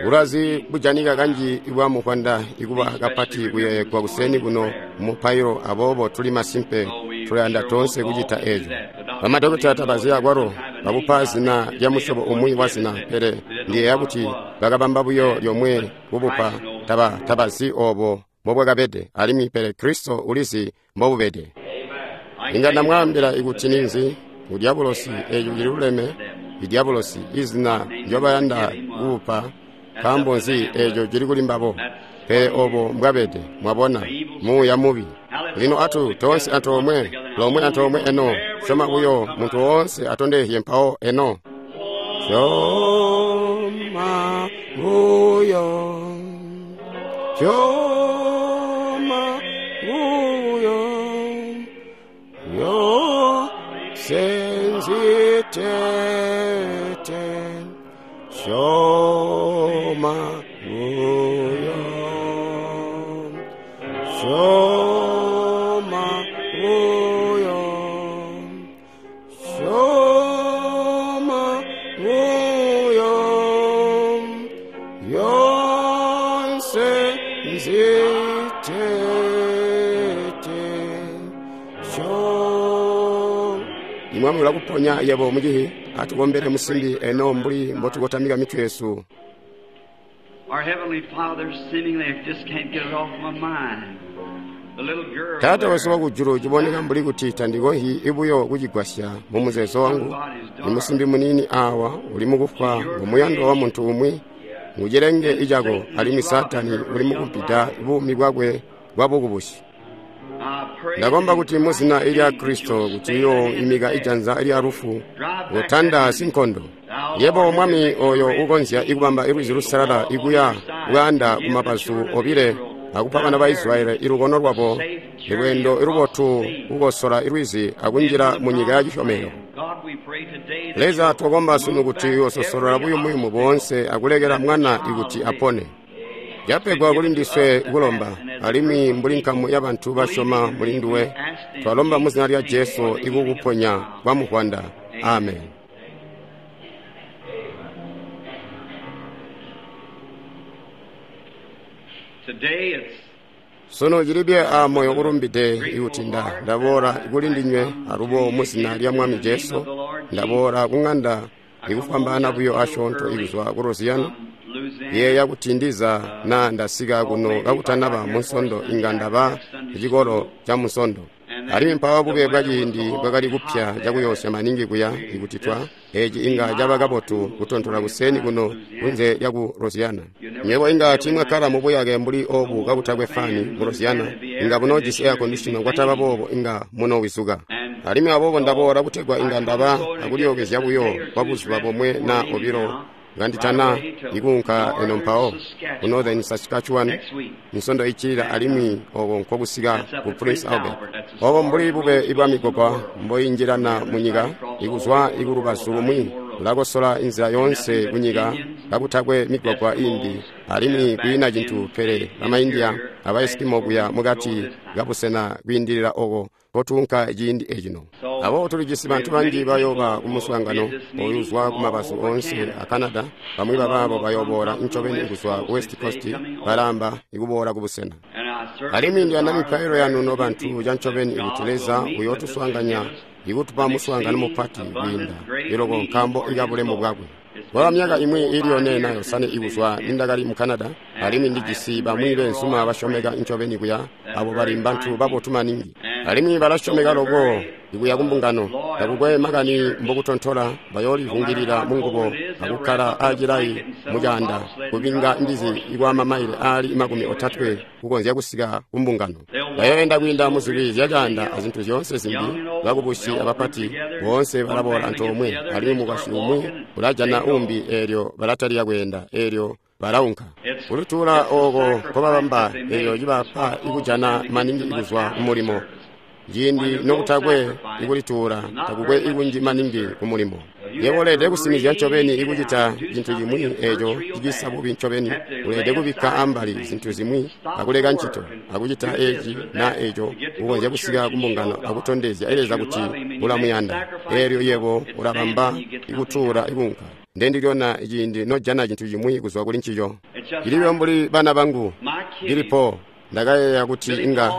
Bulwazi bujanika kanji ibwa muvwanda ikuba kapati kuyeeyegwa kuseeni kuno mumupailo, aboobo tuli masimpe tulayanda toonse kucita eco. Bamadokota tabazi akwalo babupa zina lya musyobo umwi wa zina, pele ndiyeeya kuti bakabamba buyo lyomwe kubupa, tabazi obo mbobwakabede, alimwi pele Kristo ulizi mbobubede. Inga ndamwaambila ikuti ninzi ngu dyabulosi, eco cililuleme, idyabulosi, izina ndyobayanda kubupa. Nkaambo nzi eco cili kuli mbabo? Pele obo mbwabede, mwabona, muuya mubi. Lino atu toonse antoomwe, lomwe antoomwe eno, syoma buyo, muntu woonse atondezye mpawo eno. Syoma buyo, syoma buyo, yo senzitete. Syoma buyo, syoma buyo, syoma buyo, yonse nzitete. Imwami ulakuponya yebo mucihi, atukombele musimbi eno mbuli mbotukotamika mitwe yesu. Our Heavenly Father, seemingly I just can't get it off my mind. The little girl Taata wesu there, wakujulu, ciboneka mbuli kuti tandikonzyi ibuyo kucigwasya mu muzeezo wangu. Imusimbi muniini awa uli mukufwa ngumuyandwa wa muntu umwi, ngucilenge icako, alimwi Saatani uli mukupita buumi bwakwe bwa bukubusi. I pray Ndakomba kuti in mu zina Christ's lya name Kristo you'll kuti stand uyo imika in ijanza lya lufu, Drive back kutanda that sinkondo. Thou Yebo art Mwami the oyo great ukonzya ikubamba ilwizi lusalala ikuya bwaanda kumabazu obile akupa bana ba Israeli ilukono lwabo, ilweendo ilubotu kukosola ilwizi akunjila mu nyika ya cisyomelo. God, we pray today that Leza, you'll twakomba sunu move kuti back uyososolola every buyumuyumu obstacle boonse akulekela mwana that ikuti child apone. Yapegwa kuli ndiswe kulomba, alimwi mbuli nkamu ya bantu basyoma muli nduwe, twalomba mu zina lya Jesu ikukuponya kwa muvwanda. Amen. Today it's Sono cilibye a moyo ulumbide ikuti ndaboola kuli ndinywe alubo mu zina lya Mwami Jesu, ndaboola ku ng'anda ikufwambaana buyo asyoonto ikuzwa ku Louisiana. Yeeya kuti ndiza na ndasika kuno kakutanaba munsondo inga ndaba cikolo ca munsondo. Alimwi mpawo bube bwa ciindi bwakali kupya cakuyoosya maningi kuya ikuti twa eci inga caba kabotu kutontola kuseeni kuno kunze lyaku Louisiana. Nywebo inga tiimwakkala mubuyake mbuli obu kakutakwe fani mu Louisiana, inga bunoojisi air conditioner kwataba boobo inga munowizuka. Alimwi aboobo ndaboola kutegwa inga ndaba akulyookezya buyo kwa buzuba bomwe na obilo nganditana ikuunka eno mpawo ku Northern Saskatchewan nsondo iccilila, alimwi oko nkokusika ku Prince Albert. Obo mbuli bube ibwa migwagwa mboinjilana mu nyika ikuzwa ikulubazu lumwi ulakosola inzila yoonse kunyika kakutakwe migwagwa imbi, alimwi kwiina cintu pele bamaindia aba Eskimo kuya mukati kabusena kwiindilila oko kotuunka ciindi ecino. Aboobo tulijisi bantu banji bayooba ku muswaangano oyu uzwa ku mabazu oonse a Canada. Bamwi babaabo bayooboola ncobeni kuzwa ku West Coast, balamba ikuboola ku busena. And I certainly Alimwi ndiyanda desire mipailo yanu no bantu cancobeni ikuti Leza uyootuswaanganya ikutupa muswaangano mupati kwiinda iloko nkaambo ikabulemu bwakwe. Kwaba myaka imwi ili yone na yosane ikuzwa nindakali mu Canada, alimwi ndijisi bamwi beenzuma basyomeka ncobeni kuya, abo bali mbantu babotu maningi. Alimwi balasyomeka loko ikuya kumbungano, takukwe makani mbokutontola, bayoolivungilila mungubo akukkala acilayi mucaanda kupinga mbizi ikwa mamaile aali 30 kukonzya kusika kumbungano. Bayoenda kwiinda muzilwi zyacaanda azintu zyoonse zimbi, bakubusi abapati boonse balaboola antoomwe, alimwi mukwasyi umwi ulajana umbi eelyo balatalika kweenda, eelyo balaunka. Kulituula ooko nkobabamba eelyo cibapa ikujana maningi ikuzwa kumulimo. Ciindi nokutakwe ikulituula, takukwe ikunji maningi kumulimo. Yebo uleelede kusinizya ncobeni ikucita cintu cimwi eeco cicisa bubi ncobeni. Uleelede kubikka ambali zintu zimwi akuleka ncito akucita eci na eco kukonzya kusika kumbungano akutondezya Leza kuti ulamuyanda. Eelyo yebo ulabamba ikutuula ikunka. Ndendilyona ciindi nojana cintu cimwi kuzwa kuli ncico. Cilibe mbuli bana bangu. Billy Paul, ndakayeeya kuti inga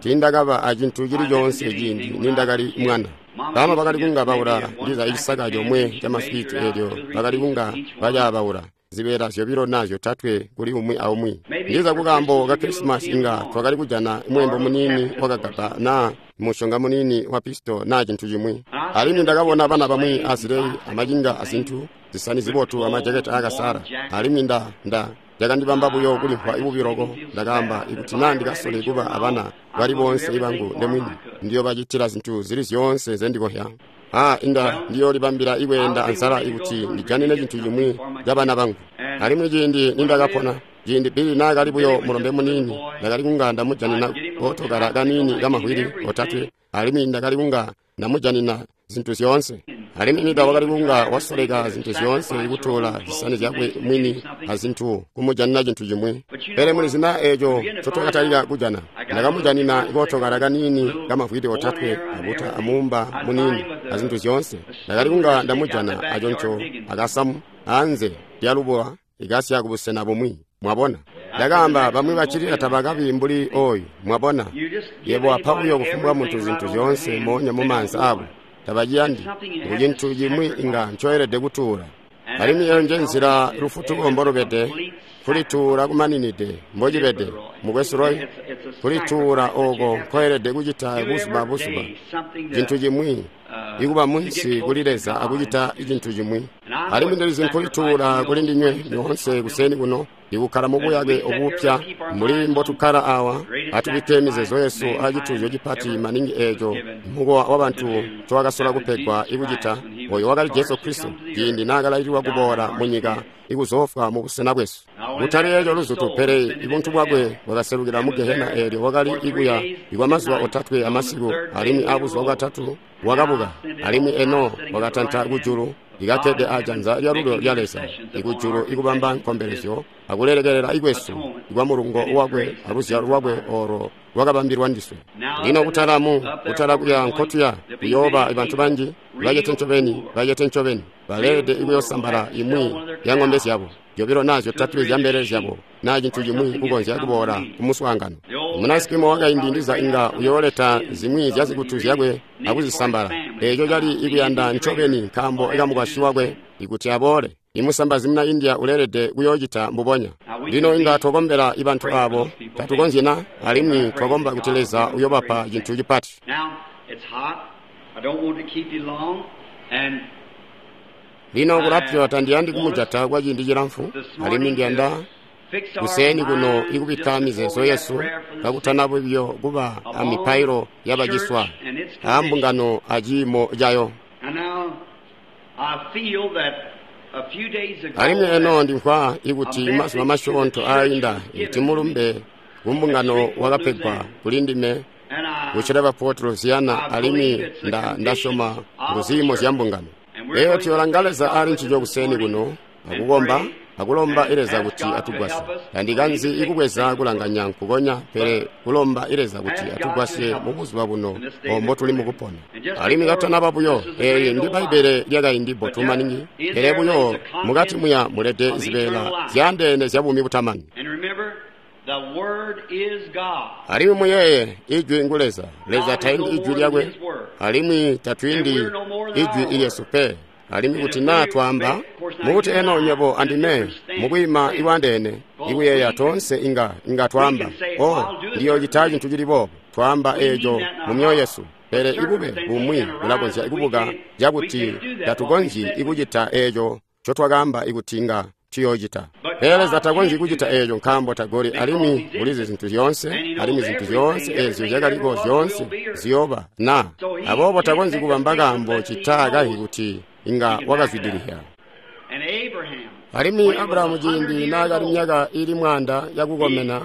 tiindakaba acintu cili coonse ciindi nindakali mwana. Bama bakali kunga baula ndiza icisaka comwe ca maswiti eelyo bakali kunga bacaabaula zibeela zyobilo naa zyotatwe kuli umwi aumwi. Ndiza kukaambo ka Krisimasi inga twakali kujana mweembo muniini wakagaba naa mushonga muniini wa pisto naa cintu cimwi. Alimwi ndakabona bana bamwi azileyi amacinga azintu zisani zibotu amajaketi aakasala. Alimwi cakandibamba buyo kulimvwa bubi loko. Ndakaamba ikuti naa ndikasole kuba abana bali boonse ibangu ndemwini, ndiyobacitila zintu zili zyoonse nzendikohya. Inga ndiyoolibambila ikweenda anzala ikuti ndijanine cintu cimwi cabana bangu. Alimwi ciindi nindakapona, ciindi Billy naakali buyo mulombe muniini, ndakali kunga ndamujanina kootokala kaniini kamavwili otatwe, alimwi ndakali kunga ndamujanina zintu zyoonse. Alimwi Nida wakali kunga wasoleka zintu zyoonse ikutola zisani zyakwe mwini azintu kumujanina cintu cimwi. Pele mulizina eeco ncotwakatalika kujana, ndakamujanina kootokala kaniini kamavwili otatwe abuta amuumba muniini azintu zyoonse. Ndakali kunga ndamujana aconco akasamu anze lyalubowa ikasya kubusena bumwi. Mwabona, ndakaamba bamwi bacilila tabakabi mbuli oyu. Mwabona, yebo apa buyo kufumbwa muntu zintu zyoonse moonya mumaanza abo. Tabaciyandi. Ngu cintu cimwi inga ncoelede kutuula. Alimwi eyo nje nzila lufutuko mbolubede, kulituula kumaninide mbocibede. Mukwesu Roy, kulituula ooko nkoelede kucita buzuba buzuba. Cintu cimwi ikuba munsi kuli Leza akucita cintu cimwi. Alimwi ndilizi nkulituula kuli ndinywe nyoonse kuseni kuno, ikukkala mubuyake obupya mbuli mbotukkala awa. Atubikke mizeezo yesu acituuzyo cipati maningi eeco mukowa wabantu ncowakasola kupegwa ikucita, oyo wakali Jesu Kristo ciindi naakalaililwa kuboola munyika ikuzoofwa mubusena bwesu. Kutali eeco luzutu, pele ibuntu bwakwe bwakaselukila mu Gehena eelyo wakali ikuya ikwa mazuba otatwe amasiku, alimwi abuzuba bwatatu wakabuka, alimwi eno wakatanta kujulu ikakkede ajanza lyalulyo lya Leza ikujulu ikubamba nkombelezyo akulelekelela ikwesu ikwa mulungo wakwe aluzyalo lwakwe olo lwakabambilwa ndiswe. Lino kutalamu kutala kuya nkotuya kuyooba bantu banji bacete ncobeni baleelede ikuyosambala imwi ya ng'ombe zyabo zyobilo naa zyotatwe zya mbelele zyabo naa cintu cimwi kukonzya kuboola kumuswaangano. Munasikimo wakaindi ndiza inga uyooleta zimwi zya zikutu zyakwe akuzisambala. Eeco cali ikuyanda ncobeni nkaambo ikamukwasyi wakwe ikuti aboole. Imusambazi muna India uleelede kuyoocita mbubonya. Lino inga twakombela ibantu aabo, tatukonzyi na, alimwi twakomba kuti Leza uyobapa cintu cipati. Lino kulapya tandiyandi kumujata kwa ciindi cilamfu, alimwi ndiyanda kuseni kuno ikubikka mizeezo yesu kakutana buyo kuba amipailo yabaciswa ambungano aciimo cayo. Alimwi eno ndimvwa ikuti mazuba masyoonto aainda ikuti mulumbe kumbungano wakapegwa kuli ndime kucila Port Louisiana, alimwi ndasyoma nguziimo zya mbungano. Eyo tuyolanga Leza ali ncico kuseni kuno akukomba akulomba Leza kuti atugwasye. Tandikanzi ikubweza kulanganya nkukonya, pele kulomba Leza kuti atugwasye mubuzuba buno ombo tuli mukupona. Alimwi katanaba buyo, eyi ndi Bbaibbele lyakaindi bbotu maningi, pele buyo mukati muya mulede zibeela zyaandeene zya buumi butamani. Alimwi muyeeye, Ijwi ngu Leza. Leza taindi Ijwi lyakwe, alimwi tatwiindi Ijwi ilyesu pe. Alimwi kuti naa twaamba mukuti eno nywebo andime mukwiima iwandeene ikuyeeya toonse inga twaamba, oh, ndiyocita cintu cili boobo. Twaamba eeco mu myoyo yesu, pele ibube bumwi bulakonzya kubuka cakuti tatukonzyi ikucita eeco ncotwakaamba ikuti inga tuyoocita. Pele Leza takonzyi kucita eeco nkaambo tagoli, alimwi ulizi zintu zyoonse, alimwi zintu zyoonse eezyo zyakaliko zyoonse ziyooba na. Aboobo takonzyi kubamba kaambo cita kahi kuti inga wakazwidilila. Alimwi Abrahamu ciindi naakali myaka ili 100 yakukomena,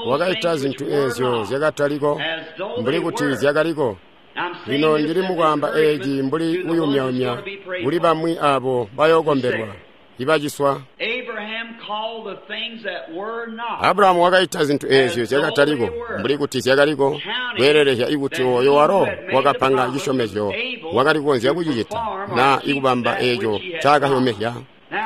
wakaita zintu eezyo zyakataliko mbuli kuti zyakaliko. Lino ndili mukwaamba eeci mbuli kuyumya-yumya kuli bamwi aabo bayookombelwa ibaciswa. Abrahamu wakaita zintu eezyo zyakataliko mbuli kuti zyakaliko, kweelelezya ikuti oyo walo wakapanga cisyomezyo wakali kukonzya kucicita naa ikubamba eeco ncaakasyomezya.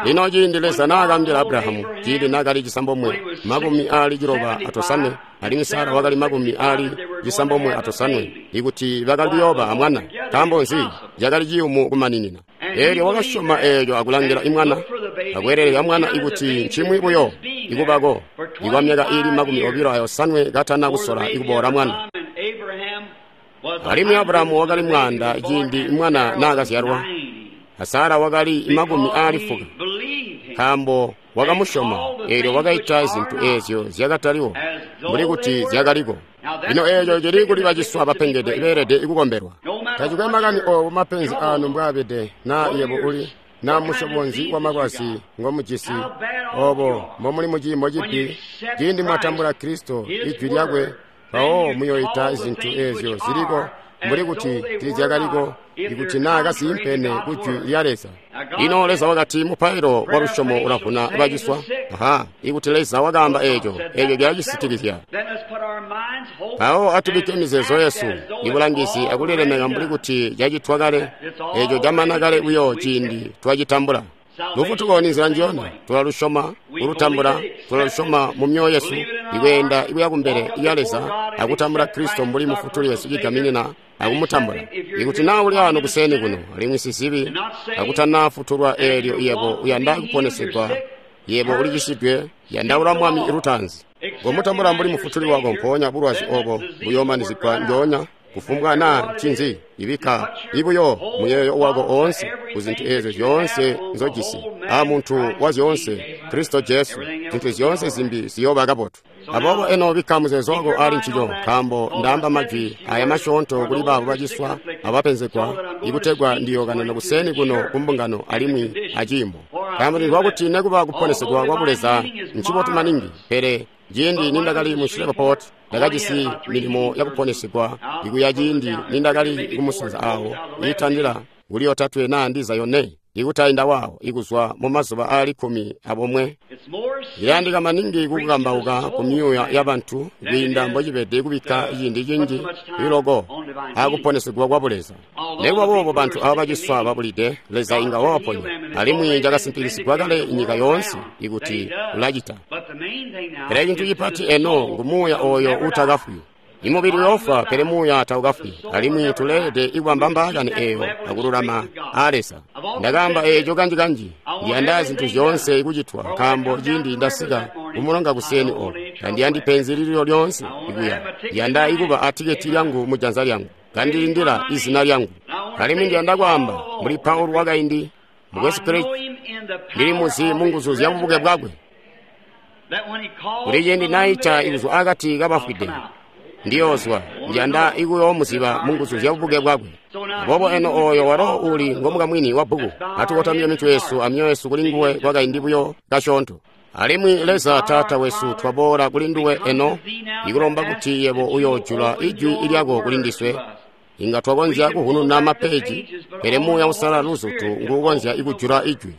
Lino ciindi Leza naakaambila Abrahamu, ciindi naakali 95 alimwi Sara wakali 95, ikuti bakali kuyooba amwana, nkaambo nzi? Cakali ciyumu kumaninina. Eelyo wakasyoma eelyo akulangila imwana, akweelelezya mwana ikuti ncimwi buyo ikubako ikwa myaka iili 25 katana kusola ikuboola mwana. Alimwi Abrahamu wakali 100 ciindi mwana naakazyalwa, a Sara wakali 90, nkaambo wakamusyoma. Eelyo wakaita zintu eezyo zyakataliwo mbuli kuti zyakaliko. Lino eeco cili kuli baciswa bapengede beelede kukombelwa. Tacikwe makani oobo mapenzi aanu mbwaabede, naa yebo uli naa musyobo nzi wamalwazi ngomujisi, oobo mbomuli muciimo cibi, ciindi mwatambula Kristo, ijwi lyakwe, mpawo muyoita zintu eezyo ziliko mbuli kuti tiizyakaliko, ikuti naa kaziimpene ku jwi lya Leza. Lino Leza wakati mupailo wa lusyomo ulavuna baciswa. Aha, ikuti Leza wakaamba eeco, eeco cilacisitikizya. Mpawo atubikke mizeezo yesu, ibulangizi akulilemeka mbuli kuti cacitwa kale, eeco camana kale buyo ciindi twacitambula. Lufutuko ni nzila njiyona, tulalusyoma, kulutambula, tulalusyoma mu myoyo yesu, ikweenda ikuya kumbele lya Leza akutambula Kristo mbuli mufutuli wesu cigaminina akumutambula. Ikuti naa uli ano kuseeni kuno alimwi sizibi akutanafutulwa, eelyo yebo uyanda kuponesegwa, yebo ulicisidwe, yandaula Mwami lutaanzi. Ngomutambula mbuli mufutuli wako, mpoonya bulwazi obo buyoomanizigwa njoonya. Kufumbwa naa ncinzi, ibikka ibuyo muyeeyo wako oonse kuzintu eezyo zyoonse nzojisi a muntu wa zyoonse, Kristo Jesu, zintu zyoonse zimbi ziyooba kabotu. Aboobo eno bikka muzeezo wako ali ncico, nkaambo ndaamba majwi aya masyoonto kuli baabo baciswa abapenzegwa, ikutegwa ndiyookanana kuseeni kuno kumbungano alimwi aciimo. Nkaambo ndimvwa kuti nekuba kuponesegwa kwa Buleza ncibotu maningi, pele ciindi nindakali mu Shreveport ndakajisi milimo yakuponesegwa ikuya ciindi nindakali kumusanza awo iitandila kuli 3 naa ndiza 4 ikutainda wawo ikuzwa mu mazuba aali 11. Ilayandika maningi kukukambauka ku myuuya yabantu kwiinda mbocibede kubikka ciindi cinji iloko akuponesegwa kwa Buleza. Nekuba boobo bantu aba baciswa babulide, Leza inga wabaponya, alimwi cakasimpikisigwa kale nyika yoonse ikuti ulacita. Pele cintu cipati eno ngu muuya oyo utakafwi. Imubili uyoofwa, pele muuya taukafwi, alimwi tuleelede ikubamba mbaakani eeyo akululama aa Leza. Ndakaamba eeco kanji-kanji, ndiyanda zintu zyoonse kucitwa, nkaambo ciindi ndasika kumulonga kuseeni oko, tandiyandi penzi lililo lyoonse ikuya. Ndiyanda ikuba atiketi lyangu mujanza lyangu, kandilindila izina lyangu. Alimwi ndiyanda kwaamba mbuli Paulo wakaindi, mukwesu Kristo, ndili muzi munguzu zya bubuke bwakwe. Kuli ciindi naita ikuzwa akati kabafwide, ndiyoozwa, ndiyanda ikuyoomuziba munguzu zya bubuke bwakwe. Aboobo eno oyo walo uli ngomukamwini wa bbuku, atukotamye mitwe yesu amyoyo yesu kuli nguwe kwakaindi buyo kasyoonto. Alimwi Leza Taata wesu, twaboola kuli nduwe eno, ikulomba kuti yebo uyoojula ijwi lyako kuli ndiswe. Inga twakonzya kuhununa mapeji, pele Muuya Uusalala luzutu nguukonzya ikujula ijwi.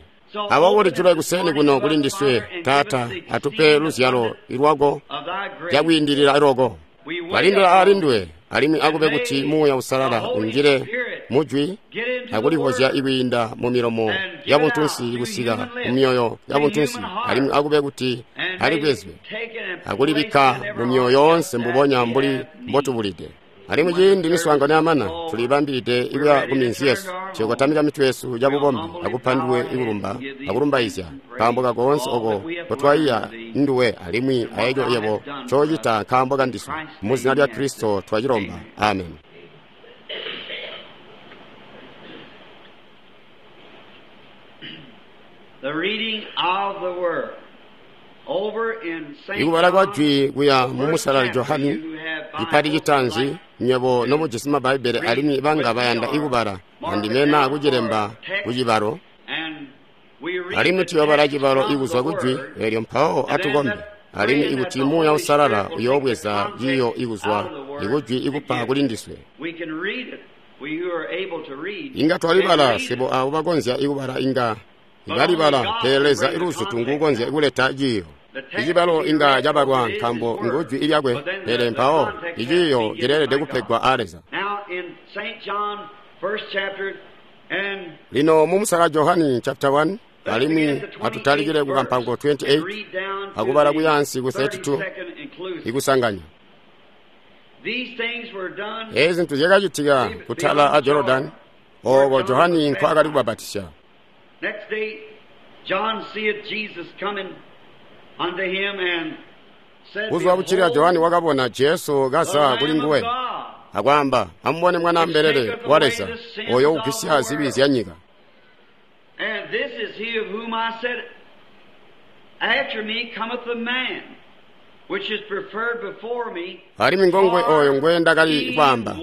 Aboobo lijula kuseeni kuno kuli ndiswe, Taata, atupe luzyalo lwako cakwiindilila loko. Balindila aali nduwe, alimwi akube kuti Muuya Uusalala unjile mujwi akulivozya ikwiinda mu milomo yabuntunsi kusika mu myoyo yabuntunsi, alimwi akube kuti alibwezwe akulibikka mu myoyo yoonse mbubonya mbuli mbotubulide. Alimwi ciindi miswaangano yamana, tulibambilide ikuya ku minzi yesu, tuyokotamika mitwe yesu cabubombe akupa nduwe ikulumba akulumbaizya nkaambo kakoonse oko kotwaiya nduwe alimwi aeco yebo ncoocita nkaambo kandiswe. Muzina lya Kristo twacilomba, amen. Ikubala kwa jwi kuya mu Musalali Johani, cipati citaanzi, nywebo nomujisi Mabbaibele alimwi banga bayanda ikubala, andime naa kucilemba kucibalo, alimwi tuyoobala cibalo ikuzwa kujwi eelyo mpawo atukombe, alimwi ikuti Muuya Uusalala uyoobweza ciiyo ikuzwa ikujwi ikupa kuli ndiswe. Inga twalibala, swebo aabo bakonzya ikubala inga Ibalibala, pele Leza iluzutu nguukonzya kuleta ciiyo. Icibalo inga cabalwa nkaambo ngu jwi lyakwe, pele mpawo iciiyo cileelede kupegwa a Leza. Lino mu Musala Johani chapter 1, alimwi atutalikile ku kampango 28 akubala kuyaansi ku 32 ikusanganya. Eezi zintu zyakacitika kutala a Jordan, ooko Johani nkwaakali kubabatisya. Buzuba buccilila Johani wakabona Jesu kaza kuli nguwe, akwaamba, "Amubone Mwana Mbelele wa Leza, ooyo ugwisya zibi zyanyika." Alimwi ngongwe ooyo ngwendakali kwaamba,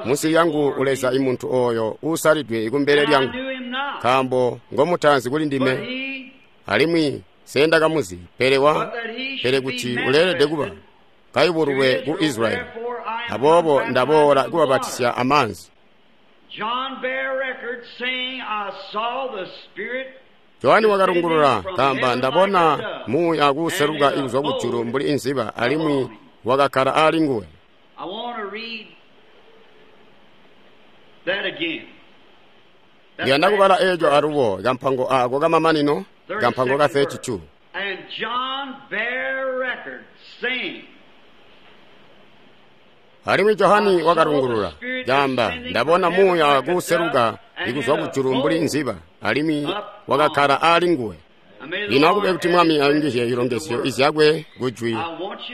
munsi lyangu uleza imuntu ooyo uusalidwe kumbele lyangu, nkaambo ngomutaanzi kuli ndime, alimwi sendakamuzi, pele pele kuti uleelede kuba kayubululwe ku Israyeli. Aboobo ndaboola kubabatisya amaanzi. Johani wakalungulula kaamba, "Ndabona muuya kuuseluka kuzwa kujulu mbuli inziba, alimwi wakakkala ali nguwe." Ndiyanda kubala eeco alubo, kampango aako kamamanino, kampango ka 32. Alimwi Johani wakalungulula kaamba, "Ndabona muuya kuuseluka ikuzwa kujulu mbuli nziba, alimwi wakakkala ali nguwe." Lino akube kuti Mwami ayungizye ilongezyo izyakwe kujwi.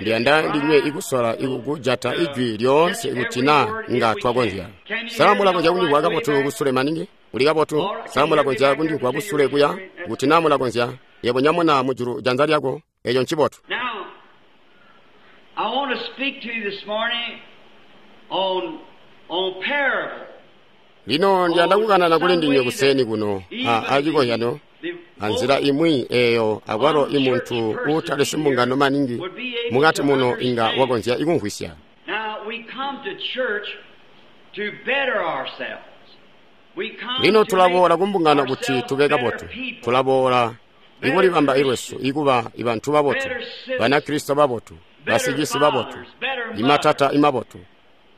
Ndiyanda ndinywe ikusola ikukujata ijwi lyoonse kuti naa nga twakonzya. Sa mulakonzya kundimvwa kabotu kusule maningi? Uli kabotu? Sa mulakonzya kundimvwa kusule kuya? Kuti naa mulakonzya, yebo nyamuna mujulu janza lyako. Eco ncibotu. I want to speak to you this morning on parable. Lino ndiyanda kukanana kuli ndinywe kuseni kuno acikozyano anzila imwi eeyo akwalo imuntu uutali simbungano maningi mukati muno inga wakonzya ikumvwisya. Lino tulaboola kumbungano kuti tube kabotu. Tulaboola ikulibamba ilwesu ikuba ibantu babotu, Banakristo babotu, basicisi babotu, imatata imabotu,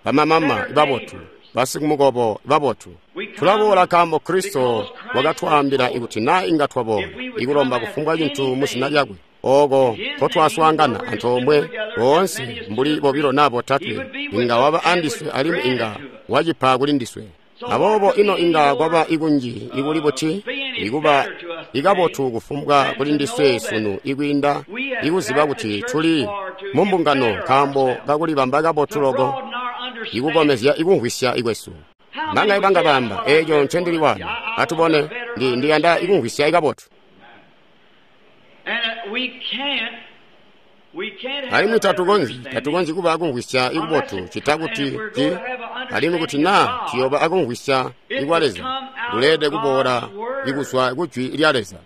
bamamama ibabotu, basikumukobo babotu. Tulaboola nkaambo Kristo wakatwaambila ikuti naa inga twaboola ikulomba kufumbwa cintu muzina lyakwe, ooko nkotwaswaangana antoomwe boonse mbuli bobilo naa botatwe, inga waba andiswe alimwi inga wacipa kuli ndiswe. Aboobo ino inga kwaba ikunji ikuli buti ikuba ikabotu kufumbwa kuli ndiswe sunu ikwiinda ikuziba kuti tuli mumbungano nkaambo kakulibamba kabotu loko, ikukomezya ikumvwisya ikwesu. Mbanga ibanga bamba eeco ncendili wano. Atubone, ndiyanda ikumvwisya ikabotu. Alimwi tatukonzyi kuba akumvwisya ikubotu cita kuti alimwi kuti naa tuyoba akumvwisya ikwa Leza, kuleelede kuboola ikuzwa kujwi lya Leza.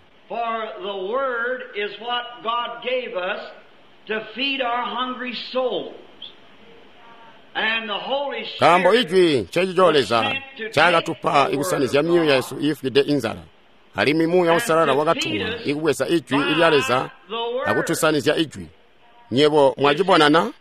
Nkaambo ijwi ncecico Leza ncaakatupa ikusanizya myoyo yesu iifwide inzala, alimwi Muuya Uusalala wakatumwa ikubweza ijwi lya Leza akutusanizya ijwi. Nyebo mwacibonana?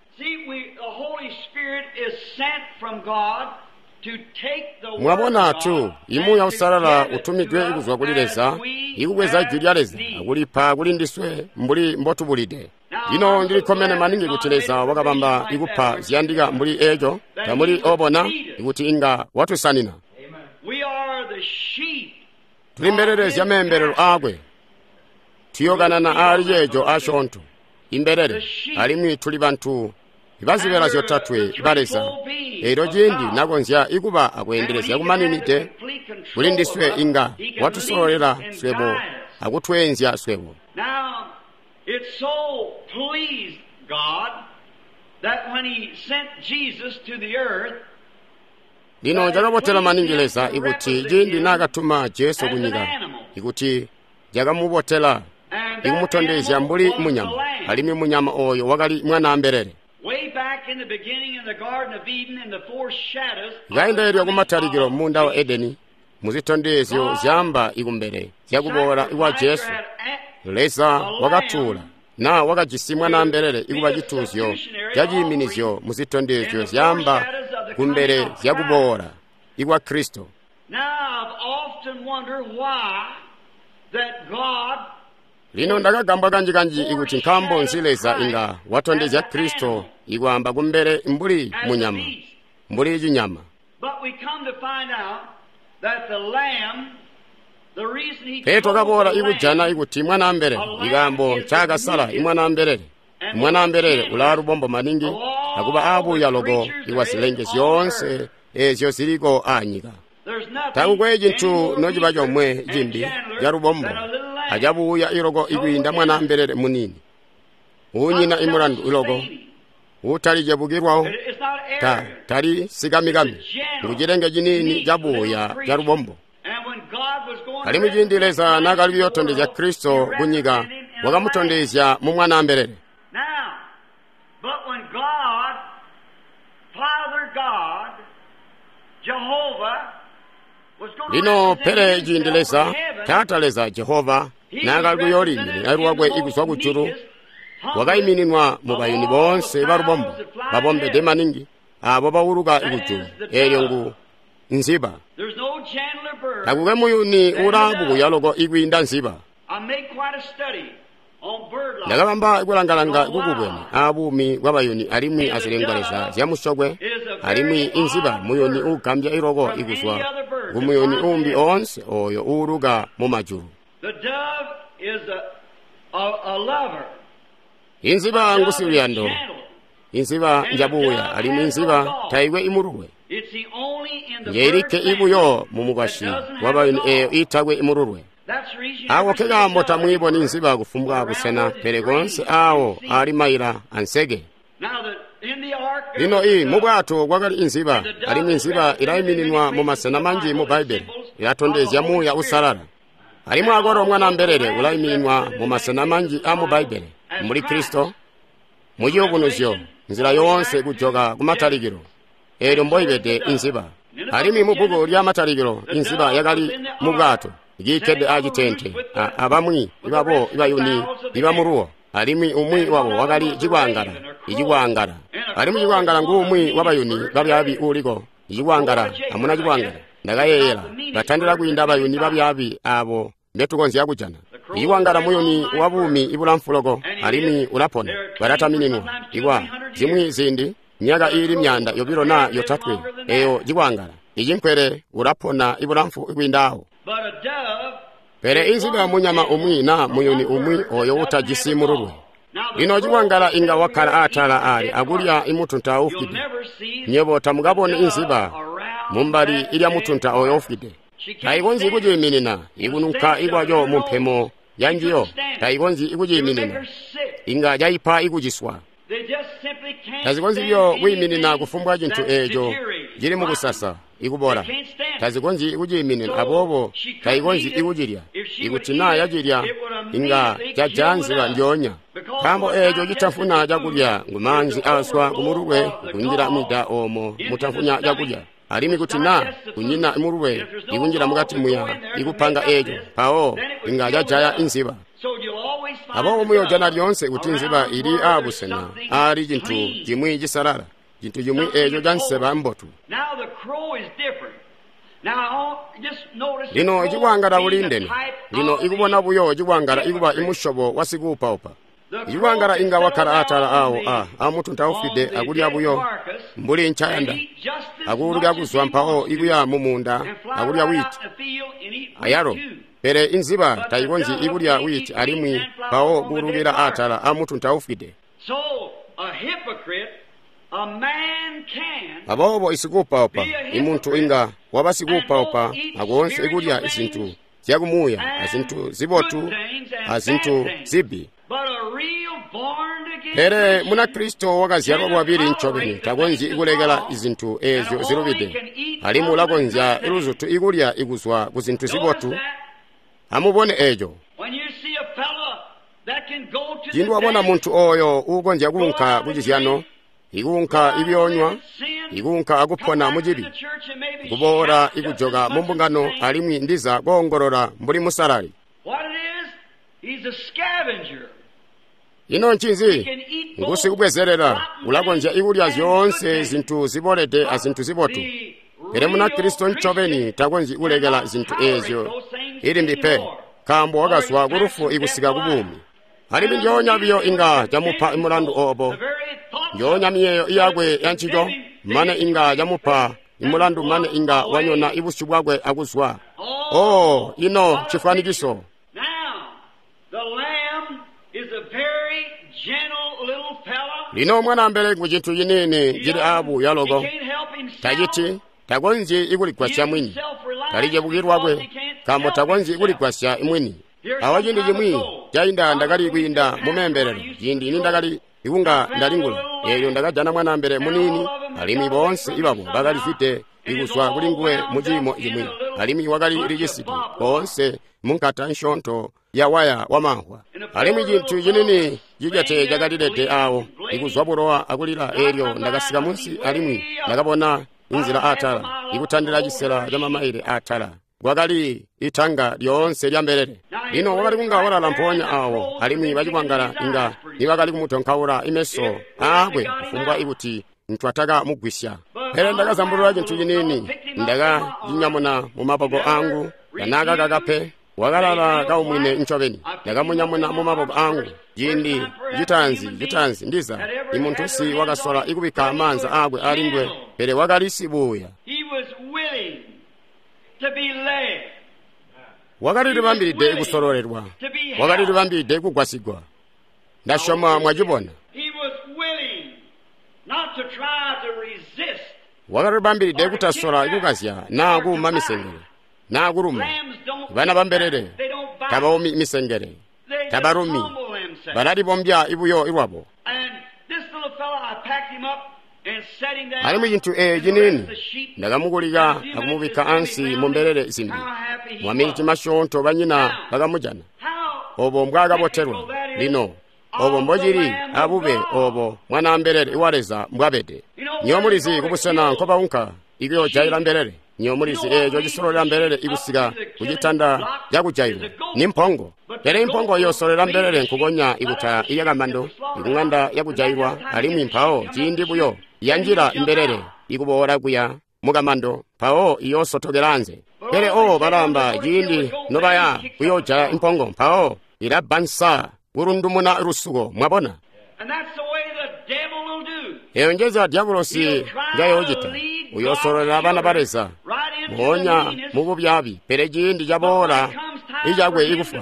Mwabona tu, imuuya Uusalala utumidwe kuzwa kuli Leza ikubweza jwi lya Leza akulipa kuli ndiswe mbuli mbotubulide. Lino ndilikkomene maningi kuti Leza wakabamba ikupa ziyandika mbuli eeco, tamuli obona ikuti inga watusanina. Tuli mbelele zya meembelelo aakwe. Tuyokanana aali ceeco asyoonto, imbelele, alimwi tuli bantu ibazibela zyotatwe ba Leza. Eelyo ciindi nakonzya ikuba akweendelezya kumaninide kuli ndiswe, inga watusololela swebo akutweenzya swebo. Lino cakabotela maningi Leza ikuti ciindi naakatuma Jesu kunyika, ikuti cakamubotela ikumutondezya mbuli munyama, alimwi munyama ooyo wakali mwana mbelele. Kainda eelyo kumatalikilo munda wa Edeni, muzitondezyo zyaamba ikumbele zyakuboola kwa Jesu. Leza wakatuula na wakajisi mwanaambelele ikuba cituuzyo caciiminizyo muzitondezyo zyaamba kumbele zyakuboola ikwa Kristo. Lino ndakagambwa kanji-kanji ikuti nkaambo nzi Leza inga watondezya Kristo ikwaamba kumbele mbuli munyama, mbuli cinyama. Pele twakaboola ikujana ikuti mwanaambelele, ikaambo ncaakasala imwanaambelele. Imwanaambelele ulaa lubombo maningi akuba aabuya loko ikwa zilenge zyoonse eezyo ziliko aanyika. Takukwe cintu nociba comwe cimbi calubombo acabuya iloko ikwiinda mwanaambelele muniini, uunyina imulandu iloko, uutali cebukilwawo, tali sikamikami, ngucilenge ciniini cabuya calubombo. Alimwi ciindi Leza naakali kuyootondezya Kristo kunyika, wakamutondezya mu mwanaambelele. Lino pele ciindi Leza, Taata Leza Jehova, naakali kuyooliiminina lwakwe ikuzwa kujulu, wakaimininwa mu bayuni boonse balubombo babombede maningi aabo bauluka ikujulu, eelyo ngu nziba. Takukwe muyuni ulaabukuya loko ikwiinda nziba. Ndakabamba kulangalanga kukubwene aabuumi bwabayuni alimwi azilengwa zyamusyokwe, alimwi inziba muyuni uugambya iloko ikuzwa kumuyuni uumbi oonse ooyo uuluka mumajulu. Inziba ngusiluyando, inziba njabuuya, alimwi inziba taikwe imululwe. Njeilikke ibuyo mumukwasyi wabayuni eeyo iitakwe imululwe. Aako nkekaambo tamwiiboni nziba kufumbwa busena, pele koonse aawo aali maila anseke. Lino mubwato kwakali inziba, alimwi nziba ilaimininwa mumasena manji mu Bbaibbele, ilatondezya Muuya Uusalala. Alimwi akwalo mwanaambelele ulaimininwa mumasena manji aamu Bbaibbele, mbuli Kristo, mu Ciyubunuzyo, nzila yoonse kujoka kumatalikilo, eelyo mboibede inziba. Alimwi mubbuku lya Matalikilo, inziba yakali mubwato, ikiikkede acitente, abamwi babo ibayuni ibamuluwo, alimwi umwi wabo wakali cikwaangala, icikwaangala. Alimwi cikwaangala nguumwi wabayuni babyaabi uuliko, icikwaangala amuna cikwaangala. Ndakayeeyela, batandila kwiinda bayuni babyaabi aabo mbetukonzya kujana. Icikwangala muyuni wabuumi ibulamfu loko, alimwi ulapona, balatamininwa ikwa zimwi ziindi myaka iili 200 naa 3, eyo cikwangala icinkwele ulapona ibulamfu kwiinda awo. Pele inziba munyama umwi naa muyuni umwi oyo utajisi mululwe. Lino cikwangala inga wakkala atala ali akulya imutunta uufwide. Nywebo tamukaboni inziba mumbali ilya mutunta oyo ufwide. Taikonzyi kuciiminina ikununka ikwaco mumpemo yanjiyo, taikonzyi kuciiminina, inga caipa ikuciswa. Tazikonzyi buyo kwiiminina kufumbwa cintu eeco cili mukusasa ikubola. Tazikonzyi kuciiminina, aboobo taikonzyi ikucilya. Ikuti naa yacilya, inga caja nziba ndyoonya. Nkaambo eeco citafuna cakulya ngumaanzi aazwa kumululwe kunjila mwida oomo mutafuna cakulya. Alimwi kuti naa kunyina mululwe ikunjila mukati muya ikupanga eeco, mpawo inga cajaya inziba. Aboobo muyoojana lyoonse kuti nziba ili aabusena aali cintu cimwi cisalala, cintu cimwi eeco canseba mbotu. Lino cikwangala buliindene. Lino ikubona buyo cikwangala ikuba imusyobo wa sikuupaupa. Icikwangala inga wakkala atala aawo amutunta ufwide akulya buyo mbuli ncayanda, akuuluka kuzwa mpawo ikuya mumuunda akulya wiiti ayalo. Pele inziba taikonzyi ikulya wiiti alimwi mpawo kuulukila atala amutunta ufwide. Aboobo isikuupaupa, imuntu inga waba sikuupaupa akoonse ikulya izintu zyakumuuya azintu zibotu azintu zibi. Pele Munakristo wakazyalwa lwabili ncobeni takonzyi kulekela izintu eezyo zilubide, alimwi ulakonzya luzutu ikulya ikuzwa kuzintu zibotu. Amubone eeco. Ciindi wabona muntu ooyo uukonzya kuunka kucizyano, ikuunka ikuyoonywa, ikuunka akupona mucibi, kuboola ikujoka mu mbungano alimwi ndiza koongolola mbuli musalali. Ino ncinzi? Ngusikubwezelela, ulakonzya ikulya zyoonse zintu zibolede azintu zibotu. Pele Munakristo ncobeni takonzyi kulekela zintu eezyo ilimbi pe, nkaambo wakazwa ku lufu ikusika ku buumi. Alimwi njoonya biyo inga camupa mulandu oobo, njoonya miyeeyo yakwe yancico, mane inga camupa mulandu mane inga wanyona ibusyu bwakwe akuzwa. Oh, ino cifwanikiso. Lino mwanaambele ku cintu ciniini cili aabuya loko, taciti takonzyi ikuligwasya mwini, talicebukilwakwe lwakwe, nkaambo takonzyi ikuligwasya mwini. Awa ciindi cimwi cainda ndakali kwiinda mumembelelo, ciindi nindakali ikunga ndalingula, eelyo ndakajana mwanaambele muniini, alimwi boonse ibabo bakalizwide ikuzwa kuli nguwe mu ciimo cimwi, alimwi wakali licisidi boonse munkata nsyoonto ya waya wamahwa. Alimwi cintu cinini cicete cakalilede awo, ikuzwa bulowa akulila. Eelyo ndakasika munsi alimwi ndakabona inzila atala, ikutandila cisela camamaile atala, kwakali itanga lyoonse lya mbelele. Lino wakali kunga walala mpoonya awo, alimwi bacikwangala inga nibakali kumutonkaula imeso aakwe kufumbwa ikuti ntwatakamugwisya. Pele ndakazambulula cintu ciniini, ndakacinyamuna mumaboko angu, tanaakakaka pe. Wakalala kaumwine ncobeni. Ndakamunyamuna mumaboko angu. Ciindi citaanzi ndiza imuntusi wakasola ikubikka maanza aakwe alinguwe, pele wakali sibuuya. Wakalilibambilide kusololelwa, wakalilibambilide kugwasigwa. Ndasyoma mwacibona. Wakalilibambilide kutasola kukazya naa kuuma misengele naa kuluma. Bana bambelele tabaumi misengele, tabalumi, balalibombya ibuyo lwabo. Alimwi cintu eeci ciniini ndakamukulika akumubikka ansi mu mbelele zimbi. Mwaminiti masyoonto banyina bakamujana. Obo mbwaakabotelwa. Lino obo mbocili abube obo mwanaambelele wa Leza mbwabede. Nywebo mulizi kubusena nkobaunka ikuyoojayila mbelele. Nywebo mulizi eeco cisololela mbelele ikusika kucitanda cakujailwa ni mpongo. Pele impongo iyoosolela mbelele nkukonya ikuta iyakamando ikuŋanda yakujailwa, alimwi mpawo ciindi buyo yanjila mbelele ikuboola kuya mukamando, mpawo iyoosotokela anze. Pele oo balaamba ciindi nobaya kuyoojaya impongo, mpawo ilabbansa kulundumuna lusuko. Mwabona? Eyo njenzila dyabulosi njayoocita. Uyoosololela bana ba Leza moonya mububyaabi, pele ciindi caboola icakwe ikufwa,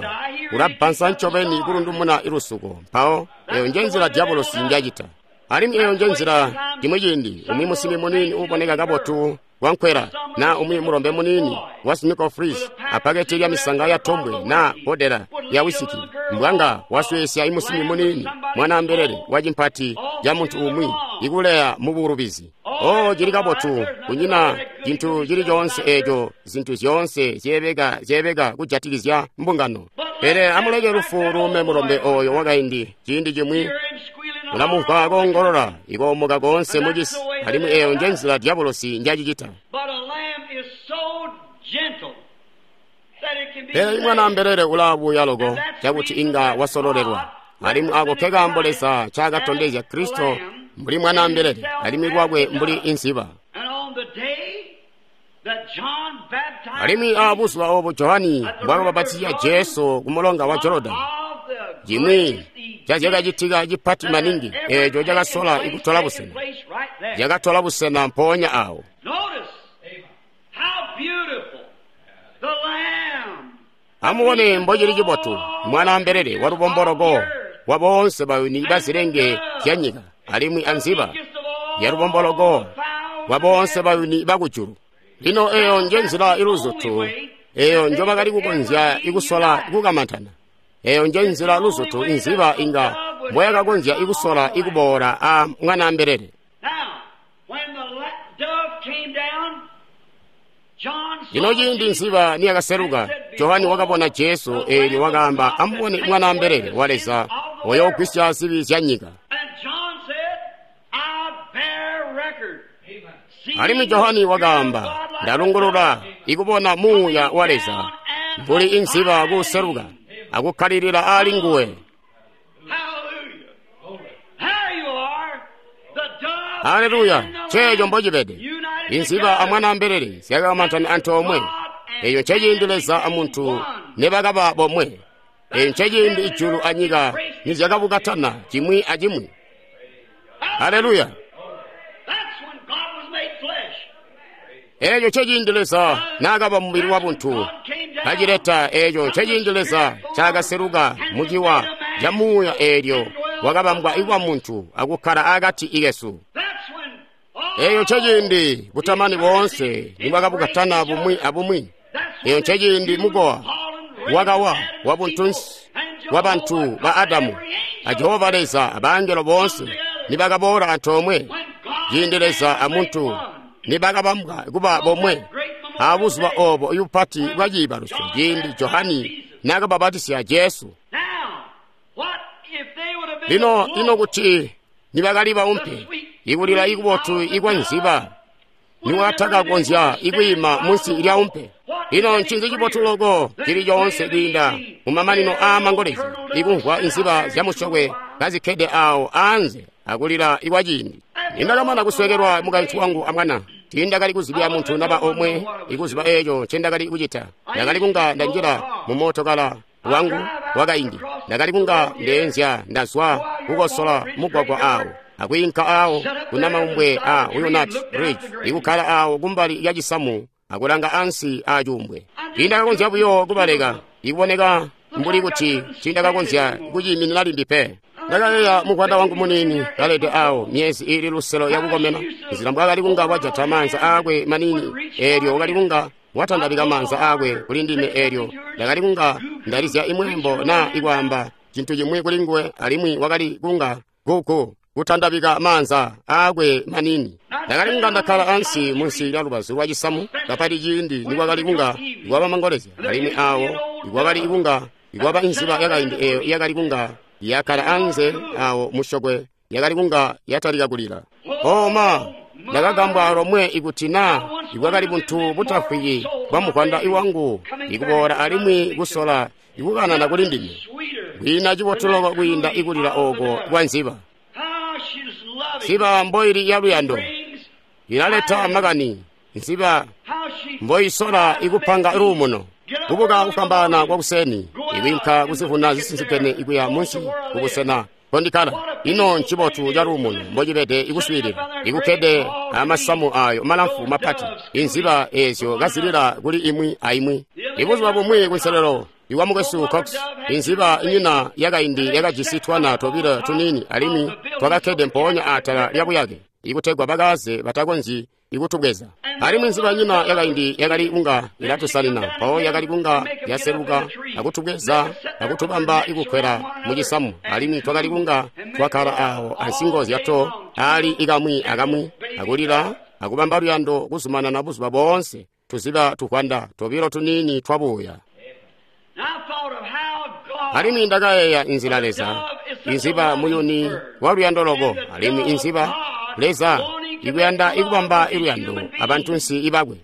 ulabbansa ncobeni kulundumuna lusuko. Mpawo eyo njenzila dyabulosi njacita. Alimwi eyo njenzila cimwi ciindi umwi musimi muniini uuboneka kabotu wankwela, na umwi mulombe muniini wa Snickle Fritz apaketi lya misanga ya tombwe na bodela ya wisiki, mbwanga wasweesya imusimi muniini mwanaambelele wa cimpati ca muntu umwi ikuleya mu bulubizi. Oh, cili kabotu, kunyina cintu cili coonse eeco, zintu zyoonse zyeebeka kujatikizya mbungano. Pele amuleke lufu luume mulombe oyo wakaindi. Ciindi cimwi ulamumvwa koongolola ikoomoka koonse mucisi, alimwi eyo njenzila dyabulosi njacicita. Pele imwanaambelele ulaabuya loko cakuti inga wasololelwa, alimwi ako nkekaambo Leza ncaakatondezya Kristo mbuli mwanaambelele alimwi lwakwe mbuli inziba. Alimwi aabuzuba oobo Johani mbwaakabapatizya Jesu kumulonga wa Jorodani, cimwi cazyakacitika cipati maningi eeco cakasola ikutola busena, cakatola busena mpoonya awo. Amubone mbocili cibotu mwanaambelele wa lubomboloko wa boonse bayuni bazilenge zyanyika, alimwi anziba ya lubomboloko wa boonse bayuni bakujulu. Lino eyo njenzila iluzutu eyo njobakali kukonzya ikusola kukamantana. Eyo njenzila luzutu inziba inga mboyakakonzya ikusola ikuboola a mwanaambelele. Lino ciindi nziba niyakaseluka, Johani wakabona Jesu, eelyo wakaamba, amubone mwanaambelele wa Leza oyoogwisya zibi zya nyika. Alimwi Johani wakaamba, ndalungulula ikubona Muuya wa Leza mbuli inziba kuseluka akukkalilila aali nguwe. Haleluya! Nceeco mbocibede. Inziba amwana ambelele zyakamantana antoomwe. Eyo nceciindi Leza amuntu nebakaba bomwe. Eyo nceciindi ijulu anyika nizyakabukatana cimwi acimwi. Haleluya! Eeco nceciindi Leza naakaba mubili wabuntu kacileta. Eeco nceciindi Leza ncaakaseluka muciwa ca Muuya eelyo wakabambwa ikuba muntu akukkala akati ikesu. Eeco nceciindi butamani boonse nibwakabukatana bumwi abumwi. Eeco nceciindi mukowa wakawa wabuntunsi wabantu ba Adamu a Jehova Leza abangelo boonse nibakaboola antoomwe. Ciindi Leza amuntu nibakabambwa kuba bomwe abuzuba oobo ibupati bwa ciibalusyo, ciindi Johani naakababatisya Jesu. Lino ino kuti nibakali baumpe, ikulila ikubotu ikwa nziba niwatakakonzya ikwiima munsi lya umpe. Ino ncinzi cibotu loko cili coonse kwiinda mumamanino aamangolezya ikumvwa inziba zyamusyokwe kazikkede awo anze akulila ikwa ciindi. Nindakamana kuswekelwa mukaintu wangu amwana, tiindakali kuzibya muntu naba omwe ikuziba eeco ncendakali kucita. Ndakali kunga ndanjila mumootokala wangu wakaindi, ndakali kunga ndeenzya ndazwa kukosola mugwagwa awo akwiinka awo kunamaumbwe a Wilnut Ridge, ikukkala awo kumbali lya cisamu akulanga ansi acuumbwe. Tiindakakonzya buyo kubaleka, ikuboneka mbuli kuti tiindakakonzya kuciiminina limbi pe. Ndakayeeya mukwanda wangu muniini kalede awo myezi iili luselo yakukomena, nzila mbwaakali kunga wajata maanza aakwe maniini eelyo wakali kunga watandabika maanza aakwe kuli ndime, eelyo ndakali kunga ndalizya imweembo naa ikwaamba cintu cimwi kuli nguwe, alimwi wakali kunga gugu kutandabika maanza aakwe maniini. Ndakali kunga ndakkala ansi munsi lya lubazu lwa cisamu kapati ciindi nikwakali kunga ikwaba mangolezya, alimwi awo ikwakali kunga ikwaba inziba yakaindi eeyo yakali kunga yakkala anze awo musyokwe yakali kunga yatalika kulila. Oma, ndakagambwa lomwe ikuti naa ibwakali buntu butafwiki bwa mukwanda iwangu ikuboola alimwi kusola ikukanana kuli ndime. Kwiina cibotu loko kwiinda ikulila ooko kwa nziba. Nziba mboili ya luyando ilaleta makani. Nziba mboisola ikupanga luumuno. Kubuka kufwambaana kwakuseni ikwiinka kuzivuna zisinzikene ikuya munsi kubusena kondikkala. Ino ncibotu ca luumuno mbocibede ikuswiilila ikukkede amasamu ayo malamfu mapati, inziba eezyo kazilila kuli imwi aimwi. Ibuzuba bumwi kunselelo iwa mukwesu Cox, inziba inyina yakaindi yakajisi twana tobilo tuniini alimwi twakakkede mpoonya atala lya buyake ikutegwa bakaze batakonzyi ikutubweza. Alimwi nziba nyina yakaindi yakali kunga ilatusanina, mpawo yakali kunga yaseluka akutubweza akutubamba ikukwela mucisamu, alimwi twakali kunga twakkala awo ansingo zyato ali ikamwi akamwi akulila akubamba luyando kuzumanana buzuba boonse tuziba tukwanda tobilo tuniini twabuya. Alimwi ndakayeeya inzila Leza inziba muyuni wa luyando loko, alimwi inziba Leza ikuyanda ikubamba iluyando abantunsi ibakwe.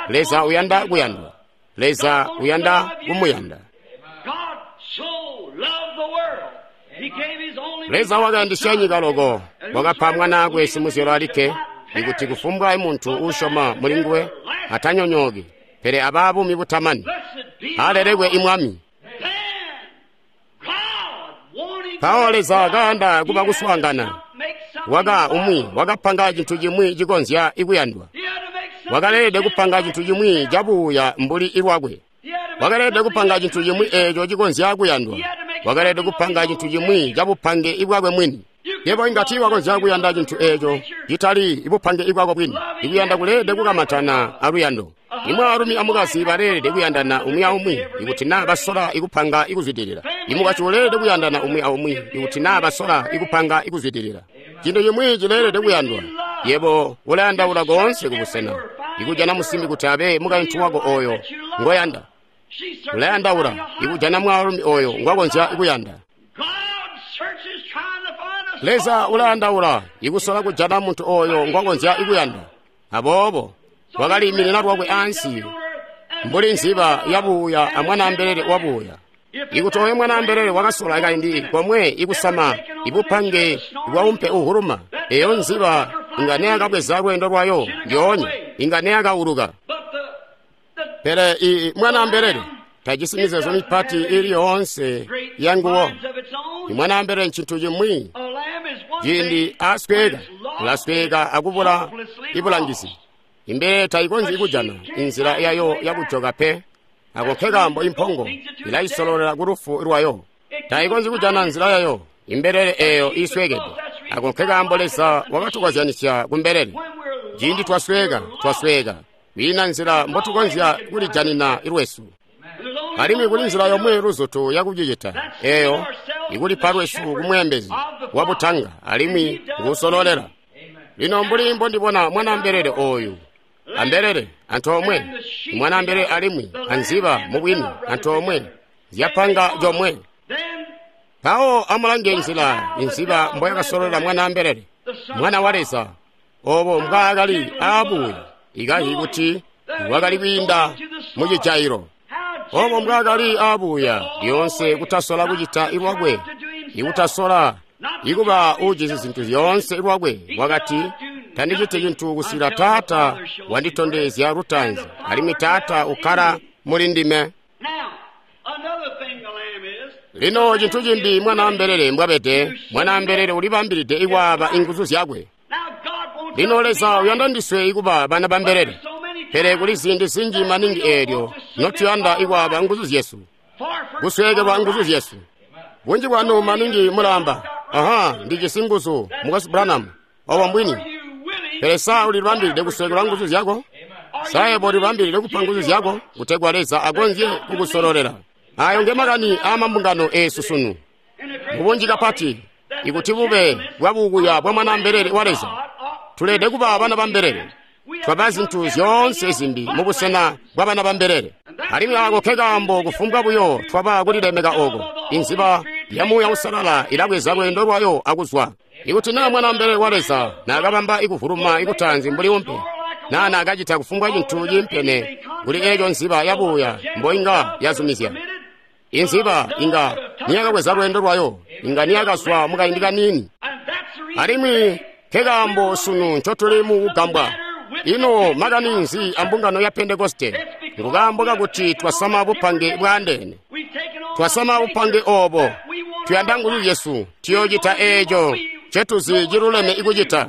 Leza uyanda kuyandwa. Leza uyanda kumuyanda. Leza wakayandisya nyika loko, wakapa mwanaakwe simuzyalo alikke, ikuti kufumbwa muntu uusyoma muli nguwe atanyonyooki, pele abaa buumi butamani. Alelekwe imwami. Mpawo Leza kayanda kuba kuswaangana, waka umwi wakapanga cintu cimwi cikonzya ikuyandwa. Wakaleelede kupanga cintu cimwi cabuuya mbuli ilwakwe. Wakaleelede kupanga cintu cimwi eeco cikonzya kuyandwa. Wakaleelede kupanga cintu cimwi cabupange ibwakwe mwini. Yebo inga tiiwakonzya kuyanda cintu eeco citali ibupange ibwako bwini. Ikuyanda kuleelede kukamantana aluyando. Imwaalumi amukazi baleelede kuyandana umwi aumwi ikuti naa basola ikupanga ikuzwidilila. Imukazi uleelede kuyandana umwi aumwi ikuti naa basola ikupanga ikuzwidilila. Cintu cimwi cileelede kuyandwa. Yebo ulayandaula koonse kubusena ikujana musimbi kuti abe mukaintu wako ooyo ngoyanda. Ulayandaula ikujana mwaalumi ooyo ngwakonzya kuyanda. Leza ulayandaula ikusola kujana muntu ooyo ngwakonzya kuyanda. Aboobo wakaliiminina lwakwe ansi mbuli nziba yabuuya amwanaambelele wabuuya. Ikuti oyo mwanaambelele wakasola kaindi komwe ikusama ibupange bwaumpe uhuluma, eyo nziba inga neyakabweza lweendo lwayo ndyoonya, inga neyakauluka. Pele i mwanaambelele tajisi mizeezo mipati ili yoonse yanguwo. Imwanaambelele ncintu cimwi ciindi asweka, ulasweka akubula ibulangizi. Imbelele tayikonzyi kujana inzila yayo yakujoka pe. Ako nkekaambo impongo ilaisololela kulufu lwayo. Tayikonzyi kujana nzila yayo imbelele eeyo iiswekede. Ako nkekaambo Leza wakatukozyanisya kumbelele. Ciindi twasweka, twasweka. Kwiina nzila mbotukonzya kulijanina lwesu. Alimwi kuli nzila yomwe luzutu yakucicita, eeyo ikulipa lwesu kumweembezi wabutanga alimwi nguusololela. Lino mbuli mbondibona mwanaambelele ooyu ambelele antoomwe, mwanaambelele alimwi anziba mubwini antoomwe zyapanga comwe. Mpawo amulange nzila inziba mboyakasololela mwanaambelele, mwana wa Leza, obo mbwaakali aabuya ikahi kuti wakali kwiinda mucijailo. Obo mbwaakali aabuya lyoonse kutasola kucita lwakwe, ikutasola ikuba uujisi zintu zyoonse lwakwe, wakati, tandiciti cintu kusila Taata wanditondezya lutaanzi, alimwi Taata ukkala muli ndime. Lino cintu cimbi mwanaambelele mbwabede, mwanaambelele ulibambilide ikwaaba inguzu zyakwe. Lino Leza uyanda ndiswe ikuba bana bambelele, pele kuli ziindi zinji maningi eelyo notuyanda ikwaaba nguzu zyesu, kusweekelwa nguzu zyesu. Bunji bwanu maningi mulamba, aha, ndijisi nguzu, Mukwesu Branham, obo mbwini. Pele sa ulibambilide kusweekelwa nguzu zyako? Sa yebo ulibambilide kupa nguzu zyako kutegwa Leza akonzye kukusololela? Ayo ngemakani aamambungano eesu sunu. Mubunji kapati, ikuti bube bwabukuya bwa mwanaambelele wa Leza, tuleede kuba bana bambelele. Twaba zintu zyoonse zimbi mubusena bwa bana bambelele. Alimwi ako nkekaambo kufumbwa buyo twaba kulilemeka oko, inziba ya Muuya Uusalala ilabweza lweendo lwayo akuzwa. Ikuti naa mwanaambelele wa Leza naakabamba ikuvuluma ikutaanzi mbuli umpe, naa naakacita kufumbwa cintu ciimpene kuli eeco nziba yabuuya mboinga yazumizya, inziba inga niyakabweza lweendo lwayo, inga niyakazwa mukaindi kaniini. Alimwi nkekaambo sunu ncotuli mu kugambwa. Ino makani nzi ambungano ya Pentekoste? Ngukaambo kakuti twasama bupange bwaandeene. Twasama bupange obo. Tuyanda nguzu zyesu, tuyoocita eeco ncetuzi ciluleme ikucita.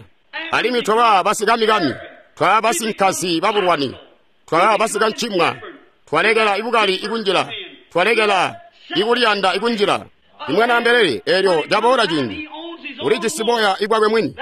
Alimwi twaba basikamikami, twaba basinkazi babulwani, twaba basikancimwa, twalekela ibukali ikunjila, twalekela ikuliyanda ikunjila. Imwanaambelele eelyo caboola ciindi, ulijisi boya ibwakwe mwini.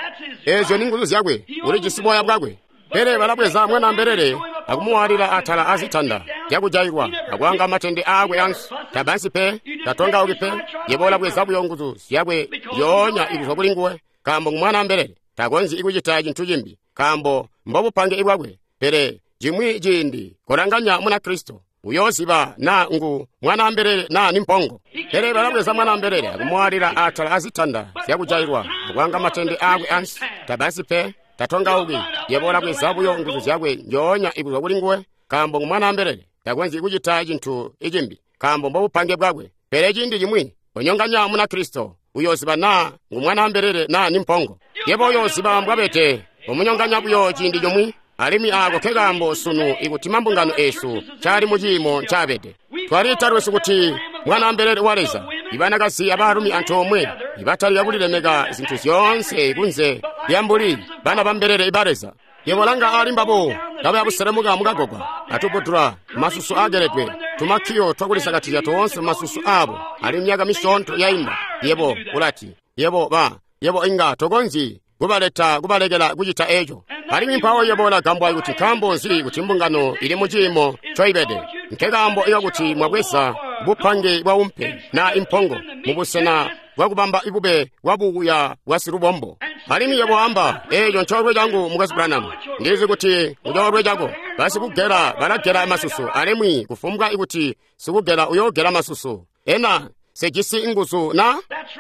Eezyo ni nguzu zyakwe, ulijisi boya bwakwe. Pele balabweza mwanaambelele akumuwaalila atala azitanda zyakujailwa akwaanga matende aakwe ansi. Tabansi pe, tatongauki pe, yebo ulabweza buyo nguzu zyakwe zyoonya ikuzwa kuli nguwe, nkaambo ngumwanaambelele takonzyi ikucita cintu cimbi, nkaambo mbobupange ibwakwe. Pele cimwi ciindi kolanganya Munakristo, uyooziba naa ngu mwanaambelele naa ni mpongo. Pele balabweza mwanaambelele akumuwaalila atala azitanda zyakujailwa akwaanga matende aakwe ansi. Tabansi pe, tatongauki, yebo ulabweza buyo nguzu zyakwe njoonya ikuzwa kuli nguwe, nkaambo ngumwanaambelele takonzyi kucita cintu icimbi, nkaambo mbobupange bwakwe. Pele ciindi cimwi onyonganya Munakristo, uyooziba naa ngumwanaambelele naa ni mpongo. Yebo uyooziba mbwabede, umunyonganya buyo ciindi comwe. Alimwi aako nkekaambo sunu ikuti mambungano eesu cali muciimo ncabede. Twaliita lwesu kuti mwanaambelele wa Leza, ibanakazi abaalumi antoomwe ibatalika kulilemeka zintu zyoonse kunze lyambuli bana bambelele ba Leza. Yebo langa ali mbabo kabaya buselemuka mukagogwa, atubudula masusu aageledwe, tumakkiyo twakulisakatizya toonse masusu aabo ali myaka misyoonto yainda. Yebo ulati, yebo ba, yebo inga tokonzyi kubaleta kubalekela kucita eco. Alimwi mpawo yebo ulagambwa kuti nkaambo nzi kuti mbungano ili muciimo ncoibede. Nkekaambo ikakuti mwabweza bupange bwa umpe naa impongo mubusena bwakubamba ibube bwabuuya bwa silubombo. Alimwi yebo amba, eeco ncoolwe cangu Mukwesu Branham. Ndizi kuti ncoolwe cako. Basikugela balagela masusu, alimwi kufumbwa ikuti sikugela uyoogela masusu. Ena sejisi nguzu na?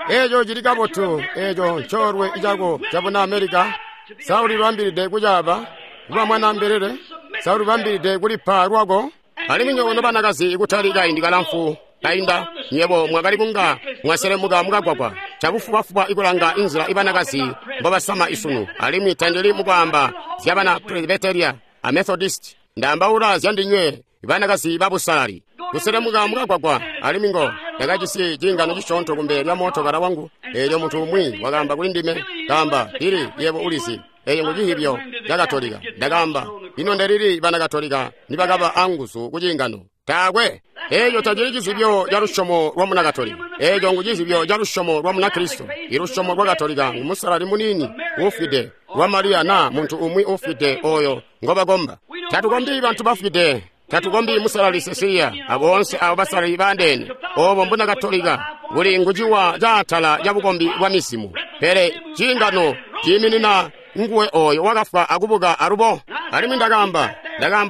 Eeco cili kabotu, eeco ncoolwe cako cabuna Amerika. Sa ulibambilide kucaaba? Kuba mwanaambelele? Sa ulibambilide kulipa lwako? Alimwi nywebo nobanakazi kutali kaindi kalamfu kainda, nywebo mwakali kunga mwaselemuka mukagwagwa cabufubafuba ikulanga inzila ibanakazi mbobasama isunu. Alimwi tandili mukwaamba zyabana Presbyteria a Methodist, ndaambaula zyandinywe banakazi babusalali. Kuselemuka mukagwagwa, alimwi ngo ndakajisi ciingano cisyoonto kumbele lya mootokala wangu. Eelyo muntu umwi wakaamba kuli ndime, kaamba, Billy, yebo ulizi, eyo ngu cihibyo ca Katolika. Ndakaamba, ino ndelili bana Katolika nibakaba anguzu ku ciingano? Taakwe. Eeco tacili cizibyo ca lusyomo lwa muna Katolika. Eeco ngu cizibyo ca lusyomo lwa muna Kristo. Ilusyomo lwa Katolika ngu musalali muniini uufwide lwa Mariya na muntu umwi uufwide oyo ngobakomba. Tatukombi bantu bafwide. Tatukombi musalali Cecilia aboonse abo basalali bandeene. Obo mbuna Katolika buli nguciwa caatala ca bukombi bwa mizimu. Pele ciingano ciiminina nguwe oyo wakafwa akubuka alubo. Alimwi ndakaamba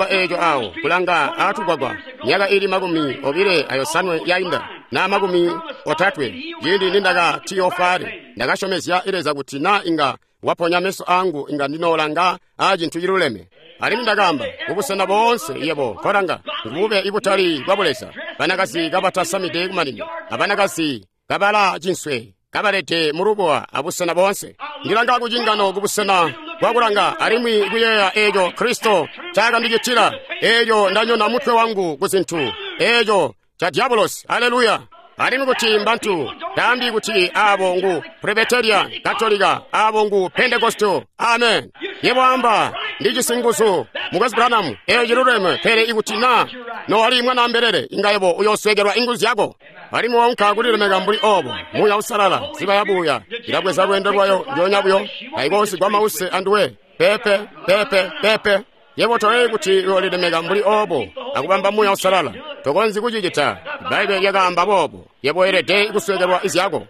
eeco awo kulanga aatugwagwa myaka ili 25 yainda na 30 ciindi nindaka tiyofale. Ndakasyomezya Leza kuti na inga waponya meso angu inga ndinoolanga aacintu ciluleme. Alimwi ndakaamba kubusena boonse yebo kolanga ngubube ibutali bwa buleza, banakazi kabatasamide kumanino, abanakazi kabala cinswe kabalete mulubowa abusena boonse. Ndilanga kucingano kubusena bwakulanga alimwi kuyeeya eeco Kristo caakandicitila. Eeco ndanyona mutwe wangu ku zintu eeco ca diabolosi. Aleluya. Alimwi kuti mbantu taambi kuti abo ngu Presbyterian, Katolika, abo ngu Pentecostal. Amen. Yebo amba ndijisi nguzu Mukwesu Branham, eeco ciluleme, pele ikuti na nowali mwanaambelele inga yebo uyoosweekelwa inguzu zyako. Alimwi waunka kulilemeka mbuli obo, Muuya Uusalala, nziba yabuya ilabweza lweendo lwayo ndyoonya buyo, taikoosigwa mause anduwe. Pepe, pepe, pepe. Yebo toyeeyi kuti uyoolilemeka mbuli obo akubamba Muuya Uusalala. Tokonzyi kucicita. Bbaibbele lyakaamba boobo. Yebo weelede kusweekelwa izyako.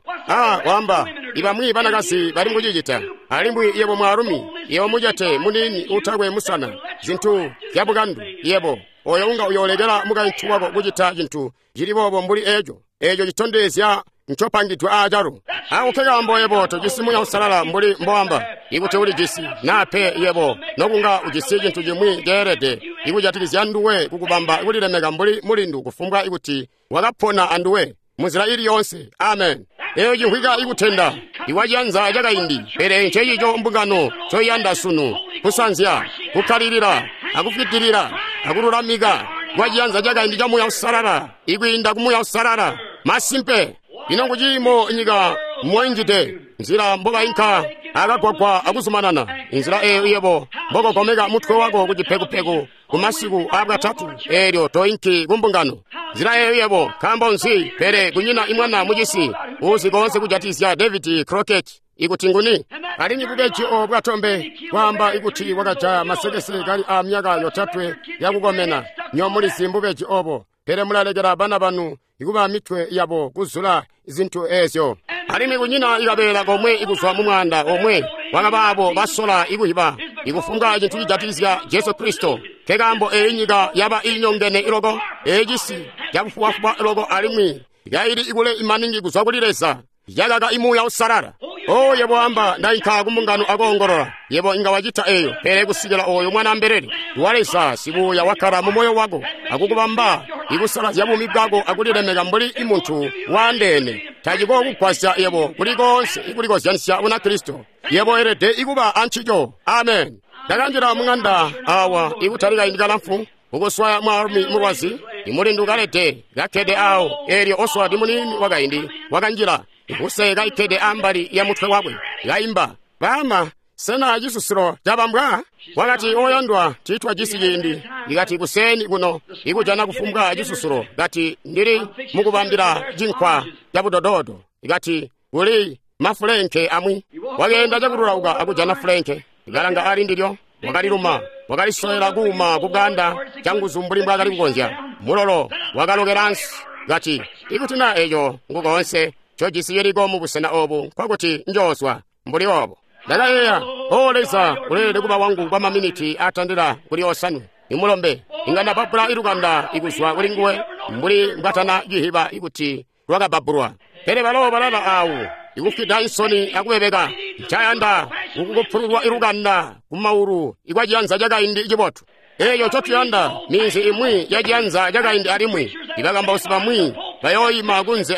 Waamba ibamwi banakazi bali mukucicita. Alimwi yebo mwaalumi, yebo mucete muniini utakwe musana, zintu zyabukandu, yebo oyo unga uyoolekela mukaintu wako kucita cintu cili boobo mbuli eeco. Eeco citondezya ncopangidwe aacalo. Ako nkekaambo yebo tojisi Muuya Uusalala mbuli mboamba ikuti ulijisi, naa pe yebo nokunga ujisi cintu cimwi ceelede ikujatikizya nduwe kukubamba kulilemeka mbuli mulindu kufumbwa ikuti wakapona anduwe munzila ili yoonse. Amen. Eeyo cimvwika ikutenda iwaciyanza cakaindi, pele ncecico mbungano ncoiyanda sunu: kusanzya, kukkalilila, akufwidilila, akululamika kwaciyanza cakaindi ca Muuya Uusalala ikwiinda ku Muuya Uusalala. Masimpe. Ino nguciimo nyika moinjide, nzila mbobainka akagwagwa akuzumanana, inzila eeyo yebo mbokogomeka mutwe wako kucipekupeku kumasiku aabwatatu, eelyo toinki kumbungano. Nzila eeyo yebo nkaambo nzi? Pele kunyina imwana mucisi uuzi koonse kujatikizya David Crockett ikuti nguni. Alimwi bubeji obo bwatombe kwaamba ikuti wakajaya masekese kali a myaka 3 yakukomena. Nyo mulizi mbubeji obo, pele mulalekela bana banu ikuba mitwe yabo kuzula zintu eezyo. Alimwi kunyina ikabeela komwe ikuzwa mu mwaanda omwe wakabaabo basola ikuhiba ikufumbwa cintu cijatikizya Jesu Kristo. Nkekaambo eeyi nyika yaba iinyongene iloko, eeyi cisi cabufubafuba iloko, alimwi yaili ikule imaningi kuzwa kuli Leza, yakaka imuuya Uusalala. O yebo amba ndainka kumbungano akoongolola. Yebo inga wacita eeyo, pele kusikila oyo mwanaambelele wa Leza sibuya wakkala mu moyo wako akukubamba ikusalazya buumi bwako akulilemeka mbuli imuntu waandeene, tacikookugwasya yebo kuli koonse ikulikozyanisya Bunakristo. Yebo weelede ikuba ancico. Amen. Ndakanjila muŋanda awa ikutali kaindi kalamfu ukuswaya mwaalumi mulwazi, imulindu kalede kakkede awo. Eelyo Oswald muniini wakaindi wakanjila ikuse kaikkede ambali ya mutwe wakwe, kaimba, "Baama, sena cisusilo cabambwa?" Wakati, "Oyandwa, tiitwajisi ciindi." Ikati, "Kuseeni kuno ikujana kufumbwa cisusulo." Kati, "Ndili mukubambila cinkwa cabudododo." Ikati, "Kuli mafulenke amwi." Wakeenda cakululauka akujana fulenke, ikalanga ali ndilyo, wakaliluma, wakalisoyela kuuma kuganda canguzu mbuli mbwaakali kukonzya. Mulolo wakalokela ansi. Kati, "Ikuti na eeco ngukoonse ncojisi ciliko mubusena obu, nkwakuti njoozwa mbuli obo." Ndakayeeya, "O Leza, uleelede kuba wangu kwa maminiti atandila kuli 5. Imulombe inga ndababbula ilukanda ikuzwa kuli nguwe mbuli mbwatana cihiba ikuti lwakababbulwa. Pele balo balala awo ikufwida insoni akubebeka. Ncayanda kukukupululwa ilukanda kumaulu ikwaciyanza cakaindi cibotu. Eeyo ncotuyanda minzi imwi yaciyanza cakaindi alimwi ibakambausi bamwi bayooyima kunze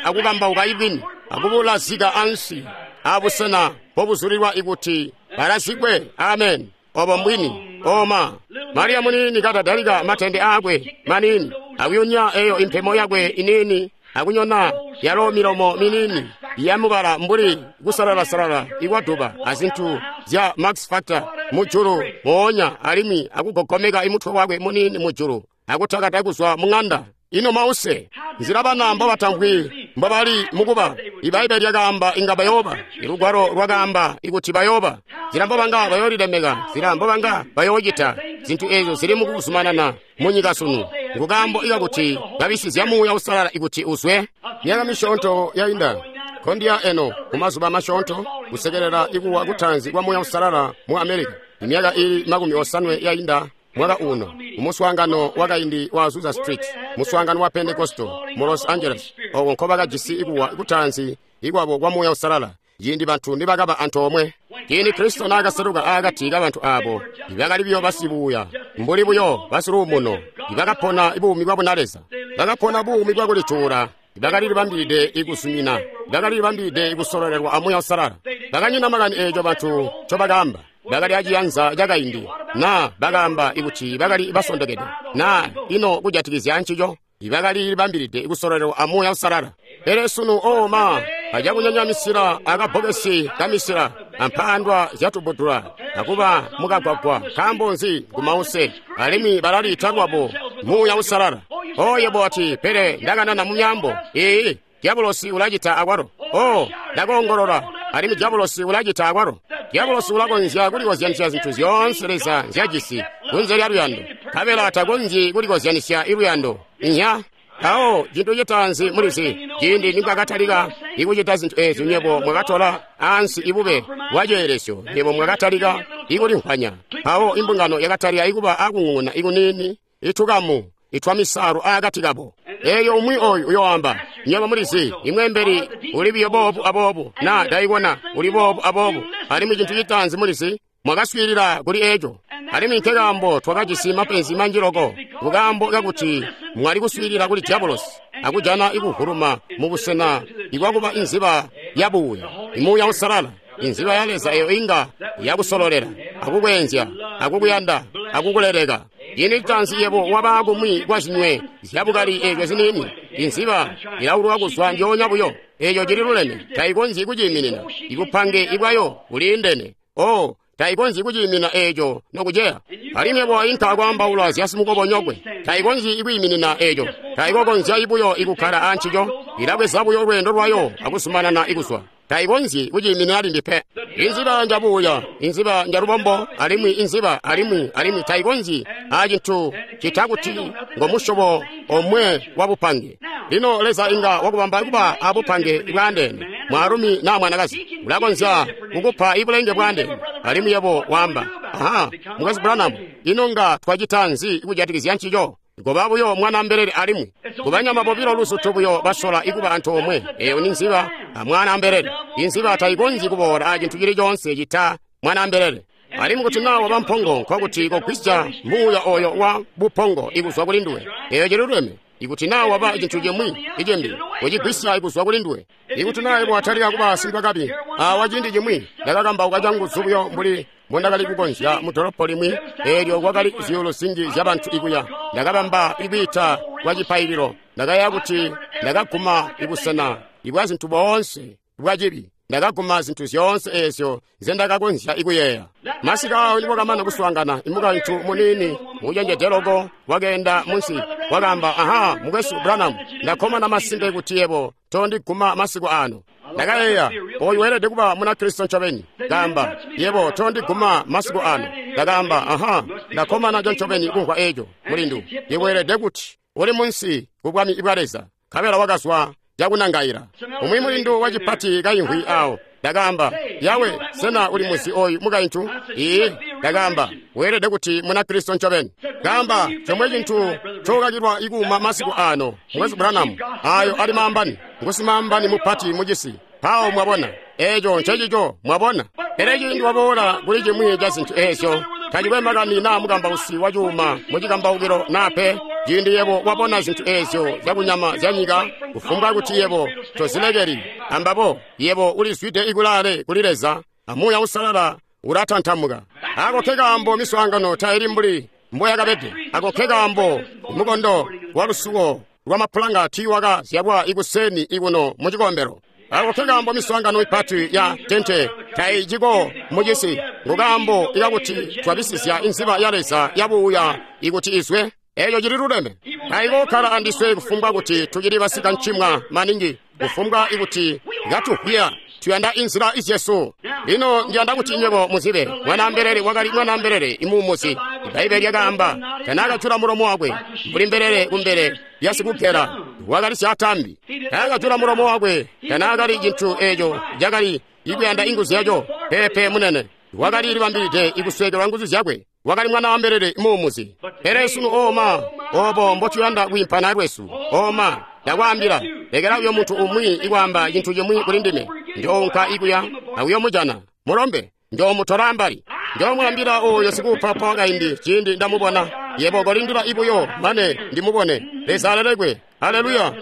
akukambauka ibwini akubulazika ansi abusena mpobuzulilwa ikuti balazikwe. Amen. Obo mbwini. Oma Mariya muniini katadalika matende aakwe maniini akuyunya eyo impemo yakwe iniini akunyona yalo milomo miniini yamubala mbuli kusalala-salala ikwaduba azintu zya Max Factor mujulu moonya alimwi akugogomeka imutwe wakwe muniini mujulu akutakata kuzwa mung'anda. Ino mause nzila bana mbobatamvwi mbobali mukuba. Ibaibbele lyakaamba inga bayooba, ilugwalo lwakaamba ikuti bayooba. Nzila mbobanga bayoolilemeka, nzila mbobanga bayoocita zintu eezo zili mukuzumanana munyika sunu nkukaambo ikakuti babisizya Muuya Uusalala ikuti uzwe. Myaka misyoonto yainda kondiya eno kumazuba masyoonto kusekelela ikuwa kutaanzi kwa Muuya Uusalala mu Amerika. Imyaka ili 80 yainda mwaka uno umuswaangano wakaindi wa Azusa Street, muswaangano wa Pentecostal mu Los Angeles, oko nkobakajisi ikuwa kutaanzi ikwabo kwa Muuya Uusalala ciindi bantu nibakaba antoomwe. Ciindi Kristo naakaseluka aakati kabantu aabo ibakali buyo basibuuya mbuli buyo basiluumuno, ibakapona buumi bwa bunaleza, bakapona buumi bwakulituula, bakalilibambilide ikuzumina, bakalilibambilide ikusololelwa a Muuya Uusalala. Bakanyina makani eeco bantu ncobakaamba. Bakali aciyanza cakaindi, naa bakaamba ikuti bakali basondokede, naa ino kujatikizya ncico, bakali libambilide kusololelwa a Muuya Uusalala. Pele sunu oma acakunyanya misila akabbokesi kamisila ampandwa zyatubudula akuba mukagwagwa. Nkaambo nzi? Ngumause alimwi balaliita lwabo Muuya Uusalala. O yebo ati, pele ndakanana mu myaambo. Ee, diabolosi ulacita akwalo. O, ndakoongolola alimwi diabolosi ulacita akwalo. Diabolosi ulakonzya kulikozyanisya zintu zyoonse Leza nzyajisi kunze lya luyando, nkabela takonzyi kulikozyanisya iluyando. Inya mpawo cintu citaanzi mulizi, ciindi nimwakatalika ikucita zintu eezi, nywebo mwakatola ansi ibube bwaceelesyo, nywebo mwakatalika ikulimvwanya. Mpawo imbungano yakatalika ikuba akung'ung'una ikuniini itukamu itwa misaalu aakati kabo. Eeyo umwi oyu uyoamba, nywebo mulizi, imwembeli uli biyo boobu aboobu, naa daikona uli boobu aboobu. Alimwi cintu citaanzi mulizi, mwakaswiilila kuli eeco. Alimwi nkekaambo twakajisi mapenzi manji loko, kukaambo kakuti mwali kuswiilila kuli diabolosi akujana ikuvuluma mubusena ikwakuba inziba yabuuya, Muuya Uusalala, inziba ya Leza eyo inga yakusololela akukweenzya akukuyanda akukuleleka. Ciindi citaanzi yebo waba kumwi kwa zinywe zyabukali eezyo ziniini, inziba ilauluka kuzwa njoonya buyo. Eeco cili luleme, taikonzyi kuciiminina. Ibupange ibwayo buliindene. O, taikonzyi kuciiminina eeco nokuceya. Alimwi yebo inka kwaambaula zya simukobonyokwe, taikonzyi ikwiiminina eeco, taikokonzya ibuyo ikukkala aancico. Ilabweza buyo lweendo lwayo akuzumanana ikuzwa. Taikonzyi kuciiminina limbi pe. Inziba njabuuya, inziba njalubombo, alimwi inziba alimwi taikonzyi acintu cita kuti ngomusyobo omwe wabupange. Lino Leza inga wakubamba kuba abupange bwaandeene, mwaalumi naa mwanakazi, ulakonzya kukupa ibulenge bwaandeene. Alimwi yebo waamba, aha, Mukwesu Branham, ino nga twacita nzi kujatikizya ncico? Ngoba buyo mwana mbelele alimwi kubanyama bobilo luzutu buyo basola ikuba antoomwe. Eyo ni nziba amwana mbelele. Inziba taikonzyi kuboola acintu cili coonse cita mwana mbelele. Alimwi kuti naa waba mpongo, nkokuti kogwisya muuya oyo wa bupongo ikuzwa kuli nduwe. Eyo cililuleme. Ikuti naa waba cintu cimwi icimbi, kucigwisya ikuzwa kuli nduwe. Ikuti naa yebo watalika kuba sindwakabi, awa ciindi cimwi ndakakambauka canguzu buyo mbuli mbondakali kukonzya mu dolopo limwi, eelyo kwakali zyuulu zinji zyabantu ikuya. Ndakabamba ikwiita kwa cipaililo. Ndakayeeya kuti ndakaguma ibusena ibwa zintu boonse bwacibi. Ndakaguma zintu zyoonse eezyo nzendakakonzya ikuyeeya. Masika awo nibokamana kuswaangana, imukaintu muniini mucenjede loko wakeenda munsi, wakaamba, aha, Mukwesu Branham, ndakkomana masimpe kuti yebo tondiguma masiku ano. Ndakayeeya, oyu weelede kuba Munakristo ncobeni. Kaamba, yebo tondiguma masiku ano. Ndakaamba, aha, ndakkomana ncobeni kumvwa eeco, mulindu. Yebo weelede kuti uli munsi kubwami bwa Leza. Nkabela wakazwa cakunangaila. Umwi mulindu wacipati kaimvwi awo. Ndakaamba, yawe, sena uli muzi oyu mukaintu? Iye, ndakaamba, weelede kuti Munakristo ncobeni. Kaamba, chomwe cintu cokakilwa ikuuma masiku ano, Mukwesu Branham, ayo ali maambani, ngusimaambani mupati mucisi. Mpawo mwabona, Eeco ncecico, mwabona. Pele ciindi waboola kuli cimwi ca zintu eezyo, tacikwe makani naa mukambausi wa cuuma mucikambaukilo naa pe, ciindi yebo wabona zintu eezyo zyakunyama zyanyika, kufumbwa kuti yebo tozilekeli ambabo, yebo ulizwide ikulaale kuli Leza, amuuya usalala ulatantamuka. Ako kekaambo miswaangano taili mbuli mboyakabede. Ako kekaambo mukondo wa lusuko lwamapulanga tiiwaka zyalwa ikuseni ikuno mucikombelo. Ako kekaambo miswaangano mipati ya tente taiciko mucisi. Ngukaambo ikakuti twabisizya inziba ya Leza yabuuya ikuti izwe. Eeco cili luleme. Taikokkala andiswe kufumbwa kuti tucili basikancimwa maningi, kufumbwa ikuti katuhwiya. Tuyanda inzila izyesu. Lino ndiyanda kuti nywebo muzibe, mwanaambelele wakali mwanaambelele imuumuzi. Ibbaibbele lyakaamba, tanaakajula mulomo wakwe mbuli mbelele kumbele lya sikugela, wakali syaatambi. Taakajula mulomo wakwe, tanaakali cintu eeco cakali ikuyanda inguzu yaco. Peepe munene, wakali libambilide ikusweekelwa nguzu zyakwe. Wakali mwanaambelele muumuzi. Pele sunu ooma, obo mbotuyanda kwiimpana lwesu. Ooma, ndakwaambila, lekela uyo muntu umwi ikwaamba cintu cimwi kuli ndime. Njoonka ikuya akuyomujana mulombe, njoomutola ambali. Njoomwaambila oyo sikuupapa wakaindi ciindi ndamubona. Yebo kolindila ibuyo mane ndimubone. Leza alelekwe. Haleluya.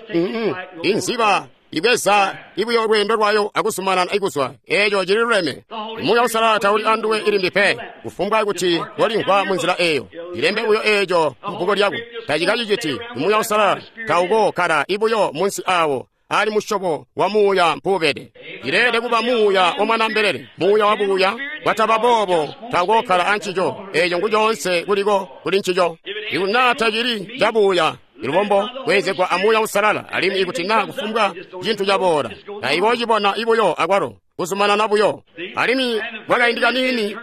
Inziba ibweza ibuyo lweendo lwayo akuzumanana ikuzwa. Eeco cili luleme. Muuya Usalala tauli anduwe ilimbi pe, kufumbwa kuti walimvwa munzila eeyo. Ilembe buyo eeco mubbuku lyako. Tacikaciciti. Muuya Usalala taukokkala ibuyo munsi awo ali musyobo wa muuya mpuubede. Ileelede kuba muuya wa mwanaambelele, muuya wa buuya. Bwataba boobo taukokkala ancico. Eeco ngucoonse kuliko kuli ncico. Ikuti naa tacili cabuuya, ilubombo kweezegwa amuuya usalala, alimwi ikuti naa kufumbwa cintu caboola, taikoocibona ibuyo akwalo, kuzumanana buyo. Alimwi kwakaindi kaniini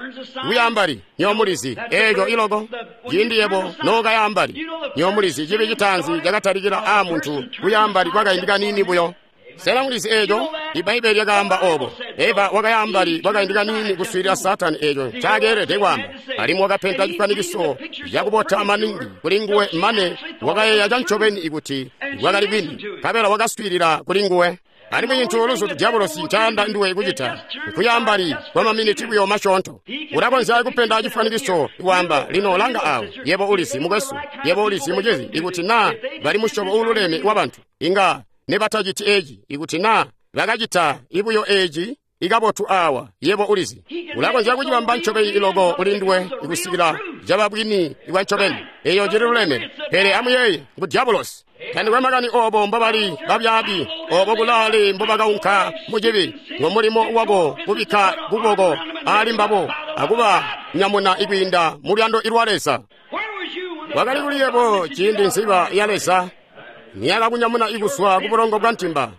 kuyaambali, nyomulizi eeco iloko. Ciindi yebo nookayaambali, nyomulizi cibi citaanzi cakatalikila aamuntu kuyaambali kwakaindi kaniini buyo. Sena mulizi eeco? Ibbaibbele lyakaamba obo. Eva wakayaambali kwakaindi kaniini kuswiilila Saatani eeco ncakeelede kwaamba, alimwi wakapenta cifwanikiso cakubota maningi kuli nguwe mane wakayeeya cancobeni ikuti bwakali bwini, nkabela wakaswiilila kuli nguwe. Alimwi cintu luzutu diabolosi ncayanda nduwe kucita nkuyaambali kwa maminiti buyo masyoonto. Ulakonzya kupenda cifwanikiso kwaamba, lino langa awo, yebo ulizi mukwesu, yebo ulizi mucizi, ikuti naa bali musyobo uululeme wa bantu, inga nebataciti eeci. Ikuti naa bakacita ibuyo eeci ikabotu awa, yebo ulizi. Ulakonzya kucibamba ncobeni iloko kuli nduwe ikusikila caba bwini ibwa ncobeni. Eeyo cili luleme. Pele amuyeeye ngu diabolosi. Tandikwe makani obo mbobali babyaabi, obo kulaale mbobakaunka mucibi, ngomulimo wako kubikka kuboko aali mbabo akuba nyamuna ikwiinda mu luyando ilwa Leza. Wakali kuli yebo ciindi nziba ya Leza niyakakunyamuna ikuswa kubulongo bwa ntimba.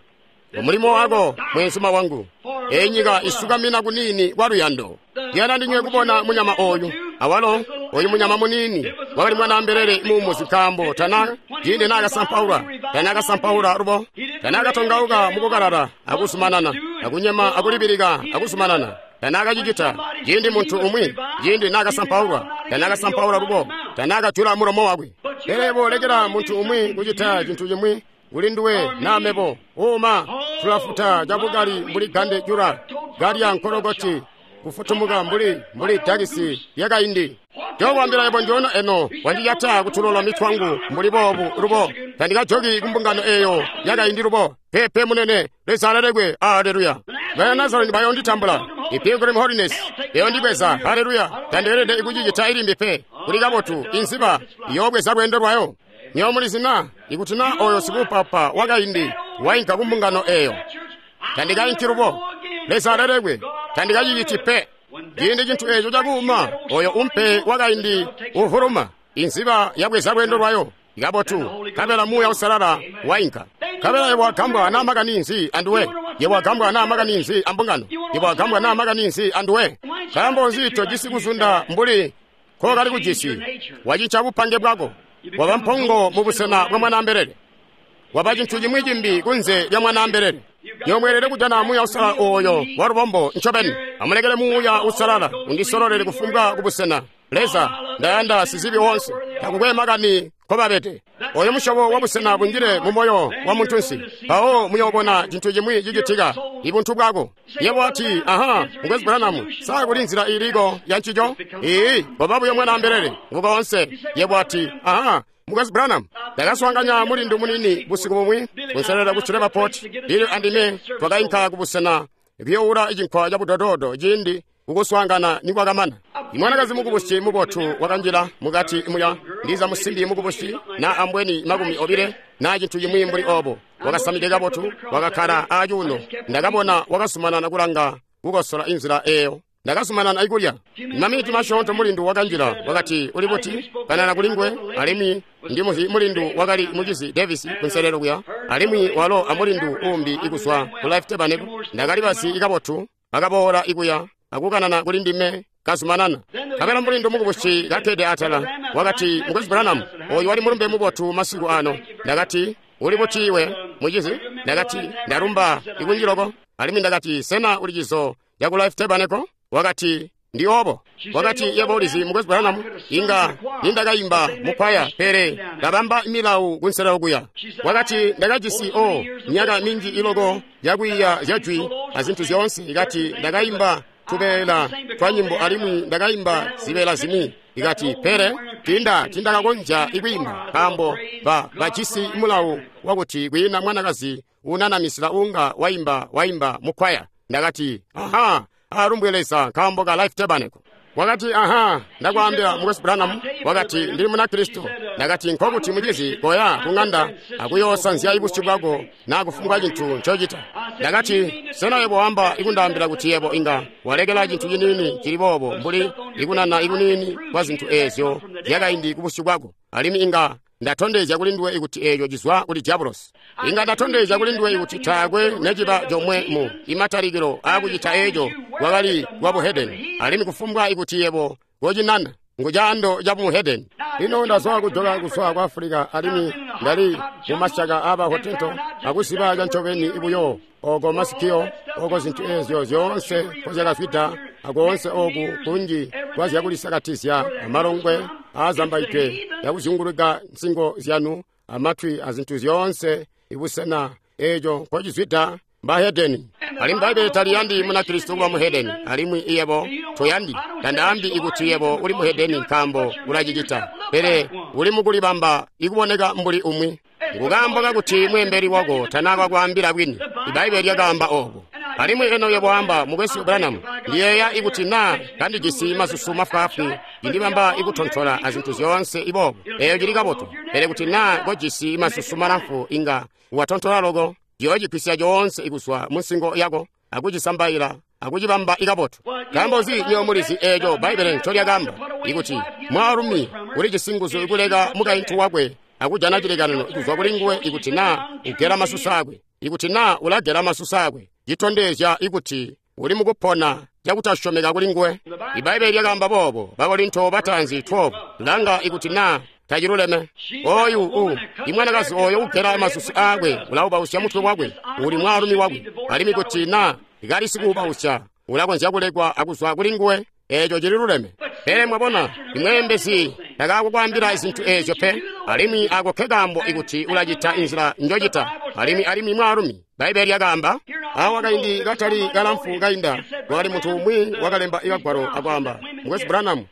Umulimo wako mwenzuma wangu. Eyi nyika isukamina kunini kwa luyando. Ndiyanda ndinywe kubona munyama oyu. Awalo oyu munyama munini wakali mwanaambelele muumuzi, nkaambo tana ciindi naakasampaula, tanaakasampaula lubo, tanaakatongauka mukukalala akuzumanana, akunyema akulibilika akuzumanana. Tanaakacicita ciindi muntu umwi, ciindi naakasampaulwa, tanaakasampaula lubo, tanaakajula mulomo wakwe. Pele yebo lekela muntu umwi kucita cintu cimwi kuli nduwe naa mebo. Uma tulafuta cabukali mbuli gande jula galya nkolokoti kufutumuka mbuli dakisi lyakaindi. Njokwambila yebo njoona eno wandiyata kutulola mitwangu mbuli boobu lubo. Tandikajoki kumbungano eeyo yakaindi lubo. Pepe munene, Leza alelekwe. Aleluya. Bana Nazareni bayonditambula. Ipilgrim Holiness bayondibweza. Haleluya. Tandeelede ikucicita ilimbi pe. Kuli kabotu inziba iyoobweza lweendo lwayo. Nyomulizi na ikuti naa oyo sikupapa wakaindi wainka kumbungano eeyo, tandikainki lubo. Leza alelekwe. Tandikaciciti pe. Ciindi cintu eeco cakuuma, oyo umpe wakaindi uvuluma, inziba yabweza lweendo lwayo. Ikabotu, nkabela muuya usalala wainka. Nkabela yebo wagambwa naa makani nzi anduwe? Yebo wagambwa naa makani nzi ambungano? Yebo wagambwa naa makani nzi anduwe? Nkaambo nzi tojisi kuzunda mbuli kokali kujisi? Wacinca bupange bwako, waba mpongo mubusena bwa mwanaambelele, waba cintu cimwi cimbi kunze lya mwanaambelele. Nyomweelede kujana muuya usalala oyo wa lubombo ncobeni. Amulekele muuya usalala undisololele kufumbwa kubusena. Leza, ndayanda sizibi wonse. Takukwe makani nkobabede. Oyo musyobo wa busena bunjile mu moyo wa muntunsi. Mpawo muyoobona cintu cimwi cicitika, ibuntu bwako. Yebo wati, aha, Mukwesu Branham, sa kuli nzila iliko ya ncico? Iiyi, koba buyo mwanaambelele, ngu koonse. Yebo wati, aha, Mukwesu Branham, ndakaswaanganya mulindu muniini busiku bumwi, kunselelo ku Shreveport, Bill andime twakainka kubusena kuyoula cinkwa ca budododo ciindi kukuswaangana nikwakamana. Imwanakazi mukubusi mubotu wakanjila mukati muya, ndiza musimbi mukubusi na ambweni 20 na cintu cimwi mbuli obo. Wakasamide kabotu, wakakkala acuuno. Ndakabona wakasumanana kulanga kukosola inzila eyo. Ndakasumanana ikulya. Maminiti masyoonto mulindu wakanjila, wakati, uli buti? Kanana kuli nguwe, alimwi ndimuzi mulindu wakali mucizi Davis kunselelo kuya, alimwi walo amulindu uumbi ikuzwa ku Life Tabernacle. Ndakali bazi kabotu, akaboola ikuya, akukanana kuli ndime kazumanana. Nkabela mulindu mukubusi kakkede atala, wakati, Mukwesu Branham, oyu wali mulumbe mubotu masiku ano. Ndakati, uli buti iwe, mucizi? Ndakati, ndalumba ikunjiloko. Alimwi ndakati, sena uli cizo caku Life Tabernacle? Wakati, ndi obo. Wakati, yebo ulizi, Mukwesu Branham, inga nindakaimba mukwaya, pele ndabamba milawu kunselelo kuya. Wakati, ndakajisi myaka minji iloko yakwiiya zya jwi azintu zyoonse. Ikati ndakaimba tubeela twa nyimbo alimwi ndakaimba zibeela zimwi. Ikati, pele tindakakonzya ikwiimba nkaambo bajisi mulawu wakuti kwiina mwanakazi unanamisila unga waimba mukwaya. Ndakati, aha, alumbwe Leza nkaambo ka Life Tabernacle. Wakati, aha, ndakwaambila Mukwesu Branham. Wakati, ndili Munakristo. Ndakati, nkokuti mucizi koya ku ng'anda akuyoosanzya ibusyu bwako na kufumbwa cintu ncocita. Ndakati, sena yebo wamba ikundaambila kuti yebo inga walekela cintu ciniini cili boobo mbuli ikunana ikuniini kwa zintu eezyo zyakaindi kubusyu bwako, alimwi inga ndatondezya kuli nduwe ikuti eeco cizwa kuli diabolosi. Inga ndatondezya kuli nduwe ikuti taakwe neciba comwe mu imatalikilo aakucita eeco kwakali kwa buhedeni, alimwi kufumbwa ikuti yebo kocinana ngu caando ca buhedeni. Lino ndazwa kujoka kuzwa ku Afulika, alimwi ndali mu masyaka aba Hotento akuziba cancobeni buyo oko masikio, oko zintu eezyo zyoonse nkozyakazwida, akoonse oku kunji kwazyakulisakatizya amalongwe aazambaidwe yakuzyunguluka nsingo zyanu amatwi azintu zyoonse ibusena eeco nkocizwida mbahedeni. Alimwi Bbaibbele taliyandi Munakristo kuba muhedeni, alimwi yebo toyandi. Tandaambi ikuti yebo uli muhedeni nkaambo ulacicita, pele uli mukulibamba ikuboneka mbuli umwi. Ngukaambo kakuti mweembeli wako tanaakakwaambila bwini. Ibbaibbele lyakaamba oobo. Alimwi eno yebo wamba, Mukwesu Branham, ndiyeeya ikuti naa kandijisi masusu mafwaafwi indibamba ikutontola azintu zyoonse iboobo, eeyo cili kabotu. Pele kuti naa kojisi masusu malamfu inga watontola loko, ciyoocigwisya coonse ikuzwa munsingo yako akucisambaila akucibamba ikabotu. Nkaambo nzi nywebo mulizi eeco Bbaibbele ncolyakaamba ikuti mwaalumi ulijisi nguzu ikuleka mukaintu wakwe akujana cilekanano kuzwa kuli nguwe ikuti naa ugela masusu akwe. Ikuti naa ulagela masusu akwe, citondezya ikuti uli mukupona cakutasyomeka kuli nguwe. Ibbaibbele lyakaamba boobo, Bakorinto bataanzi 12. Langa ikuti naa taciluleme. Oyu imwanakazi oyo ugela masusu aakwe ulaubausya mutwe wakwe, uli mwaalumi wakwe. Alimwi kuti naa kali sikuubausya, ulakonzya kulekwa akuzwa kuli nguwe. Eeco cililuleme. Pele mwabona, imweembezi takaakukwaambila zintu eezyo pe, alimwi ako nkekaambo ikuti ulacita inzila njocita. Alimwi mwaalumi, Bbaibbele lyakaamba, awa kaindi katali kalamfu kainda, kwakali muntu umwi wakalemba ikagwalo akwaamba, Mukwesu Branham,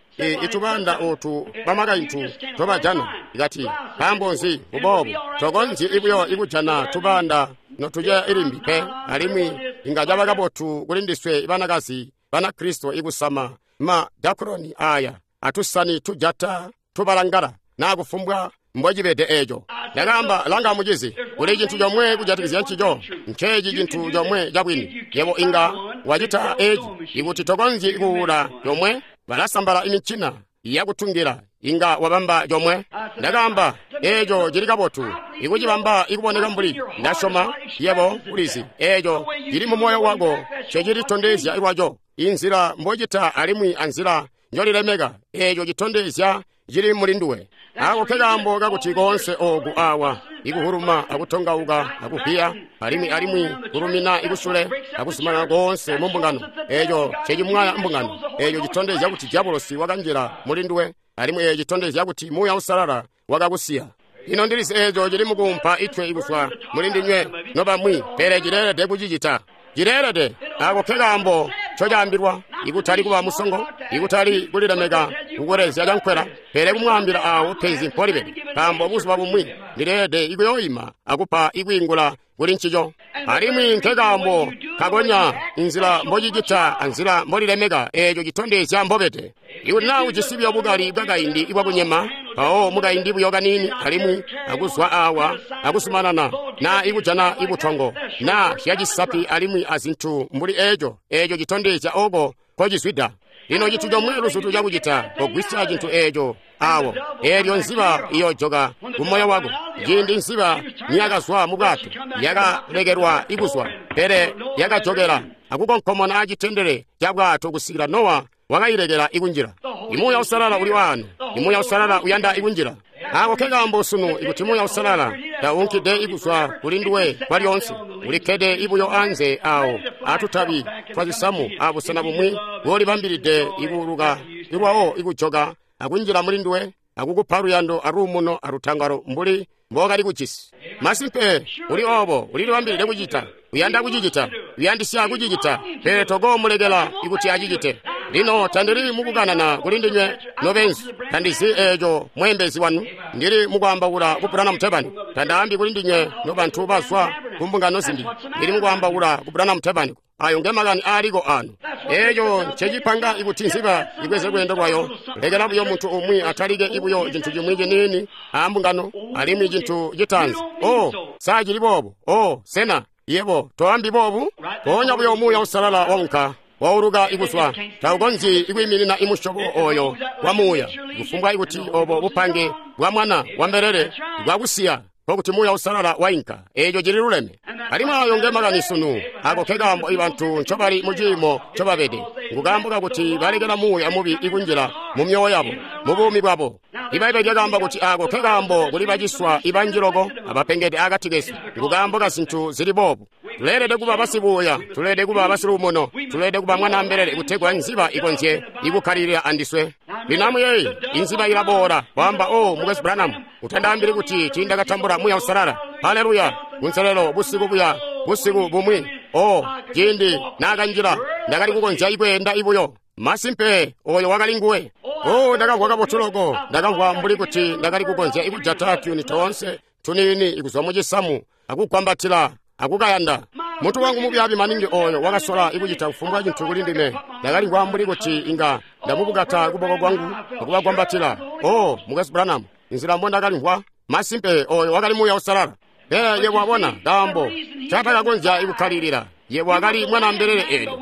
itubanda ootu bamakaintu tobajana. Ikati, nkaambo nzi kuboobo? Tokonzyi ibuyo ikujana tubanda notuceya ilimbi pe, alimwi inga caba kabotu kuli ndiswe banakazi Banakristo ikusama ma dakroni aya atusani tujata tubalangala na kufumbwa mbocibede eeco. Ndakaamba, langa mucizi, kuli cintu comwe kujatikizya ncico, nceeci cintu comwe cabwini. Yebo inga wacita eeci ikuti tokonzyi kuula comwe, balasambala imincina yakutungila, inga wabamba comwe. Ndakaamba, eeco cili kabotu ikucibamba ikuboneka mbuli ndasyoma yebo ulizi eeco cili mu moyo wako ncecilitondezya lwaco. Inzila mbocita alimwi anzila njolilemeka, eeco citondezya cili muli nduwe. Ako nkekaambo kakuti koonse ooku awa ikuhuluma akutongauka akuvwiya alimwi kulumina ikusule akuzumanana koonse mu mbungano, eeco ncecimwaya mbungano. Eeco citondezya kuti diabolosi wakanjila muli nduwe, alimwi eeco citondezya kuti Muuya Uusalala wakakusiya. Lino ndilizi eeco cili mukuumpa itwe ikuzwa muli ndinywe nobamwi, pele cileelede kucicita. Cileelede. Ako nke kaambo ncocaambilwa, ikutali kuba musongo, ikutali kulilemeka kukulezya cankwela, pele kumwaambila aawo penzi mpolibede, nkaambo buzuba bumwi ndileelede ikuyooima akupa ikwiingula kuli ncico. Alimwi nke kaambo kakonya inzila mbocicita anzila mbolilemeka, eeco citondezya mbobede. Ikuti naa ujisi buyo bukali bwakaindi bwakunyema, mpawo mukaindi buyo kaniini alimwi akuzwa awa akuzumanana, naa ikujana ibutongo, naa zyacisapi alimwi azintu mbuli eeco, eeco citondezya oko nkocizwida. Lino cintu comwe luzutu cakucita, kogwisya cintu eeco awo, eelyo nziba iyoojoka kumoyo wako. Ciindi nziba niyakazwa mu bwato, yakalekelwa ikuzwa, pele yakajokela akukonkomona acitendele ca bwato kusikila Nowa wakayilekela ikunjila. Imuuya Uusalala uli waano. Imuuya Uusalala uyanda ikunjila. Ako ke kaambo sunu ikuti Muuya Uusalala taunkide ikuzwa kuli nduwe kwalyoonse, ulikkede ibuyo anze awo atutabi twazisamu abusena bumwi bwolibambilide ikuuluka ilwawo ikujoka akunjila muli nduwe akukupa luyando aluumuno alutangalo mbuli mbookali kujisi. Masimpe uli oobo, ulilibambilide kucita, uyanda kucicita, uyandisya kucicita, pele tokoomulekela ikuti acicite. Lino tandili mukukanana kuli ndinywe nobenzi, tandizi eeco mweembezi wanu, ndili mukwaambaula ku Branham Tabernacle. Tandaambi kuli ndinywe nobantu bazwa kumbungano zimbi, ndili mukwaambaula ku Branham Tabernacle. Ayo ngemakani aaliko ano. Eeco ncecipanga ikuti nziba ibweze lweendo lwayo. Lekela buyo muntu umwi atalike ibuyo cintu cimwi ciniini aambungano, alimwi cintu citaanzi, oh, sa cili boobu, oh, sena yebo toambi boobu? Mpoonya buyo Muuya Uusalala waunka, wauluka ikuzwa, taukonzyi ikwiiminina imusyobo oyo wa muuya, kufumbwa ikuti obo bupange bwa mwana wa mbelele bwakusiya, nkokuti Muuya Uusalala wainka. Eeco cili luleme. Alimwi ayo nge makani sunu. Ako nke kaambo ibantu ncobali mu ciimo ncobabede, nkukaambo kakuti balekela muuya mubi ikunjila mu myoyo yabo, mu buumi bwabo. Ibbaibbele lyakaamba kuti ako nke kaambo kuli baciswa ibanji loko abapengede akati kesu, nkukaambo ka zintu zili boobu. Tuleelede kuba basibuuya, tuleelede kuba basiluumuno, tuleelede kuba mwanaambelele kutegwa nziba ikonzye ikukkalilila andiswe. Lino amuyeeye, inziba ilaboola, waamba, oh, Mukwesu Branham, utandaambili kuti tiindakatambula Muuya Uusalala. Haleluya! Kunselelo busiku buya, busiku bumwi, oh, ciindi naakanjila, ndakali kukonzya ikweenda ibuyo. Masimpe, oyo wakali nguwe. Oh, ndakamvwa kabotu loko, ndakamvwa mbuli kuti ndakali kukonzya ikujata tuyuni toonse tuniini ikuzwa mucisamu akugwambatila akukayanda. Muntu wangu mubyaabi maningi oyo wakasola ikucita kufumbwa cintu kuli ndime. Ndakalimvwa mbuli kuti inga ndamubukata kuboko kwangu akubagwambatila. Oh, Mukwesu Branham, inzila mbondakalimvwa, masimpe oyo wakali Muuya Uusalala. Pele yebo wabona kaambo ncatakakonzya ikukkalilila. Yebo wakali mwanaambelele eelyo,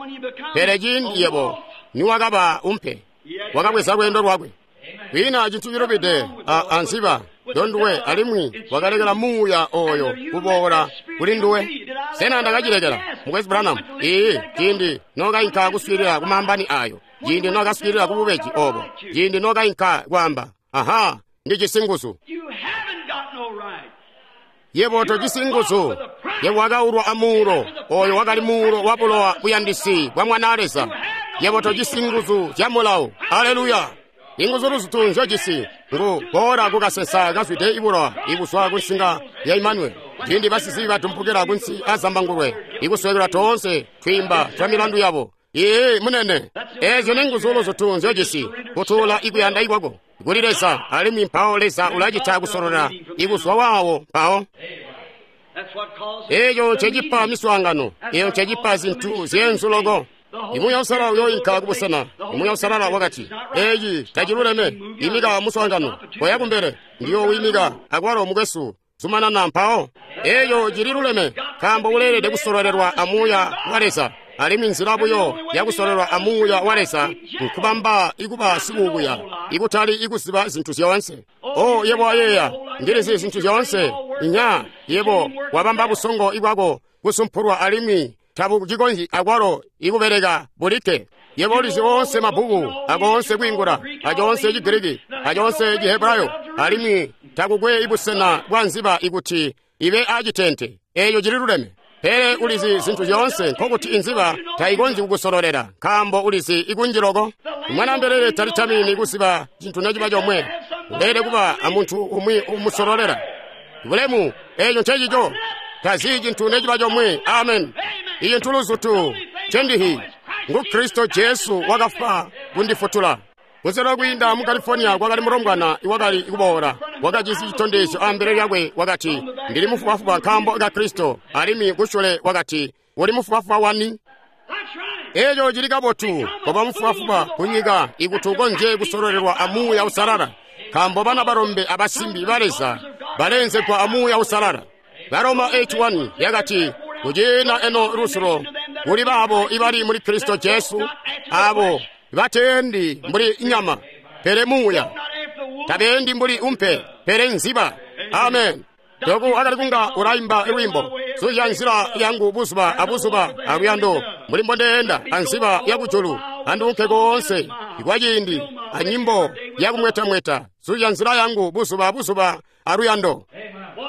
pele ciindi yebo niwakaba umpe, wakabweza lweendo lwakwe. Kwiina cintu cilubide anziba ndonduwe, alimwi wakalekela muuya oyo kuboola kuli nduwe. Sena ndakacilekela, Mukwesu Branham? Iiyi, ciindi nokainka kuswiilila kumambani ayo, ciindi nokaswiilila kububeji obo, ciindi nokainka kwaamba, aha, ndijisi nguzu. Yebo tojisi nguzu. Yebo wakaulwa amuulo, oyo wakali muulo wa bulowa buyandisi bwa Mwana Leza. Yebo tojisi nguzu zya mulawo. Haleluya! Inguzu luzutu nzyojisi ngu boola kukasensa kazwide ibulowa ibuzwa kunsinga ya Imanueli. Ciindi basizibi badumpukila kunsi azambangulwe, ikuswekelwa toonse twiimba twa milandu yabo. Ee, munene, eezyo ninguzu luzutu nzyojisi, kutuula ikuyanda ikwako kuli Leza, alimwi mpawo Leza ulacita kusololela ikuzwa waawo mpawo. Eeco ncecipa miswaangano, eeco ncecipa zintu zyeenzu loko. Imuuya Uusalala uyooinka kubusena. Imuuya Uusalala wakati, eeci taciluleme, imika muswaangano, koya kumbele, ndiyoowimika akwalo mukwesu, zumanana mpawo. Eeco cililuleme, nkaambo uleelede kusololelwa amuuya wa Leza. Alimwi nzila buyo yakusololelwa amuuya wa Leza nkubamba ikuba sikuubuya, ikutali ikuziba zintu zyoonse. Oh, yebo wayeeya, ndilizi zintu zyoonse. Inya, yebo wabamba busongo ibwako kusumpulwa alimwi tabucikonzyi akwalo ikubeleka bulikke. Yebo ulizi oonse mabbuku akoonse kwiingula, acoonse Chigiriki, acoonse Chihebrayo, alimwi takukwe ibusena bwa nziba ikuti ibe acitente. Eeco cililuleme. Pele ulizi zintu zyoonse, nkokuti inziba taikonzyi kukusololela, nkaambo ulizi ikunji loko. Mwana mbelele talitamini kuziba cintu neciba comwe. Uleelede kuba amuntu umwi umusololela. Bulemu, eco ncecico. Tazi cintu neciba comwe. Amen. Iyi ntuluzutu cendihi ngu Kristo Jesu wakafwa kundifutula. Kunselelo kwiinda mu California kwakali mulombwana iwakali kuboola, wakajisi citondezyo ambele lyakwe, wakati, Ndili mufubafuba nkaambo ka Kristo. Alimwi kusyule wakati, Uli mufubafuba wani? Eco cili kabotu, koba mufubafuba kunyika ikuti ukonzye kusololelwa a Muuya Uusalala, nkaambo bana balombe abasimbi ba Leza baleenzegwa a Muuya Uusalala. Baroma 8:1 yakati, kuciina eno lusulo kuli baabo ibali muli Kristo Jesu, abo bateendi mbuli nyama, pele muuya, tabeendi mbuli umpe, pele nziba. Amen. Doku akali kunga ulaimba lwimbo, suzya nzila yangu buzuba abuzuba aluyando, mbuli mbondeenda anziba yakujulu, anduunke koonse kwa ciindi anyimbo yakumwetamweta, suzya nzila yangu buzuba abuzuba aluyando.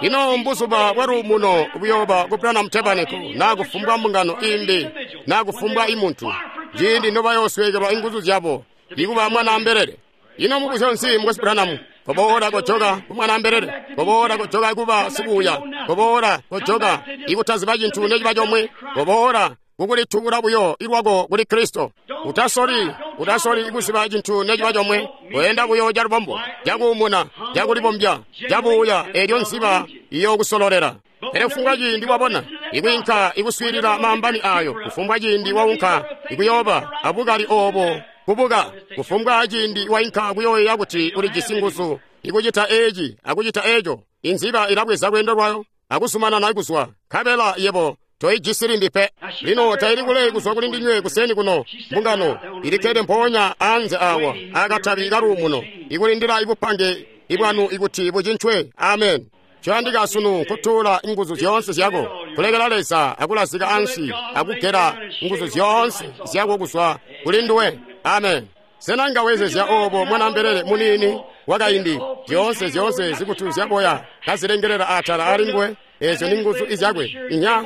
Ino mbuzuba bwa luumuno buyooba ku Branham Tabernacle naa kufumbwa mbungano imbi naa kufumbwa imuntu, ciindi nobayoosweekelwa inguzu zyabo ikuba mwanaambelele. Ino mubuzyo nzi mukwesu Branham? Koboola kojoka ku mwanaambelele, koboola kojoka kuba sikuuya, koboola kojoka ikutaziba cintu neciba comwe, koboola kukulitubula buyo ilwako kuli Kristo. Utasoli, utasoli ikuziba cintu neciba comwe, weenda buyo calubombo, cakuumuna, cakulibombya, cabuuya, elyo nziba iyookusololela. Pele kufumbwa ciindi wabona ikwiinka ikuswiilila maambani ayo, kufumbwa ciindi waunka ikuyooba abukali oobo kubuka, kufumbwa ciindi wainka kuyooyeeya kuti ulijisi nguzu ikucita eci akucita eco, inziba ilabweza lweendo lwayo akuzumanana kuzwa, nkabela yebo toijisi limbi pe. Lino taili kule kuzwa kuli ndinywe kuseni kuno, mbungano ilikkede mpoonya anze awa akatabi kaluumuno, ikulindila ibupange ibwanu ikuti bucincwe. Amen. Coyandika sunu kutuula nguzu zyoonse zyako, kulekela Leza akulazika ansi akugela nguzu zyoonse zyako kuzwa kuli nduwe. Amen. Sena nga wezezya obo mwanaambelele muniini wakaindi, zyoonse zyoonse zikutu zyaboya kazilengelela atala ali nguwe? Ezyo ni nguzu izyakwe. Inya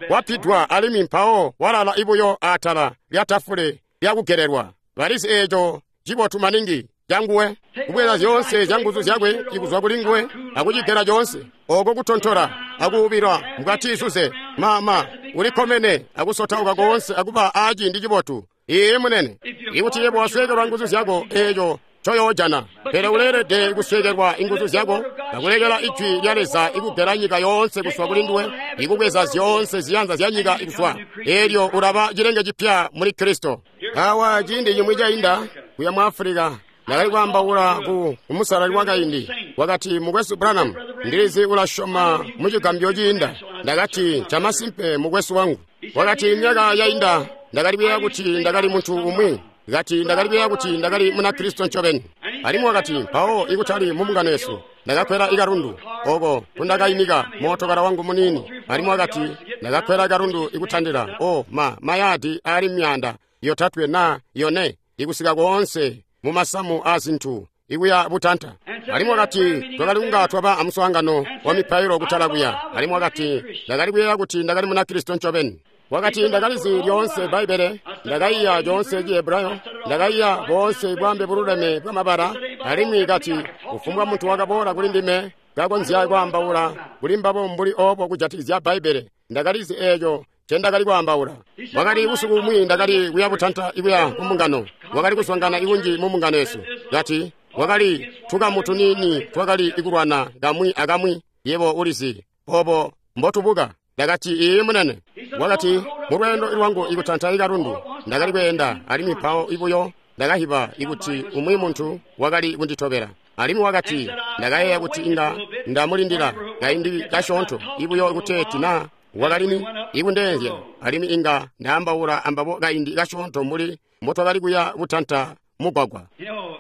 wapidwa alimwi mpawo walala ibuyo atala lya tafule lyakugelelwa. Balizi eco cibotu maningi canguwe, kubweza zyoonse zya nguzu zyakwe ikuzwa kuli nguwe akucigela coonse oko kutontola akuubilwa mukatizuze mama ulikkomene akusotauka koonse akuba aciindi cibotu. Iye munene, ikuti yebo wasweekelwa nguzu zyako, eco coyoojana. Pele uleelede kusweekelwa inguzu zyako akulekela ijwi lya Leza ikugela nyika yoonse kuzwa kuli nduwe, ikubweza zyoonse ziyanza zya nyika kuzwa, elyo ulaba cilenge cipya muli Kristo. Awa ciindi cimwi cainda kuya mu Afulika, ndakali kwaambaula ku musalali wakaindi. Wakati, Mukwesu Branham, ndilizi ulasyoma mu cigambyo ciinda. Ndakati, ncamasimpe mukwesu wangu. Wakati, myaka yainda ndakali kuyeeya kuti ndakali muntu umwi. Kati ndakali kuyeeya kuti ndakali Munakristo ncobeni. Alimwi wakati, mpawo ikutali mu mbungano yesu, ndakakwela ikalundu oko kundakaimika mootokala wangu muniini. Alimwi wakati, ndakakwela ikalundu ikutandila o ma mayadi aali 300 na 4 ikusika koonse mu masamu a zintu ikuya butanta. Alimwi wakati, twakali kunga twaba amuswaangano wa mipailo kutala kuya. Alimwi wakati, ndakali kuyeeya kuti ndakali Munakristo ncobeni. Wakati, ndakalizi lyoonse Bbaibbele, ndakaiya lyoonse Cihebrayo, ndakaiya boonse bwambe bululeme bwamabala. Alimwi kati, kufumbwa muntu wakaboola kuli ndime kakonzya kwaambaula kuli mbabo mbuli obo kujatikizya Bbaibbele, ndakalizi eeco ncendakali kwaambaula. Wakati, busiku bumwi ndakali kuya butanta ikuya ku mbungano, wakali kuswaangana ikunji mu mbungano yesu. Kati, wakali tukamu tuniini twakali ikulwana kamwi akamwi, yebo ulizi obo mbotubuka. Ndakati, iye munene. Wakati, mulweendo lwangu ikutanta ikalundu ndakali kweenda, alimwi mpawo ibuyo ndakahiba ikuti umwi muntu wakali kunditobela. Alimwi wakati, ndakayeeya kuti inga ndamulindila kaindi kasyoonto ibuyo kuteeti na wakalini ikundeenzya, alimwi inga ndaambaula ambabo kaindi kasyoonto mbuli mbotwakali kuya butanta mugwagwa.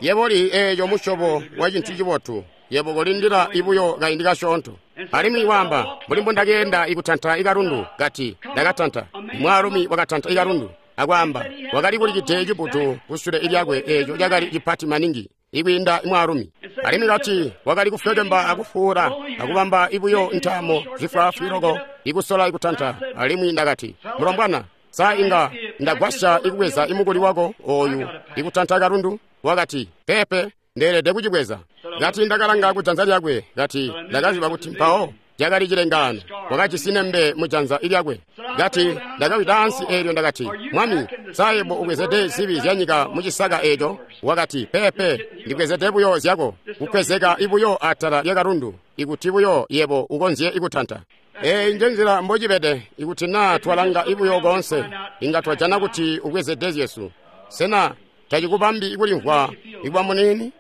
Yebo li eeco musyobo wa cintu cibotu, yebo kolindila ibuyo kaindi kasyoonto. Alimwi waamba, mbuli mbondakeenda ikutanta ikalundu, kati ndakatanta. Mwaalumi wakatanta ikalundu, akwaamba, wakali kulikide cibutu kusule lyakwe eeco cakali cipati maningi ikwiinda mwaalumi. Alimwi kati wakali kufwekemba akufuula akubamba ibuyo ntaamo zifwaafwi loko ikusola ikutanta. Alimwi ndakati, mulombwana, sa inga ndagwasya ikubweza imukuli wako oyu ikutanta kalundu? Wakati, pepe, Ndeelede kucibweza. Kati ndakalanga ku janza lyakwe. Kati ndakaziba kuti mpawo cakali cilengaano. Wakajisi nembe mu janza lyakwe. Kati ndakawida ansi eelyo ndakati, Mwami, sa yebo ubwezede zibi zya nyika mu cisaka eeco? Wakati, peepe, ndibwezede buyo zyako, kukwezeka ibuyo atala lya kalundu, ikuti buyo yebo ukonzye ikutanta. Eeyi nje nzila mbocibede, ikuti naa twalanga ibuyo koonse, inga twajana kuti ubwezede zyesu. Sena tacikubambi kulimvwa ikuba muniini?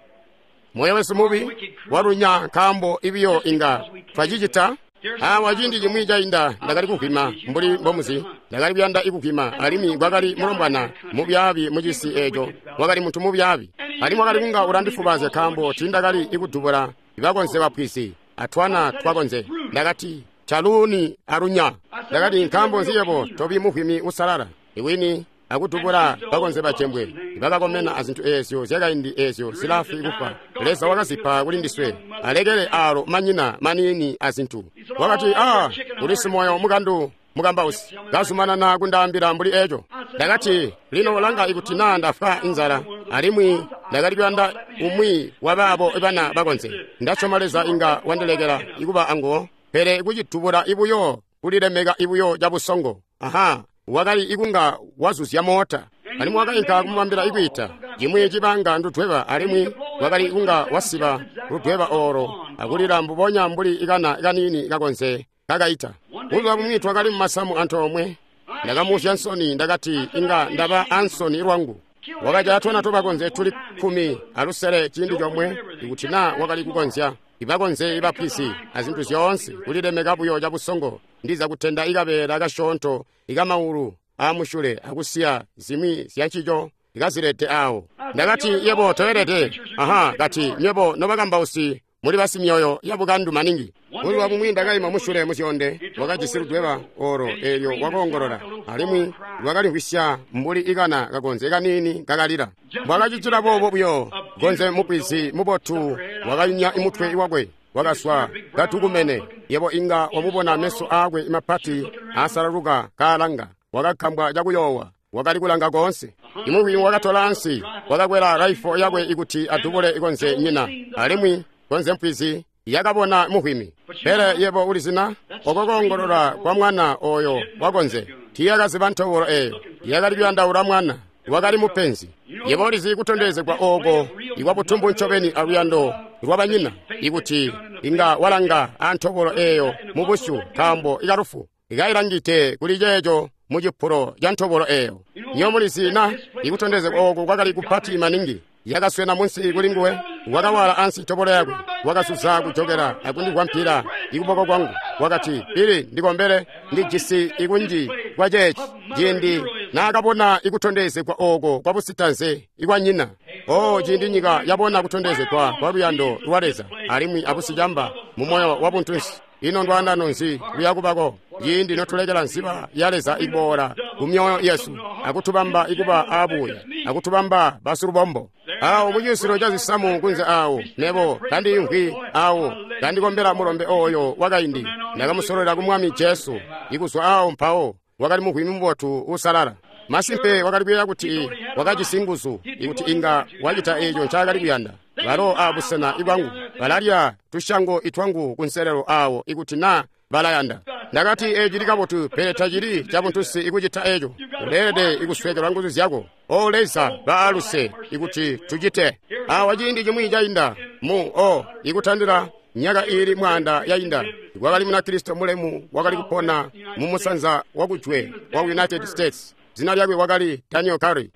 Moyo wesu mubi walunya nkaambo ibiyo inga twacicita. Awa ciindi cimwi cainda ndakali kuvwima mbuli mbomuzi, ndakali kuyanda ikuvwima, alimwi kwakali mulombwana mubyaabi mucisi eeco, wakali muntu mubyaabi, alimwi wakali kunga ulandifubaazya nkaambo tiindakali ikudubula bakonze bapwizi atwana twakonze. Ndakati caluuni alunya. Ndakati nkaambo nzi yebo tobi muvwimi usalala iwini akudubula bakonze bacembwe bakakomena azintu eezyo zyakaindi eezyo zilafwi kufwa. Leza wakazipa kuli ndiswe, alekele alo manyina maniini azintu. Wakati, a uli simoyo mukandu mukambausi, kazumanana kundaambila mbuli eeco. Ndakati, lino langa ikuti naa ndafwa inzala, alimwi ndakali kuyanda umwi wa baabo bana bakonze. Ndasyoma Leza inga wandilekela ikuba anguwo, pele kucidubula ibuyo kulilemeka ibuyo cabusongo. Aha, wakali ikunga wazuzya moota, alimwi wakainka kumubambila ikwiita cimwi cibanga ndudweba, alimwi wakali ikunga wasiba ludweba oolo akulila mbubonya mbuli ikana kaniini kakonze kakaita. Buzuba bumwi twakali mumasamu antoomwe, ndakamuusya nsoni, ndakati inga ndaba ansoni lwangu. Wakajaya twana twabakonze tuli 16 ciindi comwe, ikuti naa wakali kukonzya ibakonze ibapwisi azintu zyoonse, kulilemeka buyo cabusongo. Ndiza kutenda ikabeela kasyoonto ikamaulu aamusyule akusiya zimwi zyancico ikazilete aawo. Ndakati, yebo toelede. Aha, kati nywebo nobakambausi muli basimyoyo yabukandu maningi. Buzuba bumwi ndakaima musyule muzyonde, wakajisi ludweba olo eelyo wakoongolola, alimwi lwakalimvwisya mbuli ikana kakonze kaniini kakalila. Mbwakacitila boobo buyo, gonze mupwizi mubotu wakayunya mutwe wakwe, wakaswa katukumene. Yebo inga wamubona meso aakwe mapati aasalaluka kaalanga, wakakambwa cakuyoowa, wakali kulanga koonse. Imuvwimi wakatola ansi, wakakwela raifo yakwe ikuti adubule ikonze nyina, alimwi konze mpwizi yakabona muvwimi. Pele yebo ulizina oko koongolola kwa mwana oyo wakonze, tiiyakaziba ntobolo eeyo, yakali kuyandaula mwana wakali mupenzi. Yebo ulizi kutondezegwa ooko ikwabutumbu ncobeni aluyando lwabanyina, ikuti inga walanga antobolo eeyo mubusyu, nkaambo ikalufu ikailangite kuli ceeco mucipulo ca ntobolo eeyo. Nyo mulizi na ikutondezegwa ooko kwakali kupati maningi. Yakaswena munsi kuli nguwe, wakawala ansi ntobolo yakwe, wakasuza kujokela akundivwampila ikuboko kwangu. Wakati, Pili ndikombele, ndijisi ikunji kwa ceeci. Ciindi naakabona ikutondezegwa ooko kwa busitanze ikwanyina. O ciindi nyika yabona kutondezegwa kwa luyando lwa Leza alimwi abusicamba mu moyo wa buntunsi, ino ndwaandano nzi luyakubako ciindi notulekela nziba ya Leza iboola ku myoyo yesu akutubamba ikuba aabuya akutubamba basilubombo. Awo mucisilo ca zisamu kunze awo, nebo kandiimvwi awo kandikombela mulombe oyo wakaindi, ndakamusololela ku Mwami Jesu. Ikuzwa awo mpawo wakali muvwimi mubotu uusalala. Masimpe wakali kuyeeya kuti wakajisi nguzu ikuti inga wacita eeco ncaakali kuyanda. Balo abusena ibwangu balalya tusyango itwangu kunselelo awo ikuti naa balayanda. Ndakati eeci cili kabotu, pele tacili cabuntusi ikucita eeco. Uleelede ikusweekelwa nguzu zyako. O Leza, baaluse ikuti tucite. Awa ciindi cimwi cainda mu o ikutandila myaka iili 100 yainda, kwakali Munakristo mulemu wakali kupona mu musanza wakujwe wa United States. Zina lyakwe wakali Daniel Curry.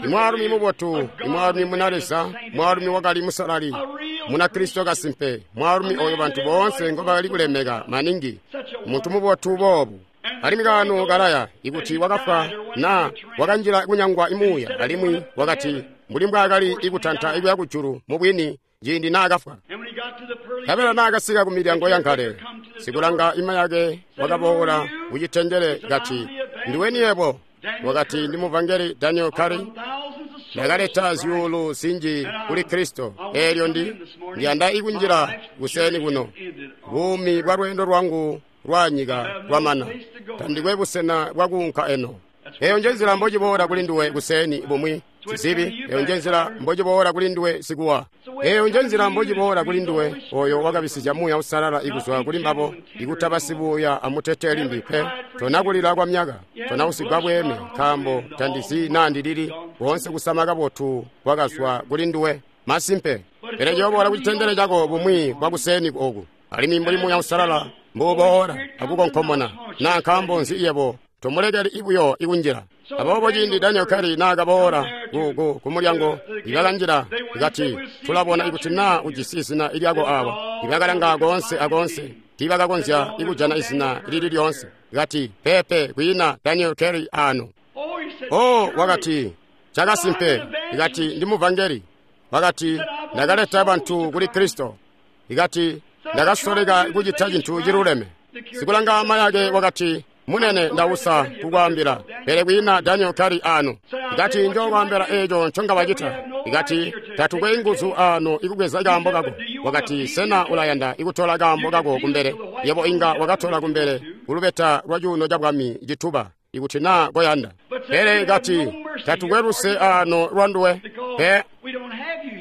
Imwaalumi mubotu, imwaalumi muna Leza, mwaalumi wakali musalali, Munakristo kasimpe, mwaalumi oyo bantu boonse ngobakali kulemeka maningi, muntu mubotu boobu. Alimwi kaano kalaya ikuti wakafwa na wakanjila kunyangwa imuuya, alimwi wakati mbuli mbwaakali ikutanta ikuya kujulu mubwini ciindi naakafwa. Nkabela naakasika ku milyango yankale, sikulanga ima yake wakaboola kucitendele kati, ndiweni yebo? Wakati, ndi muvangeli Daniel Curry. Ndakaleta zyuulu zinji kuli Kristo, eelyo ndiyanda ikunjila kuseni kuno. Buumi bwa lweendo lwangu lwa nyika lwamana, tandikwe busena bwakuunka eno. Eyo nje nzila mbociboola kuli nduwe kuseni bumwi. Sizibi, eyo nje nzila mbociboola kuli nduwe sikuwa. Eyo nje nzila mbociboola kuli nduwe oyo wakabisizya Muuya Uusalala ikuzwa kuli mbabo, ikutaba sibuuya amutete limbi pe. Tonakulila kwa myaka, tonausigwa bweeme, nkaambo tandizi naa ndilili koonse kusama kabotu kwakazwa kuli nduwe. Masimpe, pele ciyoboola kucitendele cako bumwi bwakuseeni oku, alimwi mbuli Muuya Uusalala mbuuboola akukonkomona, naa nkaambo nzi yebo tomulekeli ibuyo ikunjila. Aboobo ciindi Daniel Curry naakaboola ku mulyango, ibakanjila ikati, tulabona ikuti naa ujisi izina lyako awa. Ibakalanga koonse akoonse, tiibakakonzya ikujana izina lili lyoonse. Kati, peepe, kwiina Daniel Curry ano. Oh, wakati, cakasimpe. Ikati, ndi muvangeli. Wakati, ndakaleta bantu kuli Kristo. Ikati, ndakasoleka kucita cintu ciluleme. Sikulanga mayake wakati, munene, ndausa kukwaambila, pele kwiina Daniel Curry ano. Ikati, njokwaambila eco nconga wacita. Ikati, tatukwe nguzu ano ikubweza kaambo kako. Wakati, sena ulayanda ikutola kaambo kako kumbele? Yebo inga wakatola kumbele kulubeta lwa cuuno ca bwami cituba ikuti naa koyanda. Pele ikati, tatukwe luse ano lwa nduwe pe,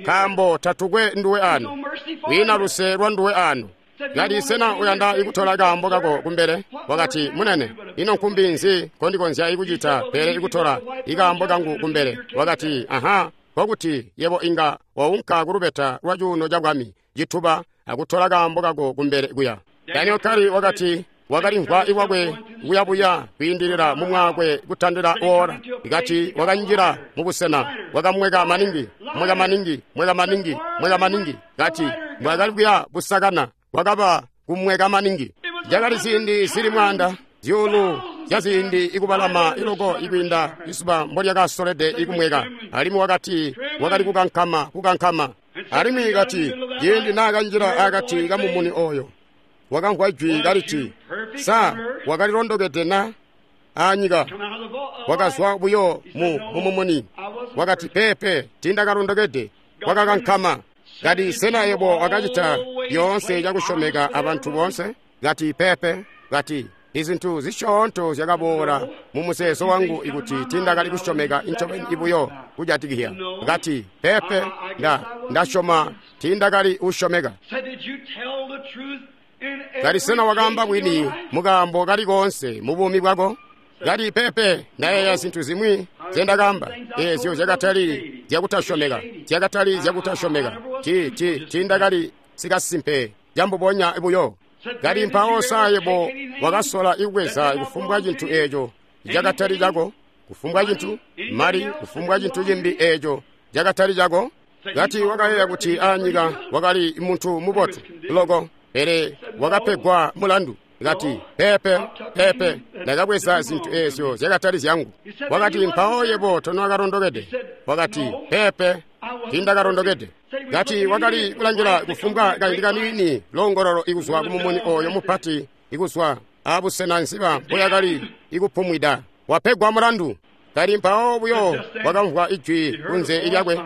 nkaambo tatukwe nduwe ano, kwiina luse lwa nduwe ano. Kati, sena uyanda ikutola kaambo kako kumbele? Wakati, munene, ino nkumbi nzi kondikonzya ikucita pele ikutola ikaambo kangu kumbele? Wakati, aha, kokuti yebo inga waunka kulubeta lwa cuuno ca bwami cituba akutola kaambo kako kumbele kuya. Daniel Curry wakati wakalimvwa iwakwe kuyabuya kwiindilila mumwaakwe kutandila wora. Ikati wakanjila mubusena wakamweka maningi, mweka maningi, mweka maningi, mweka maningi. Kati mbwakali kuya busakana wakaba kumweka maningi. Zyakali ziindi zili mwaanda zyuulu zya ziindi ikubalama iloko ikwiinda izuba mbolyakasolede ikumweka. Alimwi wakati wakali kukankama, kukankama. Alimwi kati ciindi naakanjila akati kamumuni oyo, wakamvwa jwi kaliti, sa wakalilondokede na anyika? Wakazwa buyo mu mumumuni. Wakati, peepe, tindakalondokede. Wakakankama. Kati, sena yebo wakacita lyoonse cakusyomeka abantu boonse? Kati, peepe. Kati, izintu zisyoonto zyakaboola mu muzeezo wangu ikuti tindakali kusyomeka incobeni ibuyo kujatikizya. Kati, peepe, ndasyoma tindakali usyomeka. Kati, sena wakaamba bwini mukaambo kali koonse mu buumi bwako? Kati, peepe, ndayeeya zintu zimwi zyendakaamba eezyo zyakatali zyakutasyomeka, zyakatali zyakutasyomeka. Tindakali sikasimpe cambubonya buyo. Kati, mpawo sa yebo wakasola ikubweza kufumbwa cintu eeco cakatali cako, kufumbwa cintu, mali, kufumbwa cintu cimbi eeco cakatali cako? Kati wakayeeya kuti anyika wakali muntu mubotu loko, pele wakapegwa mulandu. Kati, peepe, peepe, ndakabweza zintu eezyo zyakatali zyangu. Wakati, mpawo yebo tonwakalondokede. Wakati, peepe, tindakalondokede. Kati wakali kulangila kufumbwa kaindi kaniini longololo ikuzwa kumumuni oyo mupati ikuzwa abusena nziba mpoyakali ikupumwida. Wapegwa mulandu. Kali mpawo buyo wakamvwa ijwi kunze lyakwe,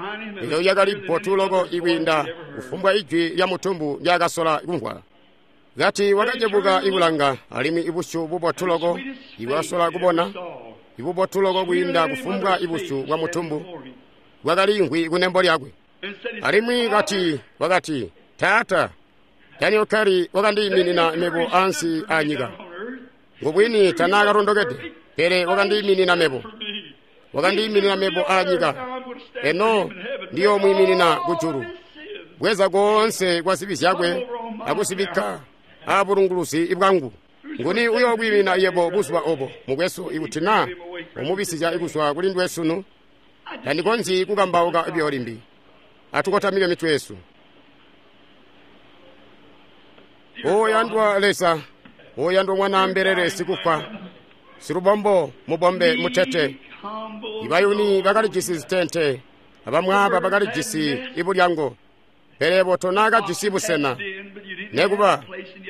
elyo lyakali bbotu loko ikwiinda kufumbwa ijwi lya mutumbu ndyakasola kumvwa. Kati wakacebuka ikulanga, alimwi ibusyu bubotu loko ibwasola kubona, ibubotu loko kwiinda kufumbwa ibusyu bwa mutumbu, bwakaliimvwi kunembo lyakwe. Alimwi kati wakati, Taata, Daniel Curry wakandiiminina mebo ansi anyika. Ngubwini tanaakalondokede, pele wakandiiminina mebo. Wakandiiminina mebo anyika. Eno ndiyomwiiminina kujulu. Bweza koonse kwa zibi zyakwe akuzibikka abulunguluzi bwangu. Nguni uyokwiimina yebo buzuba obo, mukwesu, ikuti naa umubisizya ikuzwa kuli nduwe sunu? Tandikonzyi kukambauka buyo limbi. Atukotamike mitwe yesu. Oyandwa Leza, oyandwa mwana mbelele sikufwa, silubombo mubombe mutete. Ibayuni bakalijisi zitente, abamwaaba bakalijisi ibulyango, pele bo tonaakajisi busena, nekuba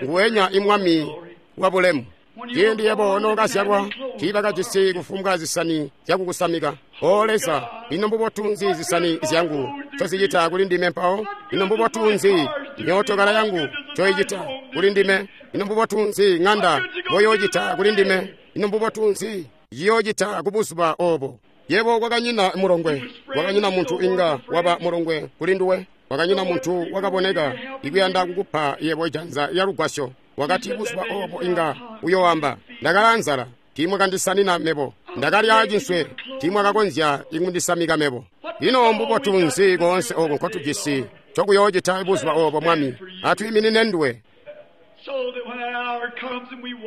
nguwenya imwami wa bulemu. Ciindi yebo nookazyalwa, tiibakajisi kufumbwa zisani zyakukusamika. O Leza, ino mbubotu nzi zisani zyangu ncozicita kuli ndime mpawo? Ino mbubotu nzi myootokala yangu ncoicita kuli ndime? Ino mbubotu nzi ŋanda mboyoocita kuli ndime? Ino mbubotu nzi ciyoocita kubuzuba obo? Yebo kwakanyina mulongwe, kwakanyina muntu inga waba mulongwe kuli nduwe, kwakanyina muntu wakaboneka ikuyanda kukupa yebo janza lya lugwasyo. Wakati buzuba obo inga uyoamba, ndakala nzala, tiimwakandisanina mebo, ndakalya cinswe, tiimwakakonzya ikundisamika mebo. Ino mbubotu nzi koonse oko nkotujisi cokuyoocita buzuba obo, Mwami? Atwiiminine nduwe.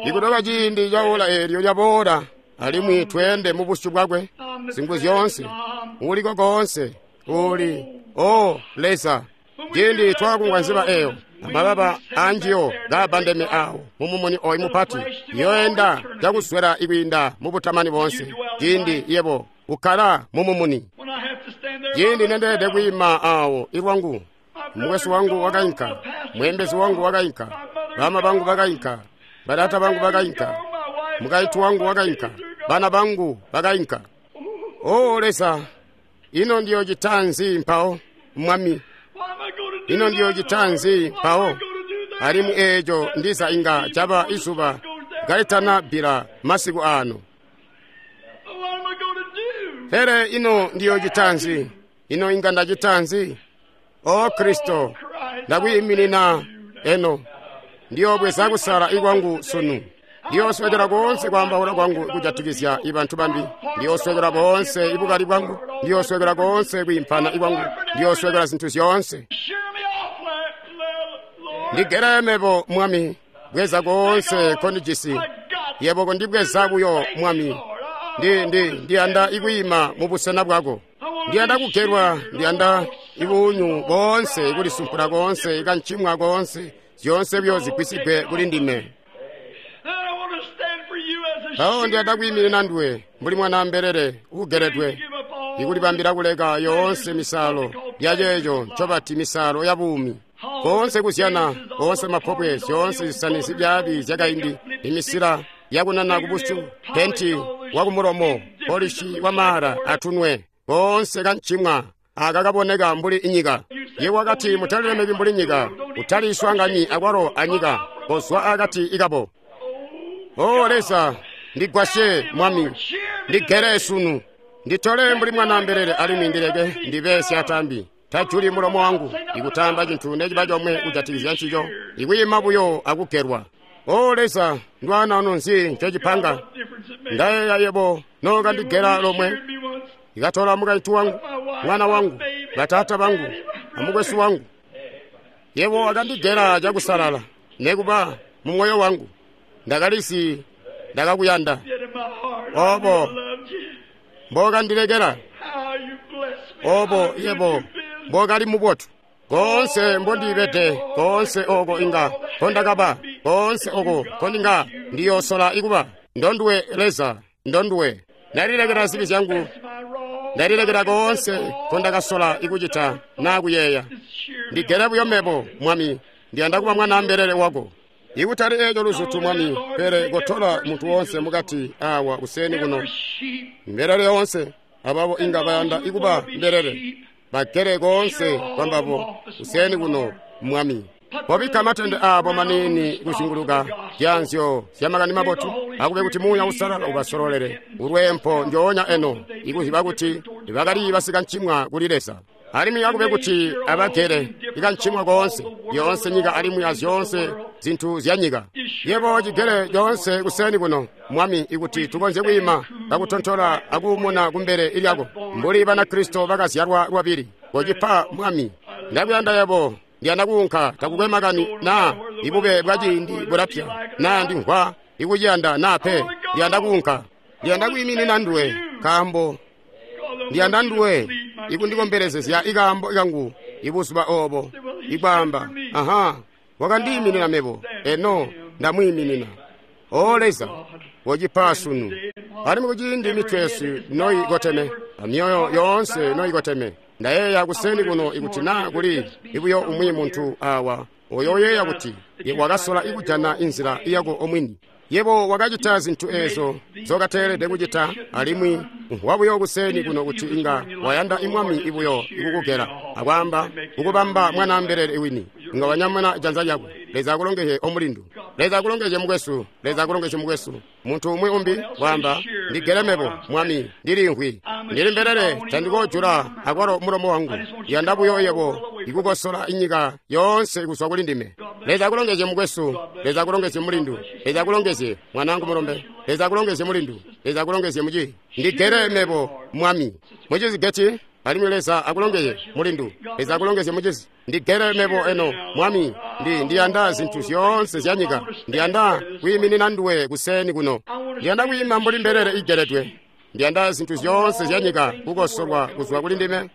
Ikutoka ciindi ca ola eelyo lyaboola, alimwi tweende mu busyu bwakwe, zingu zyoonse, uliko koonse, uli, o Leza. Ciindi twakungwa nziba eyo, amababa anjiyo kaabandeme awo mumumuni oyu mupati, yoenda cakuswela ikwiinda mu butamani boonse. Ciindi yebo ukkala mumumuni. Ciindi nendeelede kwiima awo ilwangu, mukwesu wangu wakainka, mweembezi wangu wakainka, bama bangu bakainka, bataata bangu bakainka, mukaintu wangu wakainka, bana bangu bakainka. O Leza, ino ndiyocita nzi mpawo, Mwami? Ino ndiyocita nzi mpawo? Alimwi eeco ndiza inga caba izuba kalitana bbila masiku ano. Pele ino ndiyocita nzi? Ino inga ndacita nzi? O Kristo, ndakwiiminina eno. Ndiyobweza kusala ikwangu sunu. Ndiyoswekela koonse kwaambaula kwangu kujatikizya ibantu bambi. Ndiyoswekela boonse ibukali bwangu. Ndiyoswekela koonse kwiimpana ikwangu. Ndiyoswekela zintu zyoonse. Ndigere mebo, Mwami, bweza koonse kondijisi. Yebo kondibweza buyo, Mwami. Ndiyanda ikwiima mu busena bwako. Ndiyanda kugelwa, ndiyanda ibuunyu boonse, ikulisumpula koonse, ikancimwa koonse, zyoonse buyo zigwisigwe kuli ndime. Mpawo ndiyanda kwiiminina nduwe mbuli mwana mbelele uugeledwe, ikulibambila kuleka yoonse misalo lyaceeco ncobati misalo ya buumi. Koonse kuzyana, koonse mapobwe, zyoonse zisani zibyaabi zyakaindi, imisila yakunana kubusyu, penti wakumulomo, polishi wamaala atunwe, koonse kancimwa aka kaboneka mbuli inyika. Ye wakati mutalilemeki mbuli nyika, utaliswanganyi akwalo anyika, kozwa akati ikabo. O Leza, ndigwasye Mwami, ndigere sunu, nditole mbuli mwana mbelele alimwi ndileke ndibe syatambi. Tajuli mulomo wangu ikutamba cintu neciba comwe kujatikizya ncico, ikwiima buyo akugelwa. O Leza, ndwana ono nzi ncocipanga? Ndayeeya yebo nookandigela lomwe, ikatola mukaintu wangu, mwana wangu, bataata bangu, amukwesu wangu. Yebo wakandigela cakusalala, nekuba mumwoyo wangu ndakalisi ndakakuyanda. Obo mbokandilekela, obo yebo mbokali mubotu. Koonse mbondibede, koonse oko inga kondakaba, koonse oko kondinga ndiyosola ikuba. Ndonduwe Leza, ndonduwe. Ndalilekela zibi zyangu, ndalilekela koonse kondakasola ikucita naa kuyeeya. Ndigele buyo mebo, Mwami, ndiyanda kuba mwana mbelele wako. Ikutali eeco luzutu, Mwami, pele kotola muntu wonse mukati awa kuseni kuno, mbelele yoonse, ababo inga bayanda ikuba mbelele, bagele koonse kwambabo kuseni kuno, Mwami. Kobikka matende aabo maniini kuzinguluka zyanzyo zya makani mabotu, akube kuti Muuya Uusalala ubasololele ulweempo njoonya eno, ikuziba kuti bakali basikancimwa kuli Leza. Alimwi akube kuti abagele ikancimwa koonse, yoonse nyika alimwi azyoonse zintu zya nyika. Yebo cigele coonse kuseni kuno, Mwami, ikuti tukonzye kwiima kakutontola akuumuna kumbele lyako mbuli Banakristo bakazyalwa lwabili. Kocipa, Mwami. Ndakuyanda yebo, ndiyanda kuunka, takukwe makani naa ibube bwa ciindi bulapya, naa ndimvwa ikuciyanda naa pe, ndiyanda kuunka. Ndiyanda kwiiminina nduwe, nkaambo ndiyanda nduwe ikundikomberezezya ikaambo kangu ibuzuba obo, ikwaamba, aha, wakandiiminina mebo, eno ndamwiiminina. O Leza, kocipa sunu. Alimwi kuciindi mitwe yesu noikoteme, amyoyo yoonse noikoteme, ndayeeya kuseni kuno ikuti naa kuli ibuyo umwi muntu awa oyoyeeya kuti wakasola ikujana inzila yako omwini. Yebo wakacita zintu ezo zokateelede kucita, alimwi wabuyo kuseni kuno kuti inga wayanda imwami ibuyo ikukugela akwaamba kukubamba mwana mbelele iwini, inga wanyamuna janza lyako. Leza akulongezye omulindu, Leza akulongezye mukwesu, Leza akulongezye mukwesu. Muntu umwi umbi waamba, ndigele mebo, Mwami, ndilimvwi. Ndili mbelele, tandikoojula akwalo mulomo wangu. Ndiyanda buyo yebo ikukosola inyika yoonse kuzwa kuli ndime. Leza akulongezye mukwesu, Leza akulongezye mulindu, Leza akulongezye mwanaangu mulombe, Leza akulongezye mulindu, Leza akulongezye muci. Ndigere mebo Mwami. Mucizi Geti, alimwi Leza akulongezye mulindu, Leza akulongezye mucizi. Ndigere mebo eno Mwami, ndiyanda zintu zyoonse zya nyika. Ndiyanda kwiiminina nduwe kuseni kuno. Ndiyanda kwiima mbuli mbelele igeredwe. Ndiyanda zintu zyoonse zya nyika kukosolwa kuzwa kuli ndime.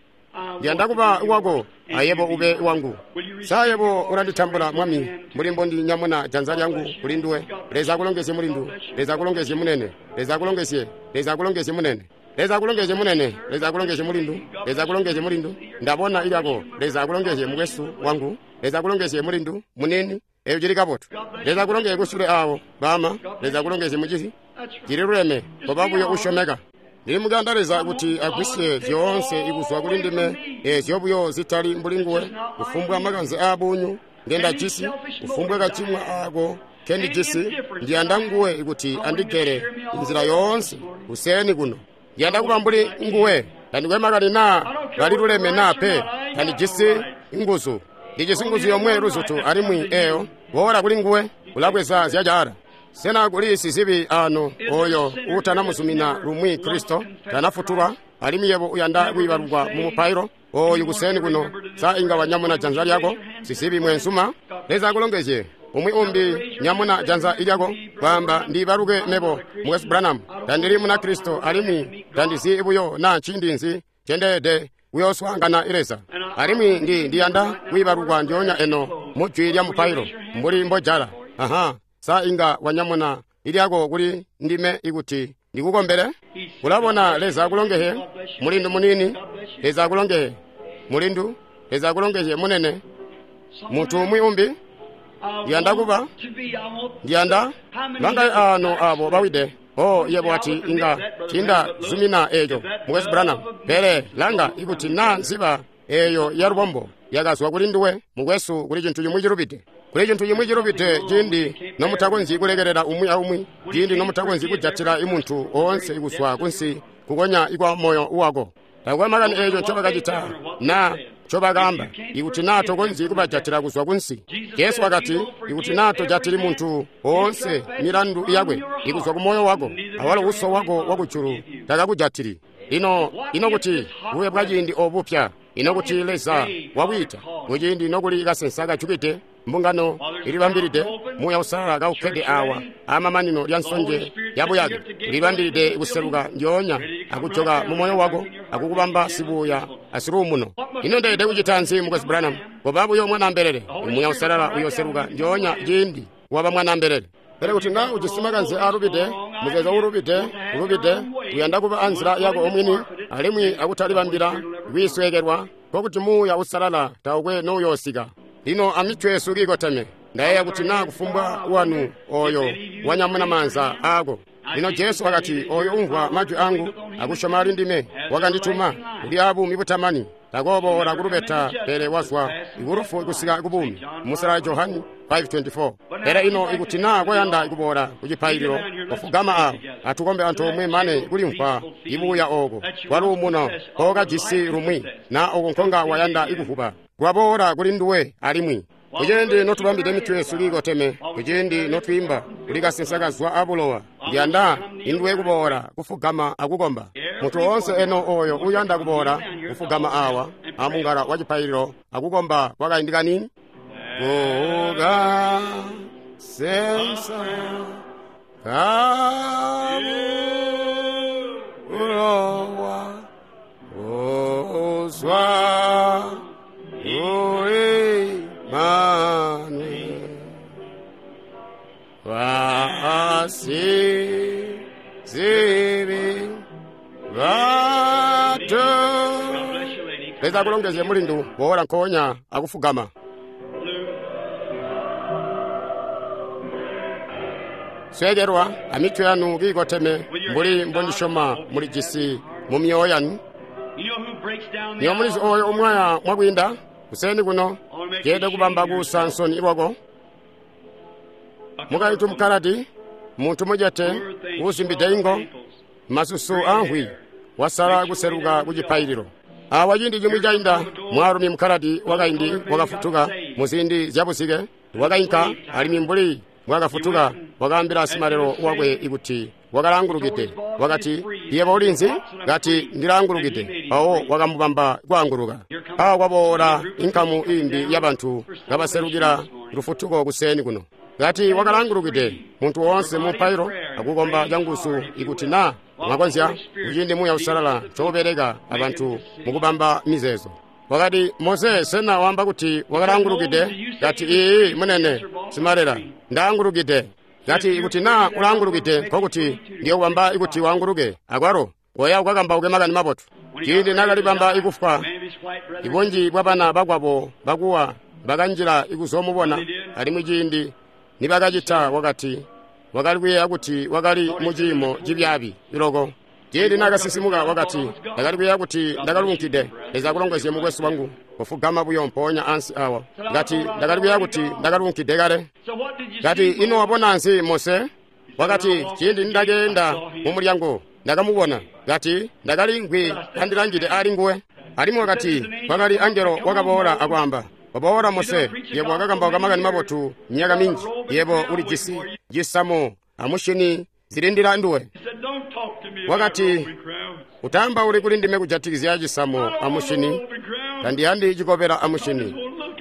Ndiyanda kuba wako, ayebo ube wangu. Sa yebo ulanditambula Mwami, mbuli mbondinyamuna janza lyangu kuli nduwe. Leza akulongezye mulindu, Leza akulongezye munene, Leza akulongezye, Leza akulongezye munene. Leza akulongezye munene, Leza akulongezye mulindu, Leza akulongezye mulindu. Ndabona ilyako, Leza akulongezye mukwesu wangu, Leza akulongezye mulindu, munini, eyo cili kabotu. Leza akulongezye kusule awo, bama, Leza akulongezye mucizi. Cili luleme, koba buyo usyomeka. Ndili mukuyanda Leza kuti agwisye zyoonse ikuzwa kuli ndime, eezyo buyo zitali mbuli nguwe, kufumbwa makanze aabunyu ngendajisi, kufumbwa kacimwa aako kendijisi, ndiyanda nguwe kuti andigere inzila yoonse kuseni kuno. Ndiyanda kuba mbuli nguwe, tandikwe makani naa baliluleme naa pe, tandijisi nguzu. Ndijisi nguzu yomwe luzutu alimwi eyo, boola kuli nguwe, ulabweza zyacaala. Sena kuli sizibi ano oyo utanamuzumina lumwi Kristo, tanafutulwa, alimwi yebo uyanda kwiibalukwa mu mupailo oyu kuseni kuno, sa inga wanyamuna janza lyako, sizibi mwenzuma? Leza akulongezye. Umwi umbi nyamuna janza ilyako, kwaamba ndiibaluke mebo mukwesu Branham, tandili muna Kristo alimwi tandizi buyo naa nciindi nzi cendeede kuyooswaangana Leza. Alimwi ndiyanda kwiibalukwa ndyoonya eno mu jwi lya mupailo mbuli mbojala. Aha. Sa inga wanyamuna ilyako kuli ndime ikuti ndikukombele? Ulabona, Leza akulongezye mulindu munini, Leza akulongezye mulindu, Leza akulongezye munene. Muntu umwi umbi ndiyanda kuba, ndiyanda bangaye ano abo bawide. Oh, yebo ati inga tinda zumina eco mukwesu Branham, pele langa ikuti naa nziba eyo ya lubombo yakazwa kuli nduwe mukwesu, kuli cintu cimwi cilubide. Kuli cintu cimwi cilubide ciindi nomutakonzyi kulekelela umwi aumwi, ciindi nomutakonzyi kujatila imuntu oonse ikuzwa kunsi kukonya ikwa moyo wako. Takwe makani eco ncobakacita naa ncobakaamba, ikuti naa tokonzyi kubajatila kuzwa kunsi. Jesu wakati, ikuti naa tojatili muntu oonse milandu yakwe ikuzwa ku moyo wako, awalo uso wako wakujulu takakujatili. Ino kuti bube bwa ciindi obupya, ino kuti Leza wakwiita kuciindi nokuli kasensa kajukide, mbungano ilibambilide, Muuya Uusalala kaukkede awa amamanino lya nsonje yabuyake, ulibambilide kuseluka ndyoonya akujoka mu moyo wako akukubamba sibuya asiluumuno. Ino ndeede kucita nzi mukwesu Branham? Koba buyo mwanaambelele. Muuya Uusalala uyoseluka ndyoonya ciindi waba mwanaambelele. Pele kuti naa ujisi makanze aalubide, muzeezo uulubide, ulubide, uyanda kuba anzila yako omwini alimwi akutalibambila kwiisweekelwa, nkokuti Muuya Uusalala taukwe nouyoosika. Lino amitwe yesu kiikoteme, ndayeeya kuti naa kufumbwa wanu oyo wanyamuna maanza aako. Lino Jesu wakati, oyo umvwa majwi angu akusyoma ali ndime wakandituma, uli abuumi butamani, takooboola kulubeta, pele wazwa kulufu kusika kubuumi. Musala Johani 5:24. Pele ino ikuti naa koyanda kuboola kucipaililo, kofugama awo, atukombe antoomwe mane kulimvwa ibuya ooko kwaluumuno kookajisi lumwi, naa oko nkonga wayanda ikuvuba kwaboola kuli nduwe alimwi. Kuciindi notubambide mitwe yesu kiikoteme, kuciindi notwiimba kuli kasensa kazwa abulowa, ndiyanda induwe kuboola kufugama akukomba. Muntu oonse eno oyo uyanda kuboola kufugama awa amungala wa cipaililo akukomba kwakaindi kanini. Kukasensa kabulowa uzwa uimane wasizibi batu. Leza akulongezye mulindu, boola nkoonya akufugama. Sweekelwa amitwe yanu kiikoteme mbuli mbondisyoma mulijisi mu myoyo yanu. Niyo mulizi oyo umwaya mwakwiinda kuseni kuno, ceede kubamba kuusa nsoni lwako. Mukaitu mukaladi, muntu mujete, uusimbide ingo, masusu aanhwi, Wasala kuseluka ku cipaililo. Awa ciindi cimwi cainda, mwaalumi mukaladi wakaindi wakafutuka muziindi zyabuzike, wakainka alimwi mbuli mbwaakafutuka wakaambila simalelo wakwe kuti wakalaangulukide. Wakati, yebo ulinzi? Kati, ndilaangulukide. Mpawo wakamubamba kwaanguluka. Awa kwaboola inkamu iimbi yabantu kabaselukila lufutuko kuseeni kuno. Kati wakalaangulukide muntu woonse mu mpailo akukomba canguzu ikuti na mwakonzya kuciindi Muuya Uusalala ncoubeleka abantu mukubamba mizeezo. Wakati, Mose, sena waamba kuti wakalaangulukide? Kati, iiyi munene simalela, ndaangulukide. Kati ikuti na ulaangulukide, nkokuti ndiyokubamba ikuti waanguluke akwalo koya ukakambauke makani mabotu. Ciindi nakalibamba ikufwa, ibunji bwabana bakwabo bakuwa bakanjila ikuzoomubona, alimwi ciindi nibakacita wakati wakali kuyeeya kuti wakali muciimo cibyaabi loko. Ciindi naakasisimuka wakati, ndakali kuyeeya kuti ndakaluunkide. Leza akulongezye mukwesu wangu, kufugama buyo mpoonya ansi awa. Kati ndakali kuyeeya kuti ndakaluunkide kale. Kati ino wabona nzi Mose? Wakati ciindi nindakeenda mu mulyango ndakamubona. Kati ndakali ngwi kandilangide ali nguwe. Alimwi wakati kwakali angelo wakaboola akwaamba, waboola Mose, yebo wakakambauka makani mabotu myaka minji, yebo ulijisi cisamo amushini zilindila nduwe. Wakati, utaambauli kuli ndime kujatikizya cisamo amushini, tandiyandi cikobela amushini,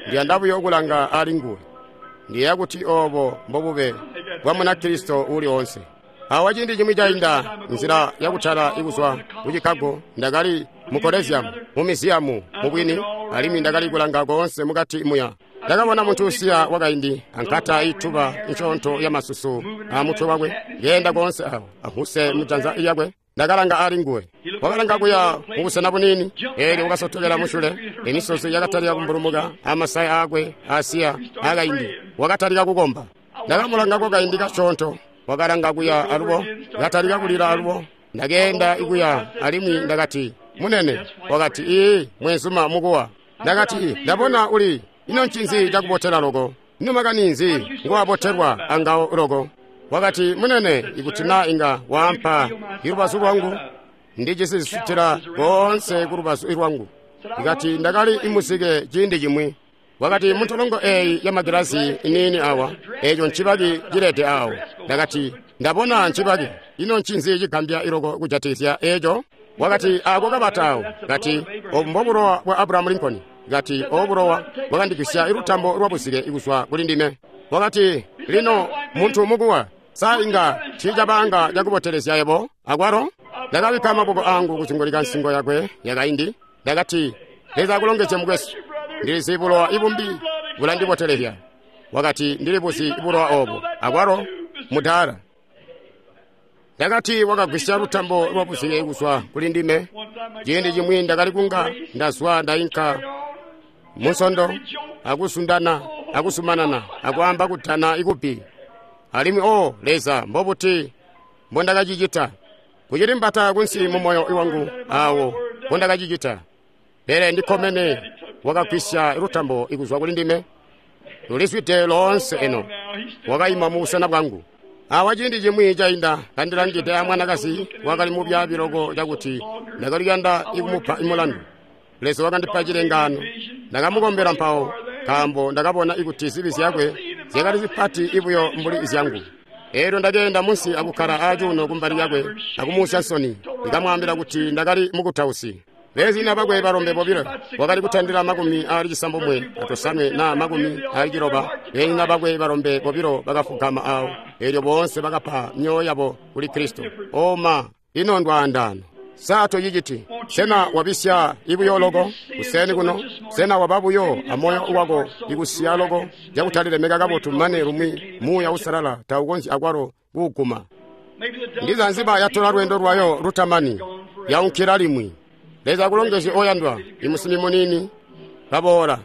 ndiyanda buyo kulanga ali nguwe. Ndiyeeya kuti oobo mbobube bwa Munakristo uuli oonse. Awa ciindi cimwi cainda, nzila yakutala ikuzwa ku Chicago, ndakali mu Coliseum, mu miziyamu mubwini, alimwi ndakali kulanga koonse mukati muya. Ndakabona muntu usiya wakaindi ankata ituba nsyoonto ya masusu amutwe wakwe, ngeenda koonse awo ahuse mujanza lyakwe. Ndakalanga ali nguwe, wakalanga kuya mubusena buniini, eelyo wakasotokela musyule, emisozi yakatalika kumbulumuka amasaya aakwe asiya akaindi. Wakatalika kukomba. Ndakamulanga kwakaindi kasyoonto, wakalanga kuya alubo, katalika kulila alubo. Ndakeenda ikuya alimwi ndakati, munene. Wakati, ii mwenzuma mukuwa. Ndakati, ndabona uli, ino ncinzi cakubotela loko? Ino makani nzi nguwabotelwa angawo loko? Wakati, munene, ikuti na inga waampa ilubazu lwangu, ndijisi zisutila koonse kulubazu lwangu. Ikati ndakali imuzike ciindi cimwi. Wakati, muntolongo eeyi ya magilazi iniini awa, eeco ncibaki cilede awo. Ndakati, ndabona ncibaki. Ino ncinzi cigambya iloko kujatikizya eeco? Wakati, ako kabata awo. Kati, obu mbobulowa bwa Abraham Lincoln. Kati, obu bulowa bwakandigwisya ilutambo lwabuzike kuzwa kuli ndime. Wakati, lino muntu mukuwa, sa inga tiicabanga cakubotelezya yebo akwalo? Ndakabikka maboko angu kuzingulika nsingo yakwe yakaindi. Ndakati, Leza akulongezye mukwesu. Ndilizi bulowa ibumbi bulandibotelezya. Wakati, ndilibuzi bulowa obo akwalo mudaala. Ndakati wakagwisya lutambo lwabuzike kuzwa kuli ndime. Ciindi cimwi ndakali kunga ndazwa ndainka munsondo akusundana akusumanana akwaamba kutana ikubbi. Alimwi o Leza, mbobuti mbondakacicita? Kucili mbata kunsi mu moyo wangu awo mbondakacicita. Pele ndikkomene wakagwisya lutambo ikuzwa kuli ndime. Lulizwide loonse eno. Wakaima mu busena bwangu. Awa ciindi cimwi cainda kandilangide amwanakazi wakali mubyaabi loko cakuti ndakali kuyanda ikumupa imulandu. Leza wakandipa cilengaano. Ndakamukombela mpawo, nkaambo ndakabona ikuti zibi zyakwe zyakali zipati ibuyo mbuli zyangu. Eelyo ndakeenda munsi akukkala acuuno kumbali lyakwe akumuusya nsoni. Ndikamwaambila kuti ndakali mukutausi. Beezina bakwe balombe bobilo wakali kutandila 69 na 90. Beezina bakwe balombe bobilo bakafugama awo, eelyo boonse bakapa myoyo yabo kuli Kristo. Oma, ino ndwaandano. Sa toyiciti? Sena wabisya ibuyo loko kuseni kuno? Sena waba buyo amoyo wako ikusiya loko cakutalilemeka kabotu mane lumwi Muuya Uusalala taukonzyi akwalo kuuguma? Ndiza nziba yatola lweendo lwayo lutamani, yaunkila limwi. Leza akulongezye oyandwa, imusimi muniini kaboola.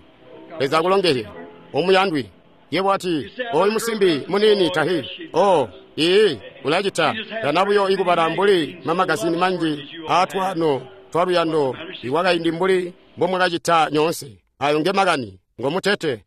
Leza akulongezye omuyandwi. Yebo ati, oyu musimbi muniini tahi. Oh, ii, ulacita. Tana buyo ikubala mbuli mamagazini manji aatwano twaluyando iwakaindi mbuli mbomwakacita nyoonse. Ayo nge makani, ngomutete.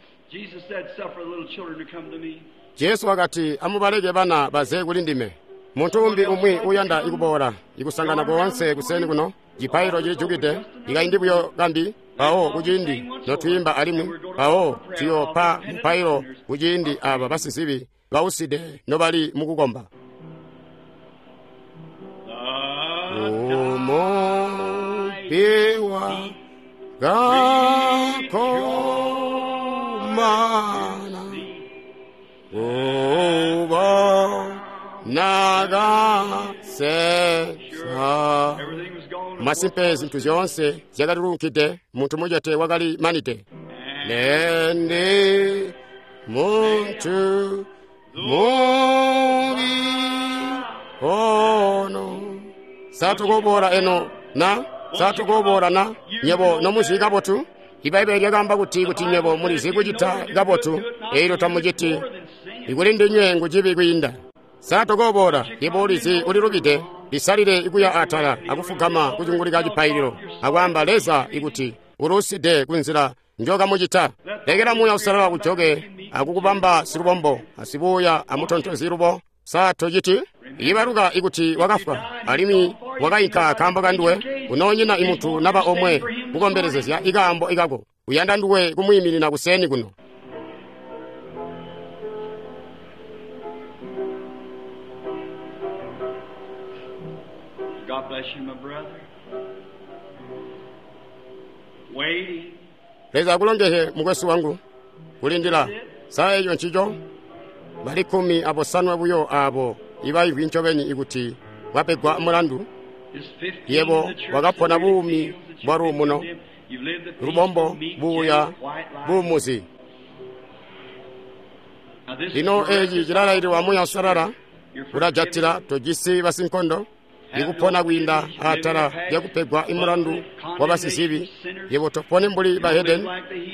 Jesu wakati, amubaleke bana baze kuli ndime. Muntu umbi umwi uyanda ikuboola ikusangana koonse kuseni kuno, cipaililo cilijukide, ikaindi buyo kambi, mpawo kuciindi notwiimba alimwi, mpawo tuyoopa mupailo kuciindi aba basizibi bauside nobali mukukomba. Umupiwa gakomana ubonakasesa. Masimpe zintu zyoonse zyakalilunkide, muntu mucete wakali manide. Nende muntu mubi ono satukoboola eno na satukoboola na nyebo nomuzi kabotu. Ibaibbele lyakaamba kuti nyebo mulizi kucita kabotu, eelyo tamuciti, ikuli ndinywe ngucibi kwiinda. Satukoboola yebo ulizi ulilubide, lisalile ikuya atala akufugama kucungulika cipaililo akwaamba Leza ikuti uluside kunzila njokamucita. Lekela Muuya Uusalala kujoke akukubamba silubombo asibuuya amutontozi lubo. Satociti ibaluka ikuti wakafwa alimwi wakainka kaambo kanduwe, unoonyina imuntu naba omwe kukombelezezya ikaambo ikako. Uyanda nduwe kumwiiminina kuseni kuno. God bless you, my brother. Waiting. Leza akulongehe mukwesu wangu kulindila saa eco ncico bali 15 buyo abo ibaivwi ncobeni ikuti wapegwa mulandu. Yebo wakapona buumi bwa luumuno, lubombo, buuya, buumuzi. Lino eci cilalaililwa Muuya Uusalala ulajatila tojisi basinkondo ikupona kwiinda atala lyakupegwa imulandu wa basizibi. Yebo topone mbuli bahedeni,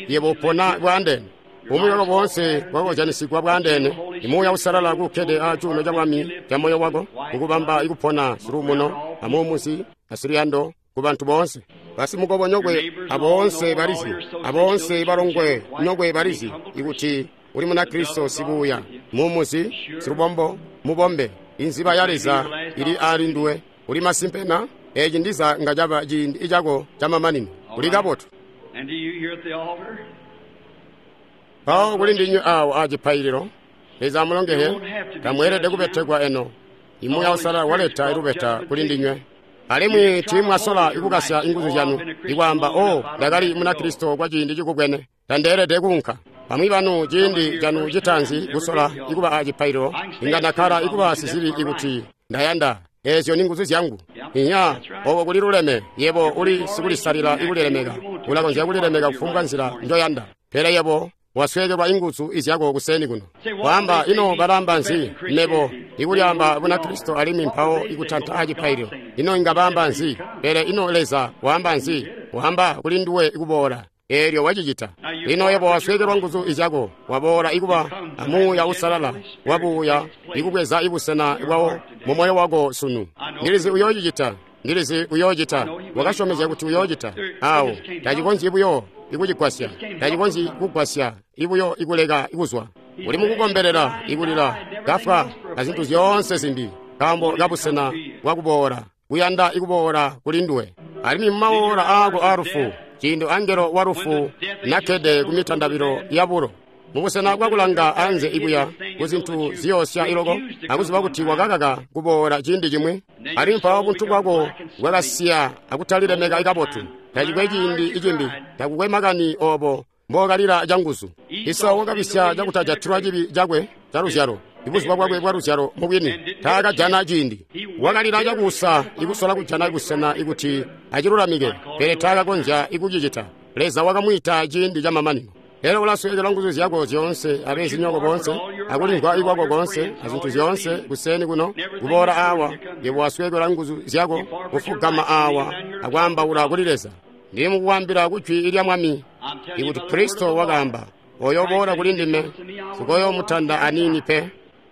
yebo upona bwaandeene. Bumwi bwako boonse bwakozyanisigwa bwaandeene. Imuuya Uusalala kukkede acuuno ca bwami ca moyo wako kukubamba ikupona siluumuno amuumuzi asiluyando ku bantu boonse. Basimukobonyokwe aboonse balizi, aboonse balongwe nyokwe balizi ikuti uli Munakristo sibuuya, muumuzi, silubombo, mubombe. Inziba ya Leza ili ali nduwe. Uli masimpe na eci ndiza nga caba ciindi icako camamanino. Uli kabotu. Mpawo kuli ndinywe awo acipaililo, Leza amulongehe, tamweelede kubetekwa eno. Imuuya Uusalala waleta ilubeta kuli ndinywe. Alimwi tiimwasola ikukasya inguzu zyanu ikwaamba, o ndakali Munakristo kwa ciindi cikubwene, tandeelede kuunka. Bamwi banu ciindi canu citaanzi kusola ikuba acipaililo, inga ndakkala ikuba sizibi ikuti ndayanda. Eezyo ni nguzu zyangu. Inya, obo kuli luleme, yebo uli sikulisalila ikulilemeka. Ulakonzya kulilemeka kufumbwa nzila njoyanda. Pele yebo wasweekelwa inguzu izyako kuseni kuno. Waamba ino balamba nzi mebo ikulyaamba Bunakristo alimwi mpawo ikutanta acipaililo. Ino inga baamba nzi? Pele ino Leza waamba nzi? Waamba kuli nduwe ikuboola. Eelyo wacicita. Lino yebo wasweekelwa nguzu izyako, waboola ikuba amuuya Uusalala wabuuya ikubweza ibusena bwawo mu moyo wako sunu. Ndilizi uyoocicita, ndilizi uyoocita, wakasyomezya kuti uyoocita. Awo tacikonzyi buyo ikucigwasya, tacikonzyi kugwasya ibuyo ikuleka ikuzwa. Uli mukukombelela ikulila kafwa azintu zyoonse zimbi nkaambo kabusena bwakuboola, kuyanda ikuboola kuli nduwe. Alimwi mumawoola aako aalufu, ciindi angelo wa lufu nakkede ku mitandabilo yabulo, mubusena bwakulanga anze ikuya kuzintu ziyoosya iloko, akuziba kuti wakakaka kuboola ciindi cimwi, alimwi mpawo buntu bwako bwakasiya akutalilemeka ikabotu. Tacikwe ciindi icimbi, takukwe makani obo mbookalila canguzu. Esau wakabisya cakutajatilwa cibi cakwe caluzyalo, ibuzuba bwakwe bwa luzyalo mubwini taakajana ciindi. Wakalila cakuusa ikusola kujana busena ikuti acilulamike, pele taakakonzya ikucicita. Leza wakamwiita ciindi camamanino. Elyo ulasweekelwa nguzu zyako zyoonse abezinyoko boonse akulimvwa ikwako koonse azintu zyoonse kuseni kuno kuboola awa. Yebo wasweekelwa nguzu zyako kufugama awa akwaambaula kuli Leza. Ndili mukukwambila kujwi lya Mwami ikuti Kristo wakaamba, oyo boola kuli ndime sikoyoomutanda aniini pe.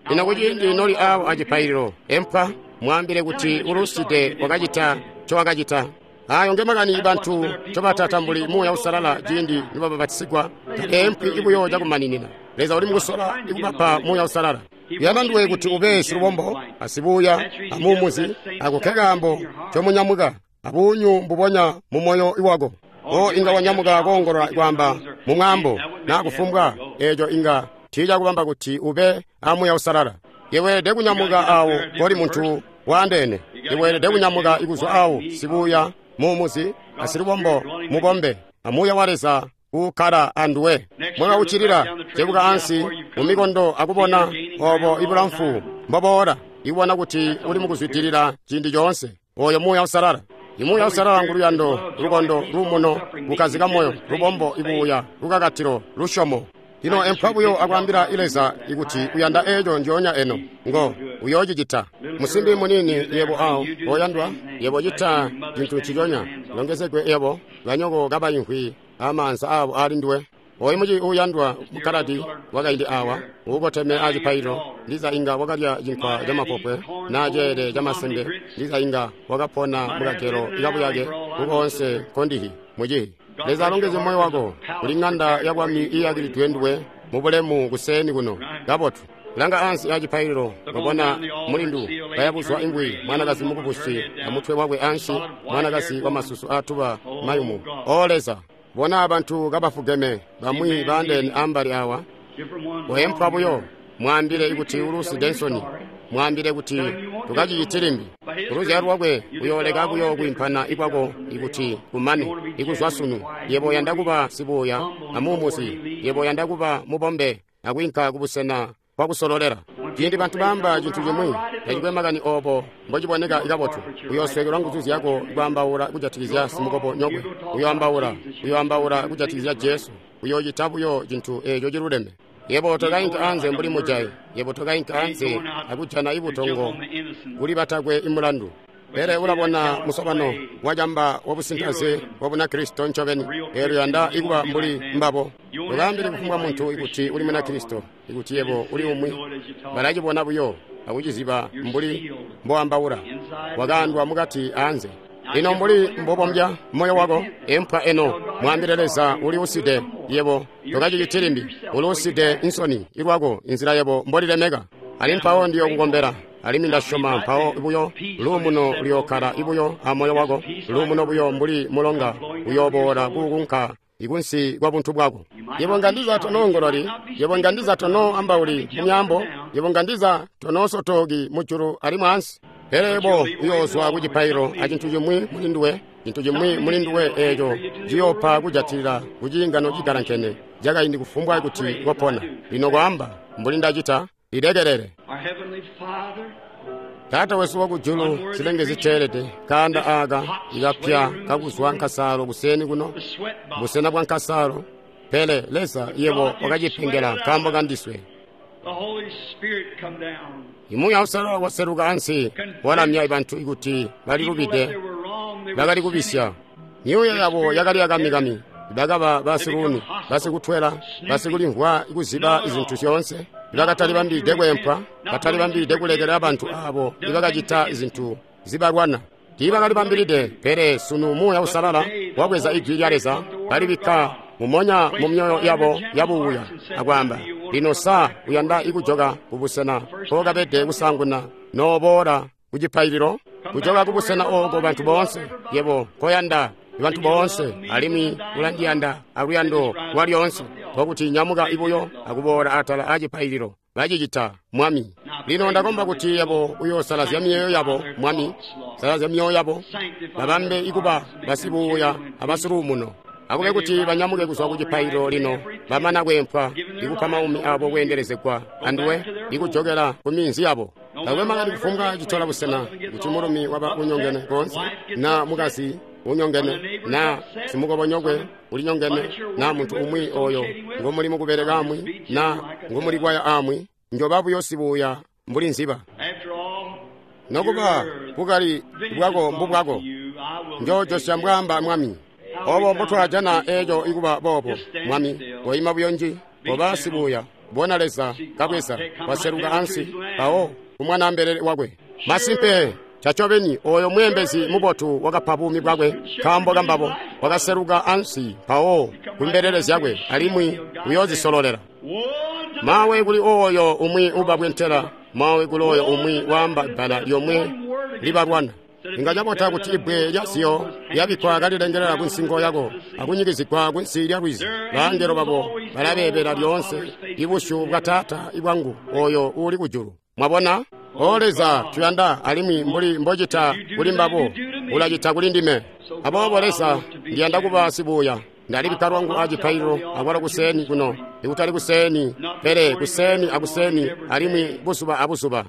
Lino kuciindi noli awo acipaililo, empwa mwaambile kuti uluside wakacita ncowakacita. Ayo ngemakani bantu ncobatatambuli Muuya Uusalala ciindi nibabapatisigwa, taempwi ibuyo cakumaninina. Leza uli mukusola ikubapa Muuya Uusalala. Uyanda nduwe kuti ube silubombo asibuuya amuumuzi ako nkekaambo ncomunyamuka abuunyu mbubonya mu moyo wako. O inga wanyamuka koongolola kwaamba mu mwaambo naa kufumbwa eeco inga tiicakubamba kuti ube a Muuya Uusalala. Iweelede kunyamuka awo koli muntu waandeene. Iweelede kunyamuka ikuzwa awo sibuuya muumuzi asilubombo mubombe a Muuya wa Leza uukkala anduwe. Mwaka uccilila cebuka ansi mumikondo akubona obo ibulamfu mboboola, ikubona kuti uli mukuzwidilila ciindi coonse. Oyo Muuya Uusalala. Imuuya Uusalala nguluyando, lukondo, luumuno, kukkazika moyo, lubombo, ibuuya, lukakatilo, lusyomo. Lino empwa buyo akwaambila Leza ikuti uyanda eeco njoonya eno, ngo uyoocicita. Musimbi muniini yebo awo oyandwa, yebo cita cintu nciconya. Longezegwe yebo, banyoko kabaimvwi amaanza abo ali nduwe. Oyu muci uuyandwa mukkaladi wakaindi awa uukoteme acipaililo, ndiza inga wakalya cinkwa camapopwe naa ceele camasembe, ndiza inga wakapona mukagelo kabuyake kukoonse nkondihi mucihi. Leza alongezye moyo wako. Kuli ŋanda ya bwami iiyakilidwe nduwe mubulemu kuseeni kuno. Kabotu. Langa ansi acipaililo, wabona mulindu kayabuzwa ingwi, mwanakazi mukubusi amutwe wakwe ansi, mwanakazi wamasusu aatuba mayumu. O Leza, bona bantu kabafugeme, bamwi baandeene ambali awa. Weempwa buyo, mwaambile ikuti ulusi Densoni, mwaambile kuti tukaciciti limbi. Kuluzyalo lwakwe uyooleka buyo kwiimpana ikwako ikuti kumane ikuzwa sunu. Yebo uyanda kuba sibuuya amuumuzi, yebo uyanda kuba mubombe akwiinka kubusena bwakusololela. Ciindi bantu baamba cintu cimwi, tacikwe makani oobo mbociboneka kabotu, uyoosweekelwa nguzu zyako kwaambaula kujatikizya simukobo nyokwe. Uyoambaula kujatikizya Jesu. Uyoocita buyo cintu eeco ciluleme. Yebo tokainka anze mbuli mujayi. Yebo tokainka anze akujana ibutongo kuli batakwe imulandu. Pele ulabona musobano wacamba wabusintaze wa Bunakristo ncobeni, eelyo uyanda ikuba mbuli mbabo. Ukaambile kufumbwa muntu ikuti uli Munakristo, ikuti yebo uli umwi. Balacibona buyo akuciziba mbuli mboambaula. Wakaandwa mukati anze. Lino mbuli mbobombya moyo wako, empwa eno, mwaambile Leza uli uside, yebo tokaciciti limbi. Uli uside insoni ilwako inzila yebo mbolilemeka. Ali mpawo ndiyokukombela, alimwi ndasyoma mpawo buyo luumuno luyookkala ibuyo amoyo wako, luumuno buyo mbuli mulonga uyooboola kukunka ikunsi kwa buntu bwako. Yebo nga ndiza tonoongololi, yebo nga ndiza tonoambauli mumyaambo, yebo nga ndiza tonoosotoki mujulu alimwi ansi. Pele yebo uyoozwa ku cipaililo acintu cimwi muli nduwe, cintu cimwi muli nduwe eeco ciyoopa kujatilila kuciingano cigalankene cakaindi kufumbwa kuti wapona. Lino kwaamba mbuli ndacita, lilekelele. Taata wesu wakujulu, zilenge ziteelede, kaanda aaka ikapya kakuzwa nkasaalo kuseeni kuno, busena bwa nkasaalo. Pele Leza yebo wakacipengela nkaambo kandiswe. Imuuya Uusalala waseluka ansi walamya bantu ikuti balilubide, bakali kubisya. Myuuya yabo yakali yakamikami, bakaba basiluuni, basikutwela, basikulimvwa kuziba zintu zyoonse. Ibakatalibambilide kweempwa, batalibambilide kulekela bantu aabo ibakacita zintu zibalwana. Tiibakalibambilide, pele sunu Muuya Uusalala wabweza ijwi lya Leza, balibikka mumonya mu myoyo yabo yabuuya akwaamba, lino sa uyanda ikujoka kubusena mpookabede kusaanguna nooboola kucipaililo? Kujoka kubusena ooko bantu boonse, yebo koyanda bantu boonse, alimwi ulandiyanda aluyando lwalyoonse, nkokuti nyamuka ibuyo akuboola atala acipaililo. Bacicita, Mwami. Lino ndakomba kuti yebo uyoosalazya myoyo yabo, Mwami. Salazya myoyo yabo, babambe ikuba basibuuya abasiluumuno. Akube kuti banyamuke kuzwa ku cipaililo lino, bamana kweempwa, ikupa maumi abo kweendelezegwa anduwe, ikujokela ku minzi yabo. Takwe makani kufumbwa citola busena, kuti mulumi waba unyongene koonse, na mukazi unyongene, na simukobonyokwe ulinyongene, na muntu umwi oyo ngomuli mukubeleka amwi, na ngomuli kwaya amwi, njoba buyo sibuuya mbuli nziba. Nokuba bukali bwako mbubwako, njoojosya mbwaamba Mwami. Obo mbotwajana eeco ikuba boobo, Mwami, koima buyo nji, koba sibuuya, bona Leza kabweza, waseluka ansi, mpawo kumwanaambelele wakwe. Masimpe, cacobeni oyo mweembezi mubotu wakapa buumi bwakwe nkaambo kambabo, wakaseluka ansi mpawo kumbelele zyakwe, alimwi uyoozisololela. Mawe kuli oyo umwi ubabwentela, mawe kuli oyo umwi waamba bbala lyomwe libalwana. Inga cabota kuti ibbwe lya siyo lyabikkwa kalilengelela kunsingo yako akunyikizigwa kunsi lya lwizi. Baangelo babo balabeebela lyoonse ibusyu bwa Taata bwangu oyo uuli kujulu. Mwabona? O Leza, tuyanda alimwi mbuli mbocita kuli mbabo, ulacita kuli ndime. Aboobo Leza, ndiyanda kuba sibuuya. Ndalibikka lwangu acipaililo akwalo kuseeni kuno, ikutali kuseeni, pele kuseeni akuseeni alimwi buzuba abuzuba.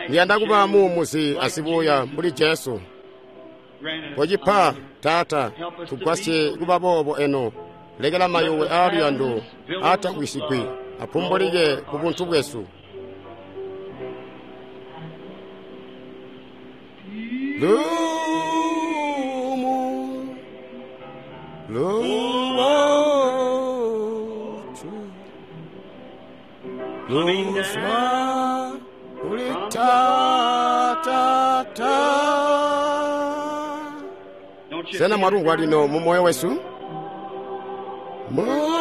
Ndiyanda kuba muumuzi asibuuya mbuli Jesu. Kocipa, Taata, tugwasye kuba boobo eno. Lekela mayuwe aaluyando aatagwisigwi apumbulike ku buntu bwesu. Lumu, lubotu, luzwa kuli Taata. Sena mwalumvwa lino mu moyo wesu? Mungu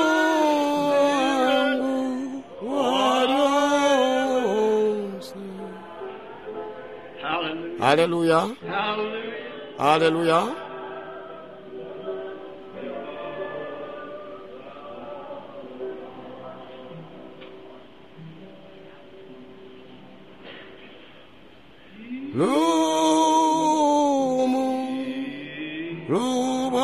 wa lyonse. Haleluya, haleluya. Lumu, lubotu.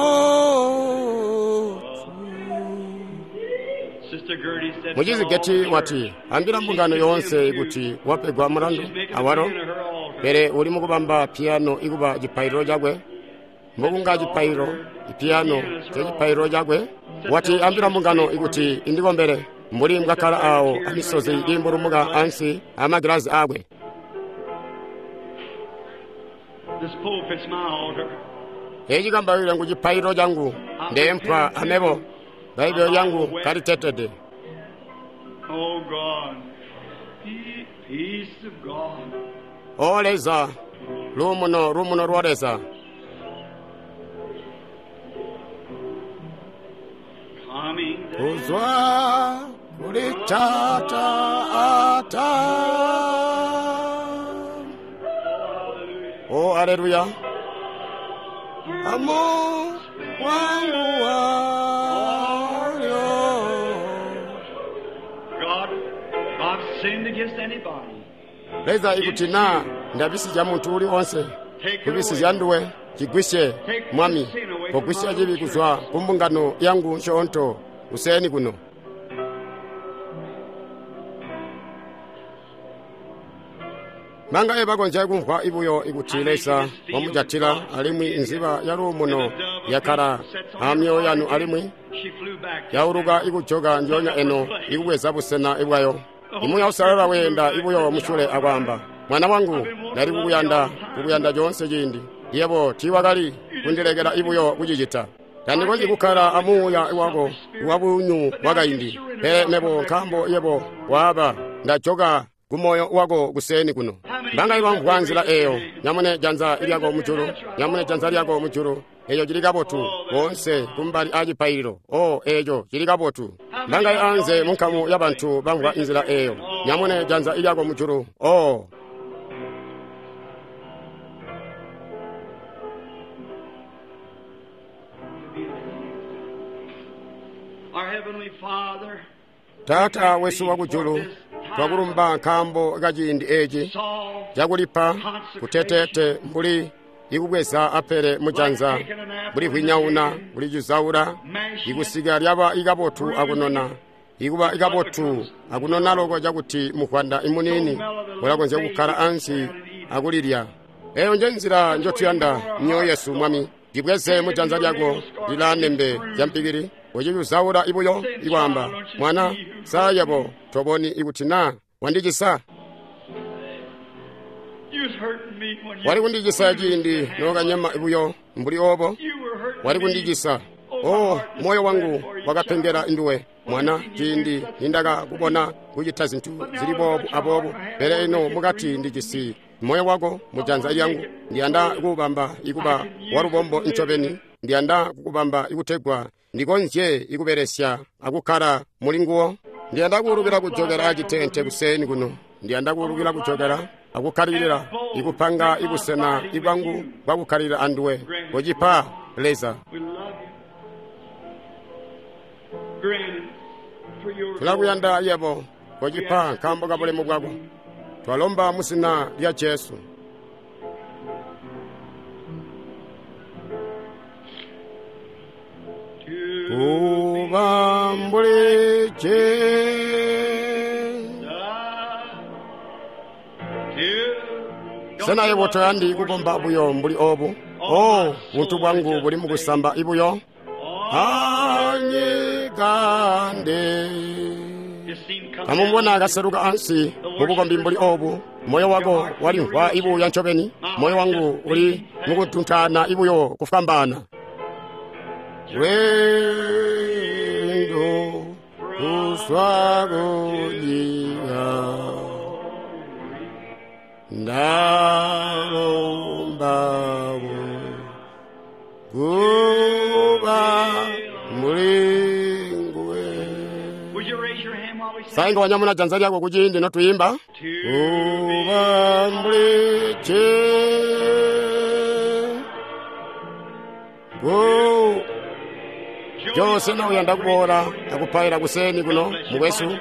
Muchizi Geti wati, ambila mbungano yoonse kuti wapegwa mulandu awalo, pele uli mukubamba piyano ikuba cipaililo cakwe. Mbokunga cipaililo, ipiyano cecipaililo cakwe. Wati ambila mbungano ikuti indikombele mbuli mbwakkala awo amisozi iimbulumuka ansi amagilazi akwe. Eci kambaile ngu cipaililo cangu, ndeempwa amebo, Bbaibele lyangu kalitetede. Oh God, peace of God. O Leza, luumuno, luumuno lwa Leza. Coming Kuzwa kuli Taata ata. O aleluya. Amu wangu walyo. God, if I've sinned against anybody, Leza ikuti na ndabisizya muntu uli onse, kubisizya nduwe, cigwisye Mwami, kogwisya cibi kuzwa ku mbungano yangu nsyoonto kuseeni kuno. Manga bakonzya kumvwa ibuyo ikuti Leza wamujatila alimwi nziba ya luumuno yakkala amyoyo yanu alimwi she flew back. yauluka ikujoka njoonya eno ikubweza busena bwayo. Imuya usalala weenda ibuyo musyule akwaamba, mwana wangu, ndali kukuyanda, kukuyanda coonse ciindi. Yebo tiiwakali kundilekela ibuyo kucicita. Tandikonzyi kukkala amuuya wako wabunyu bwakaindi, pele mebo nkaambo yebo waaba, ndajoka kumoyo wako kuseeni kuno. Mbanga ibamvwa nzila eyo, nyamune janza lyako mujulu, nyamune janza lyako mujulu. Eyo cili kabotu, boonse kumbali a cipaililo. O, eco cili kabotu. Mbanga anze munkamu yabantu bamvwa nzila eyo, nyamune janza lyako mujulu. O, Our Heavenly Father, Taata wesu wakujulu, twakulumba nkaambo kaciindi eci saw cakulipa kuteteete mbuli ikubweza apele mujanza, mbuli hwinyauna, mbuli cizaula, ikusika lyaba ikabotu akunona, ikuba ikabotu akunona loko cakuti muhwanda imunini ulakonzya kukkala ansi akulilya. Eyo nje nzila njotuyanda myoyo yesu Mwami. Ndibweze mujanza lyako lila nembe zya mpikili, uciyuzaula ibuyo ikwaamba, mwana, saa yebo toboni ikuti na wandicisa. you was hurting me when you Wali kundicisa ciindi nookanyema ibuyo mbuli obo, you were hurting wali me. kundicisa. O, moyo wangu wakapengela nduwe mwana ciindi nindakakubona kucita zintu zili boobu aboobu, pele ino mukati ndijisi moyo wako mujanza lyangu. Ndiyanda kuubamba ikuba walubombo ncobeni, ndiyanda kukubamba ikutegwa ndikonzye ikubelesya akukkala muli nguwo. Ndiyanda kuulukila kujokela acitente kuseni kuno. Ndiyanda kuulukila kujokela akukkalilila ikupanga ibusena ibwangu bwakukkalilila anduwe. Kocipa Leza. We love you. Grant it for your glory. Tulakuyanda yebo. Kocipa nkaambo ka bulemu bwako. Twalomba muzina lya Jesu. Kuba mbuli Jesu. Sena yebo toyandi kukomba buyo mbuli obu? Oh, buntu bwangu buli mukusamba ibuyo. Anyikande. Kamubona kaseluka ansi mubukombi mbuli obu. Moyo wako walimvwa ibuya ncobeni. Moyo wangu uli mukutuntana ibuyo kufwambaana. Lwendo kuzwa kunyika ndalomba kuba mulinguwe. Would you raise your hand while we sing? Sainga wanyamuna janza lyako kuciindi notuyimba. Kuba mbuli Jesu. Jose na uyanda kuboola akupaila kuseni kuno mukwesu.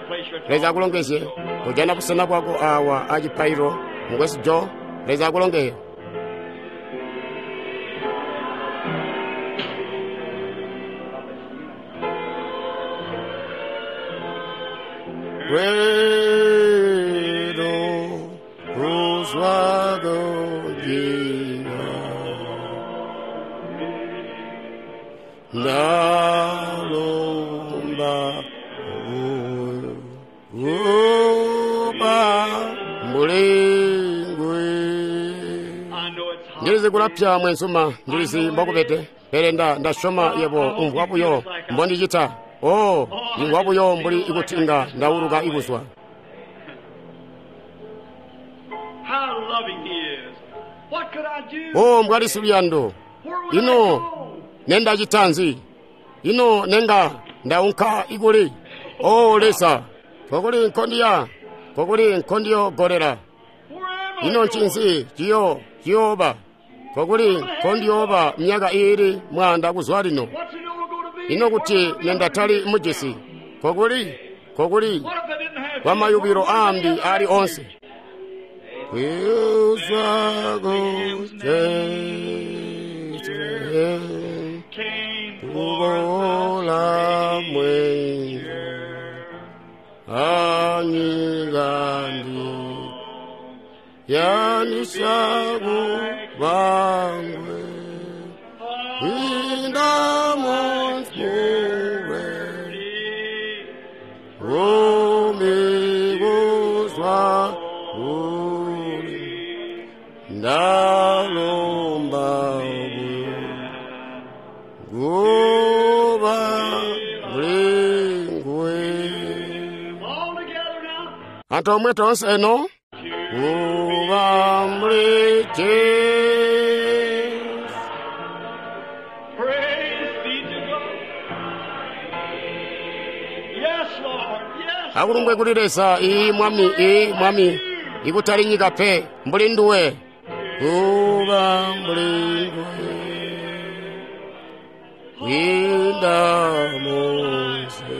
Leza akulongezye. Kujana busena bwako awa acipailo mukwesu Jo. Leza akulongezye. Lwendo kuzwa kunyika ndalomba kuba mulingwe. I know it's hot. Ndilizi kulapya mwenzuma, ndilizi mbokubete, pele ndasyoma yebo umvwa buyo mbondicita. Oh, ndimvwa buyo mbuli ikuti inga ndauluka ikuzwa. How loving he is. What could I do? Oh, mbwali siluyando. Where would I Ino go? nendacita nzi? Ino nenga ndaunka ikuli. Oh, Leza, kokuli nkondiya, kokuli nkondiyogolera. Where am I Ino going? ncinzi ciyooba? Kokuli nkondiyooba myaka iili 100 kuzwa lino. What's it all going to be? Ino kuti Where will I be? nendatali mujisi. Kokuli, kokuli What if I didn't have kwa mayubilo ambi ali onse. Kuzwa kujesu Came for kubola mwengu anyikandi yanisaku bangwe indamonzmure umikuzwa uli ndalomba kuba mlingwe. All together now. Anthu omwe tonse eno kuba muli Jesu. Praise be to God. Yes, Lord. Yes. Akulumbwe kuli Leza iyi mwami, iyi mwami ikutali nyika pe mbuli nduwe. Kuba mbuli nduwe kwinda monse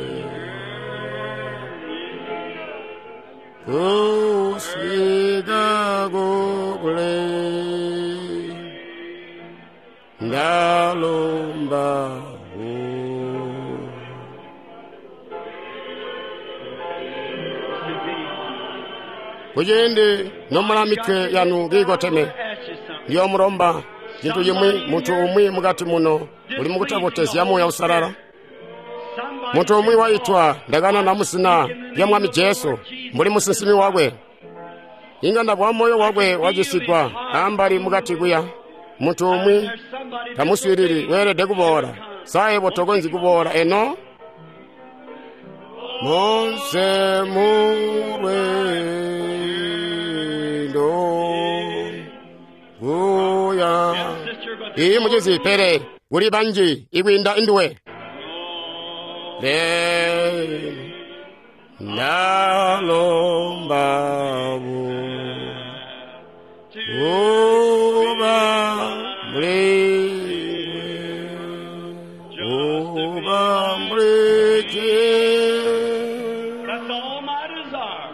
kusika kukule ndalomba kuciindi nomula mitwe yanu kiikoteme Ask you something. ndiyomulomba cintu cimwi munthu umwi mukati muno uli mukutabotezya Muuya Usalala. Somebody Munthu umwi waitwa ndakana muzina lya Mwami Jesu mbuli musinsimi wakwe. Inga ndabwa moyo wakwe wacisigwa ambali mukati kuya. Munthu umwi There's somebody tamuswiilili weelede kuboola. Saebo tokonzyi kuboola eno. Monse mulwendo kuya. Sister, but Iyi mucizi pele kuli banji ikwiinda induwe. Le Ndalomba kuba mbuli nguwe, kuba mbuli Jesu. That's all my desire.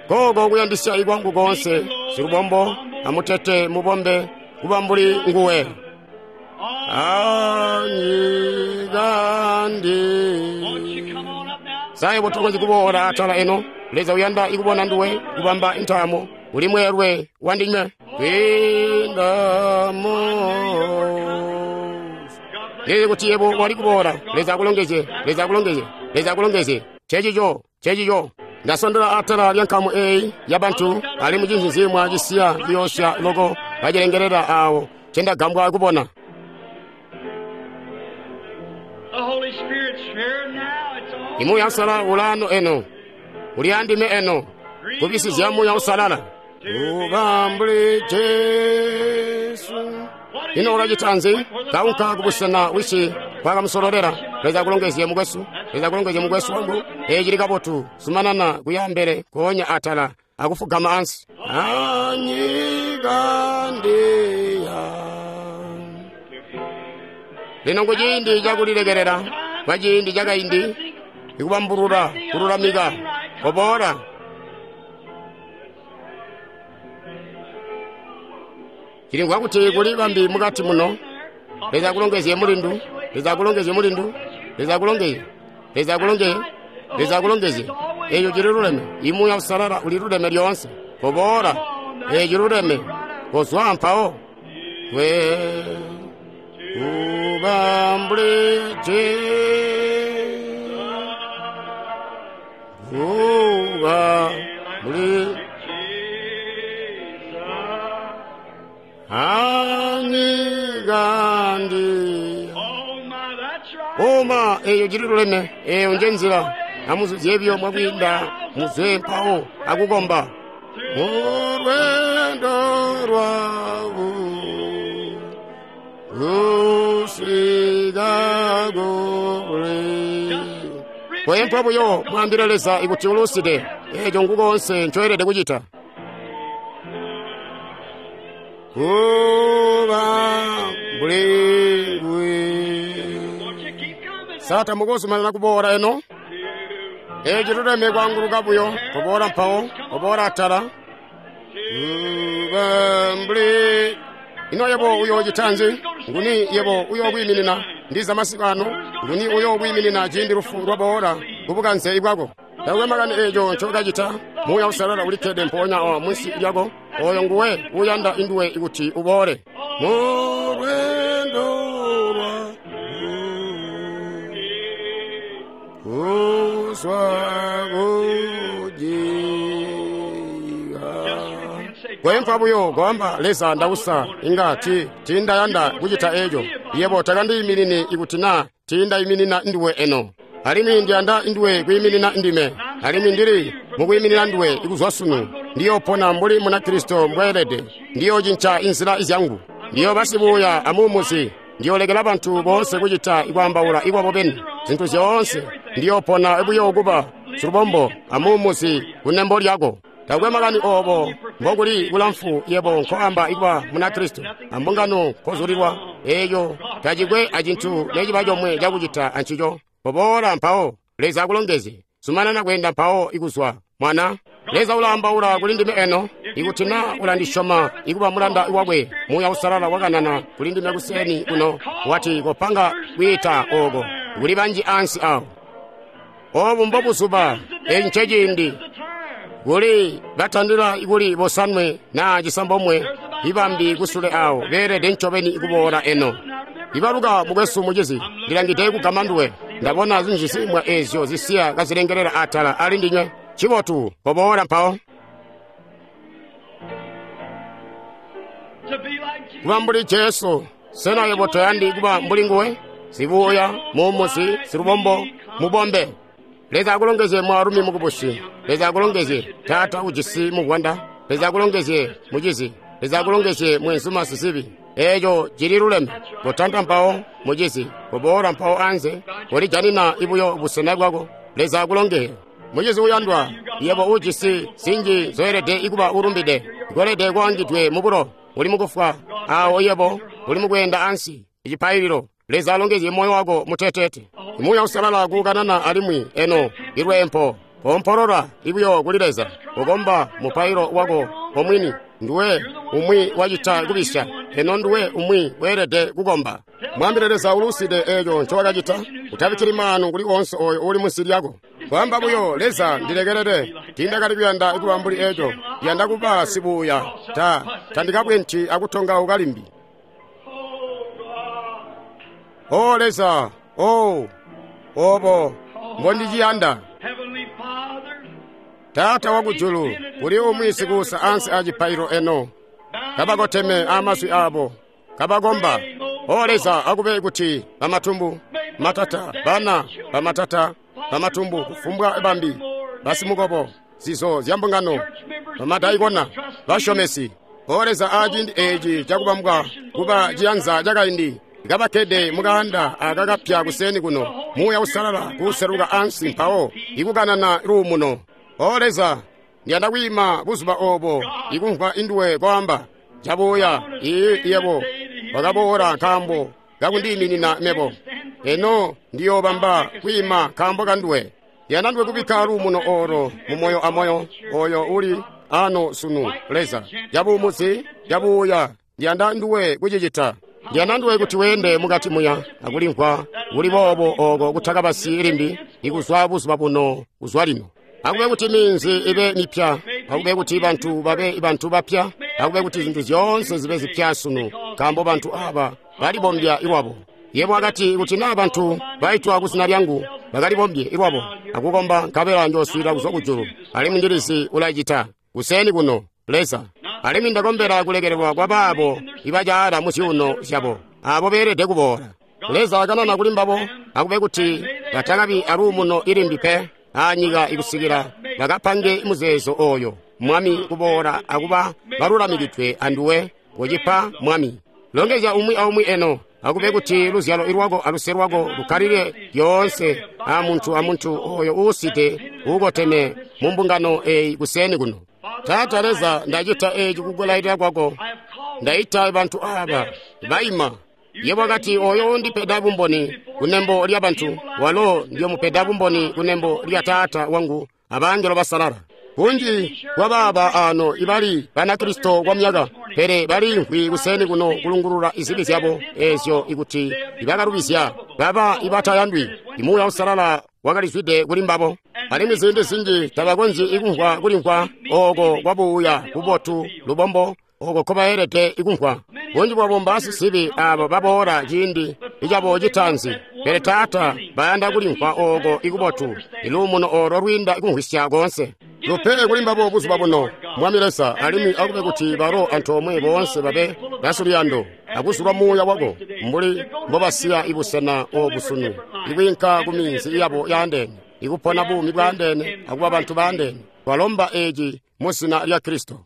Koko kuyandisya ikwangu konse silubombo amutete mubombe kuba mbuli nguwe. Won't Anyikandi you come on up now? saye tokonzyi kuboola atala eno. Leza uyanda ikubona nduwe kubamba intaamo uli mweelwe wandinywe kwindamo. God bless Lili kuti yebo wali kuboola. Leza akulongezye, Leza akulongezye, Leza akulongezye. Chechicho, chechicho. Ndasondola atala lya nkamu eyi ya bantu ali mucinzizimwa cisiya liyoosya loko bacilengelela awo cendagambwa kubona. The Holy Spirit's here now. It's all Imuya usalala ulano eno, uli andime eno, kubisizya muya usalala. Kuba mbuli Jesu. Ino ulacita nzi? Kaunka kubusena wisi kwakamusololera. Leza akulongezye mukwesu, Leza akulongezye mukwesu wangu. Eyi cili kabotu, sumanana kuya mbele, koonya atala, akufugama ansi. Anyika ndiya. Lino kuciindi cakulilekelela, kwa ciindi cakaindi, ikubambulula, kululamika, koboola. Chilingwa kuti kuli bambi mukati muno. Leza akulongezye mulindu, Leza akulongezye mulindu, Leza akulongezye, Leza akulongezye, Leza akulongezye. Eyo chili luleme, imuya usalala uli luleme lyonse. Koboola, eyo chiluleme, kozwa mpawo. We kuba mbuli Jesu, kuba mbuli anyikandi. Oh my, that's right. Oma eyo chili luleme, eyo nje nzila. Amuzuzye ebyo mwakwinda muzwe mpawo akukomba. Mulwendo lwaku lusika kule. Kwempwa buyo mwambile Leza ikuti uluside, echo nkukonse nchoyelede kuchita. Kuba mbuli nguwe. Won't you keep coming? Sata mukuzumanana kuboola eno. Echi luleme kwanguluka buyo, kuboola mpawo, kuboola atala. Kuba mbuli ino yebo uyoocita nzi? Nguni yebo uyokwiiminina ndiza masiku ano? Nguni uyokwiiminina ciindi lufu lwaboola kubukanze ibwako? Taakwe makani eeco ncokacita, Muuya Usalala ulikkede mpoonya awa munsi lyako. Oyo nguwe uyanda induwe ikuti uboole. Mulwendo lwa kuzwa kujiga. Kwempwa buyo kwamba Leza ndausa inga tindayanda kucita eco. Yebo takandiyiminini ikuti na tindayiminina nduwe eno. Alimwi ndiyanda nduwe kwiiminina ndime. Alimwi ndili mukwiiminina nduwe ikuzwa sunu. Ndiyopona mbuli muna Kristo mbweelede. Ndiyocinca inzila izyangu. Ndiyoba sibuuya amuumuzi. Ndiyolekela bantu boonse kucita ikwaambaula ikwabo beni. Zintu zyoonse ndiyopona buyo kuba silubombo amuumuzi kunembo lyako. Taakwe makani oobo mbokuli kulamfu yebo nkoamba ikuba muna Kristo ambungano nkozulilwa eeyo tacikwe acintu neciba comwe cakucita ancico. Koboola mpawo Leza akulongezye. Zumanana kweenda mpawo ikuzwa mwana. Leza ulaambaula kuli ndime eno ikuti na ulandisyoma ikuba mulanda wakwe. Muuya Usalala wakanana kuli ndime kuseni kuno wati kopanga kwiita oko kuli banji ansi awo. Obu mbobuzuba, eeci nceciindi. The time. Kuli batandila ikuli bosanwe na cisambomwe ibambi kusule awo beelede ncobeni ikuboola eno. Ibaluka mukwesu mucizi, ndilangide kugama nduwe. Ndabona zinjisimwa ezyo zisiya kazilengelela atala ali ndinywe. Chibotu, koboola mpawo. To be like Jesus. Kuba mbuli Jesu, sena yebo toyandi kuba mbuli nguwe? Sibuuya, muumuzi, silubombo, mubombe. Leza akulongezye mwaalumi mukubusi. Leza akulongezye taata ujisi muvwanda. Leza akulongezye mucizi. Leza akulongezye mwenzuma sizibi. Eeco cili luleme. Kotanta mpawo mucizi, koboola mpawo anze, kolijanina ibuyo busena bwako. Leza akulongezye. Mucizi uyandwa, yebo ujisi zinji zoelede ikuba ulumbide, ikolede kwaangidwe mubulo, uli mukufwa, awo yebo uli mukweenda ansi, icipaililo. Leza alongezye moyo wako mutetete. Muuya Uusalala kukanana alimwi eno ilweempo kompolola ibuyo kuli Leza, kukomba mupailo wako omwini. Nduwe umwi wacita kubisya, eno nduwe umwi weelede kukomba. Mwambile Leza uluside eeco ncowakacita, utabikkili maanu kuli onse oyo uli munsi lyako. Kwaamba buyo, Leza ndilekelele, tiindakali kuyanda kuba mbuli eeco, ndiyanda kuba sibuuya, tandikabwenti akutongauka limbi. O Leza, o obo mbondiciyanda. Taata wakujulu, kuli umwi sikuusa ansi a cipaililo eno, kabakoteme amaswi abo, kabakomba. O Leza, akube kuti bamatumbu, matata, bana, bamatata, bamatumbu, kufumbwa bambi, basimukobo, zizo zya mbungano, bamadaikona, basyomesi. O Leza, aciindi eeci cakubambwa kuba ciyanza cakaindi, kabakkede mukaanda aka kapya kuseni kuno, Muuya Uusalala kuseluka ansi mpawo ikukanana luumuno. O Leza, ndiyanda kwiima buzuba obo ikumvwa induwe kwaamba, cabuya, ii yebo wakaboola nkaambo kakundiiminina mebo. Eno ndiyoobamba kwiima nkaambo kanduwe. Ndiyanda nduwe kubikka luumuno olo mu moyo amoyo oyo uli ano sunu, Leza. Cabuumuzi, cabuya, ndiyanda nduwe kucicita. Ndiyanda nduwe kuti weende mukati muya akulimvwa kuli boobo oko kutakabasi limbi ikuzwa buzuba buno kuzwa lino. Akube kuti minzi ibe mipya, akube kuti bantu babe bantu bapya, akube kuti zintu zyoonse zibe zipya sunu, nkaambo bantu aba balibombya ilwabo. Yebo akati kuti naa bantu baitwa kuzina lyangu bakalibombye ilwabo akukomba, nkabela njooswiilila kuzwa kujulu, alimwi ndilizi ulacita kuseni kuno, Leza. Alimwi ndakombela kulekelelwa kwa baabo ibacaala mu zyuuno zyabo, abo beelede kuboola. Leza akanana kuli mbabo, akube kuti batakabi aluumuno ilimbi pe anyika ikusikila bakapange muzeezo oyo, Mwami, kuboola akuba balulamikidwe anduwe, kucipa Mwami. Longezya umwi aumwi eno, akube kuti luzyalo lwako aluse lwako lukkalile lyoonse amuntu amuntu oyo uuside uukoteme mu mbungano eyi kuseni kuno. Taata Leza, ndacita eeci kukulailila kwako, ndaita bantu aba baima. Yebo akati oyo undipeda bumboni kunembo lya bantu, walo ndiyomupeda bumboni kunembo lya Taata wangu abangelo basalala. Bunji bwabaaba ano ibali Banakristo kwa myaka, pele baliimvwi kuseni kuno kulungulula izibi zyabo ezyo ikuti ibakalubizya baba ibatayandwi. Muuya Uusalala wakalizwide kuli mbabo, alimwi ziindi zinji tabakonzyi ikumvwa kulimvwa oko kwabuuya kubotu lubombo oko nkobaelede ikumvwa. Bunji bwabo mbaasisibi abo baboola ciindi icabo citaanzi, pele Taata bayanda kulimvwa oko ikubotu, iluumuno olo lwiinda ikumvwisya koonse. Lupe kuli mbabo buzuba buno, Mwami Leza, alimwi akube kuti balo antoomwe boonse babe basiluyando akuzulwa muuya wako mbuli mbobasiya ibusena obu sunu, ikwiinka ku minzi yabo yaandeene, ikupona buumi bwaandeene akuba bantu baandeene. Twalomba eeci mu zina lya Kristo.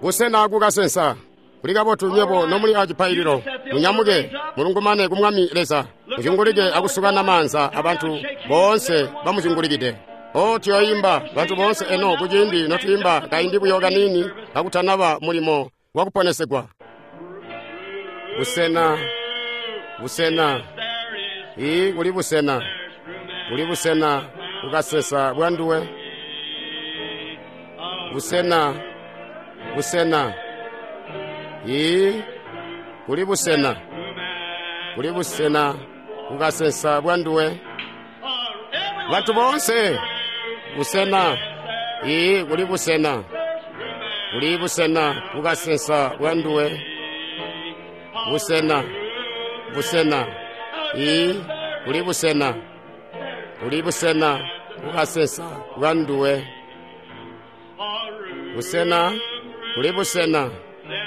Busena kukasensa kuli kabotu nywebo nomuli acipaililo, munyamuke mulungumane ku Mwami Leza, muzyungulike akusukana maanza abantu boonse bamuzyungulikide. O tuyoimba bantu boonse eno kuciindi notwiimba kaindi buyo kaniini kakutanaba mulimo wakuponesegwa. Busena, busena, ii kuli busena, kuli busena kukasensa bwa nduwe. Busena, busena, ii kuli busena, kuli busena kukasensa bwa nduwe. Bantu boonse, busena, ii kuli busena, kuli busena kukasensa bwa nduwe. Busena, busena, ii kuli busena, kuli busena kukasensa bwa nduwe. Busena, kuli busena,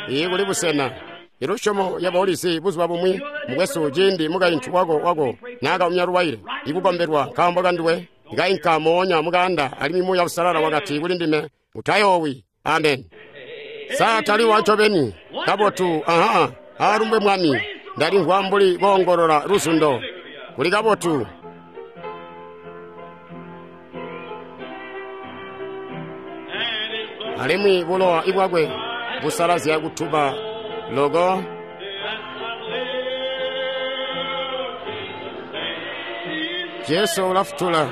ii kuli busena. Ilusyomo yabo ulizi buzuba bumwi mukwesu ciindi mukaintu wako naakaumya luwaile ikukombelwa nkaambo kanduwe, ikainka moonya mukaanda alimwi Muuya Uusalala wakati kuli ndime, utayoowi. Amen. Sa tali wancobeni kabotu? Aha, alumbwe Mwami. Ndalimvwa mbuli koongolola luzundo. Kuli kabotu. Alimwi bulowa bwakwe busalazya kutuba loko. Jesu ulafutula.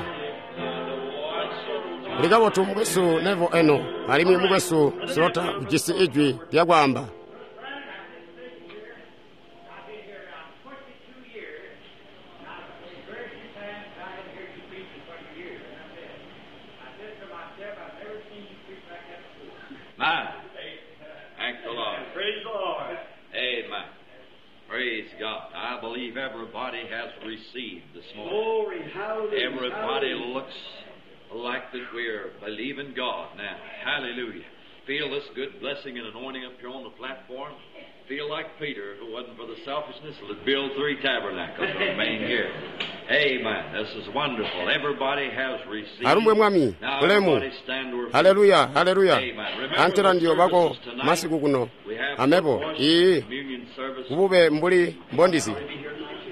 Kuli kabotu mukwesu Nevo eno, alimwi mukwesu Slota ujisi ijwi lyakwaamba. My. Thank the Lord. Praise the Lord. Amen. Praise God. I believe everybody has received this morning. Glory, hallelujah. Everybody hallelujah. looks like that we're believing God now. Hallelujah. Feel this good blessing and anointing up here on the platform. Feel like Peter, if it wasn't for the selfishness, would build 3 tabernacles and remain here. Amen. This is wonderful. Everybody has received. Alumbwe Mwami. Now Ulemu. everybody stand to your feet. Haleluya, haleluya. Amen. Remember Antela the ndiyo bako services tonight. masiku kuno. We have Amebo, the iyi communion service. kubube mbuli mbondizi.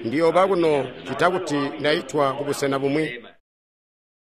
Ndiyo bakuno chita kuti ndaitwa kubusena bumwi.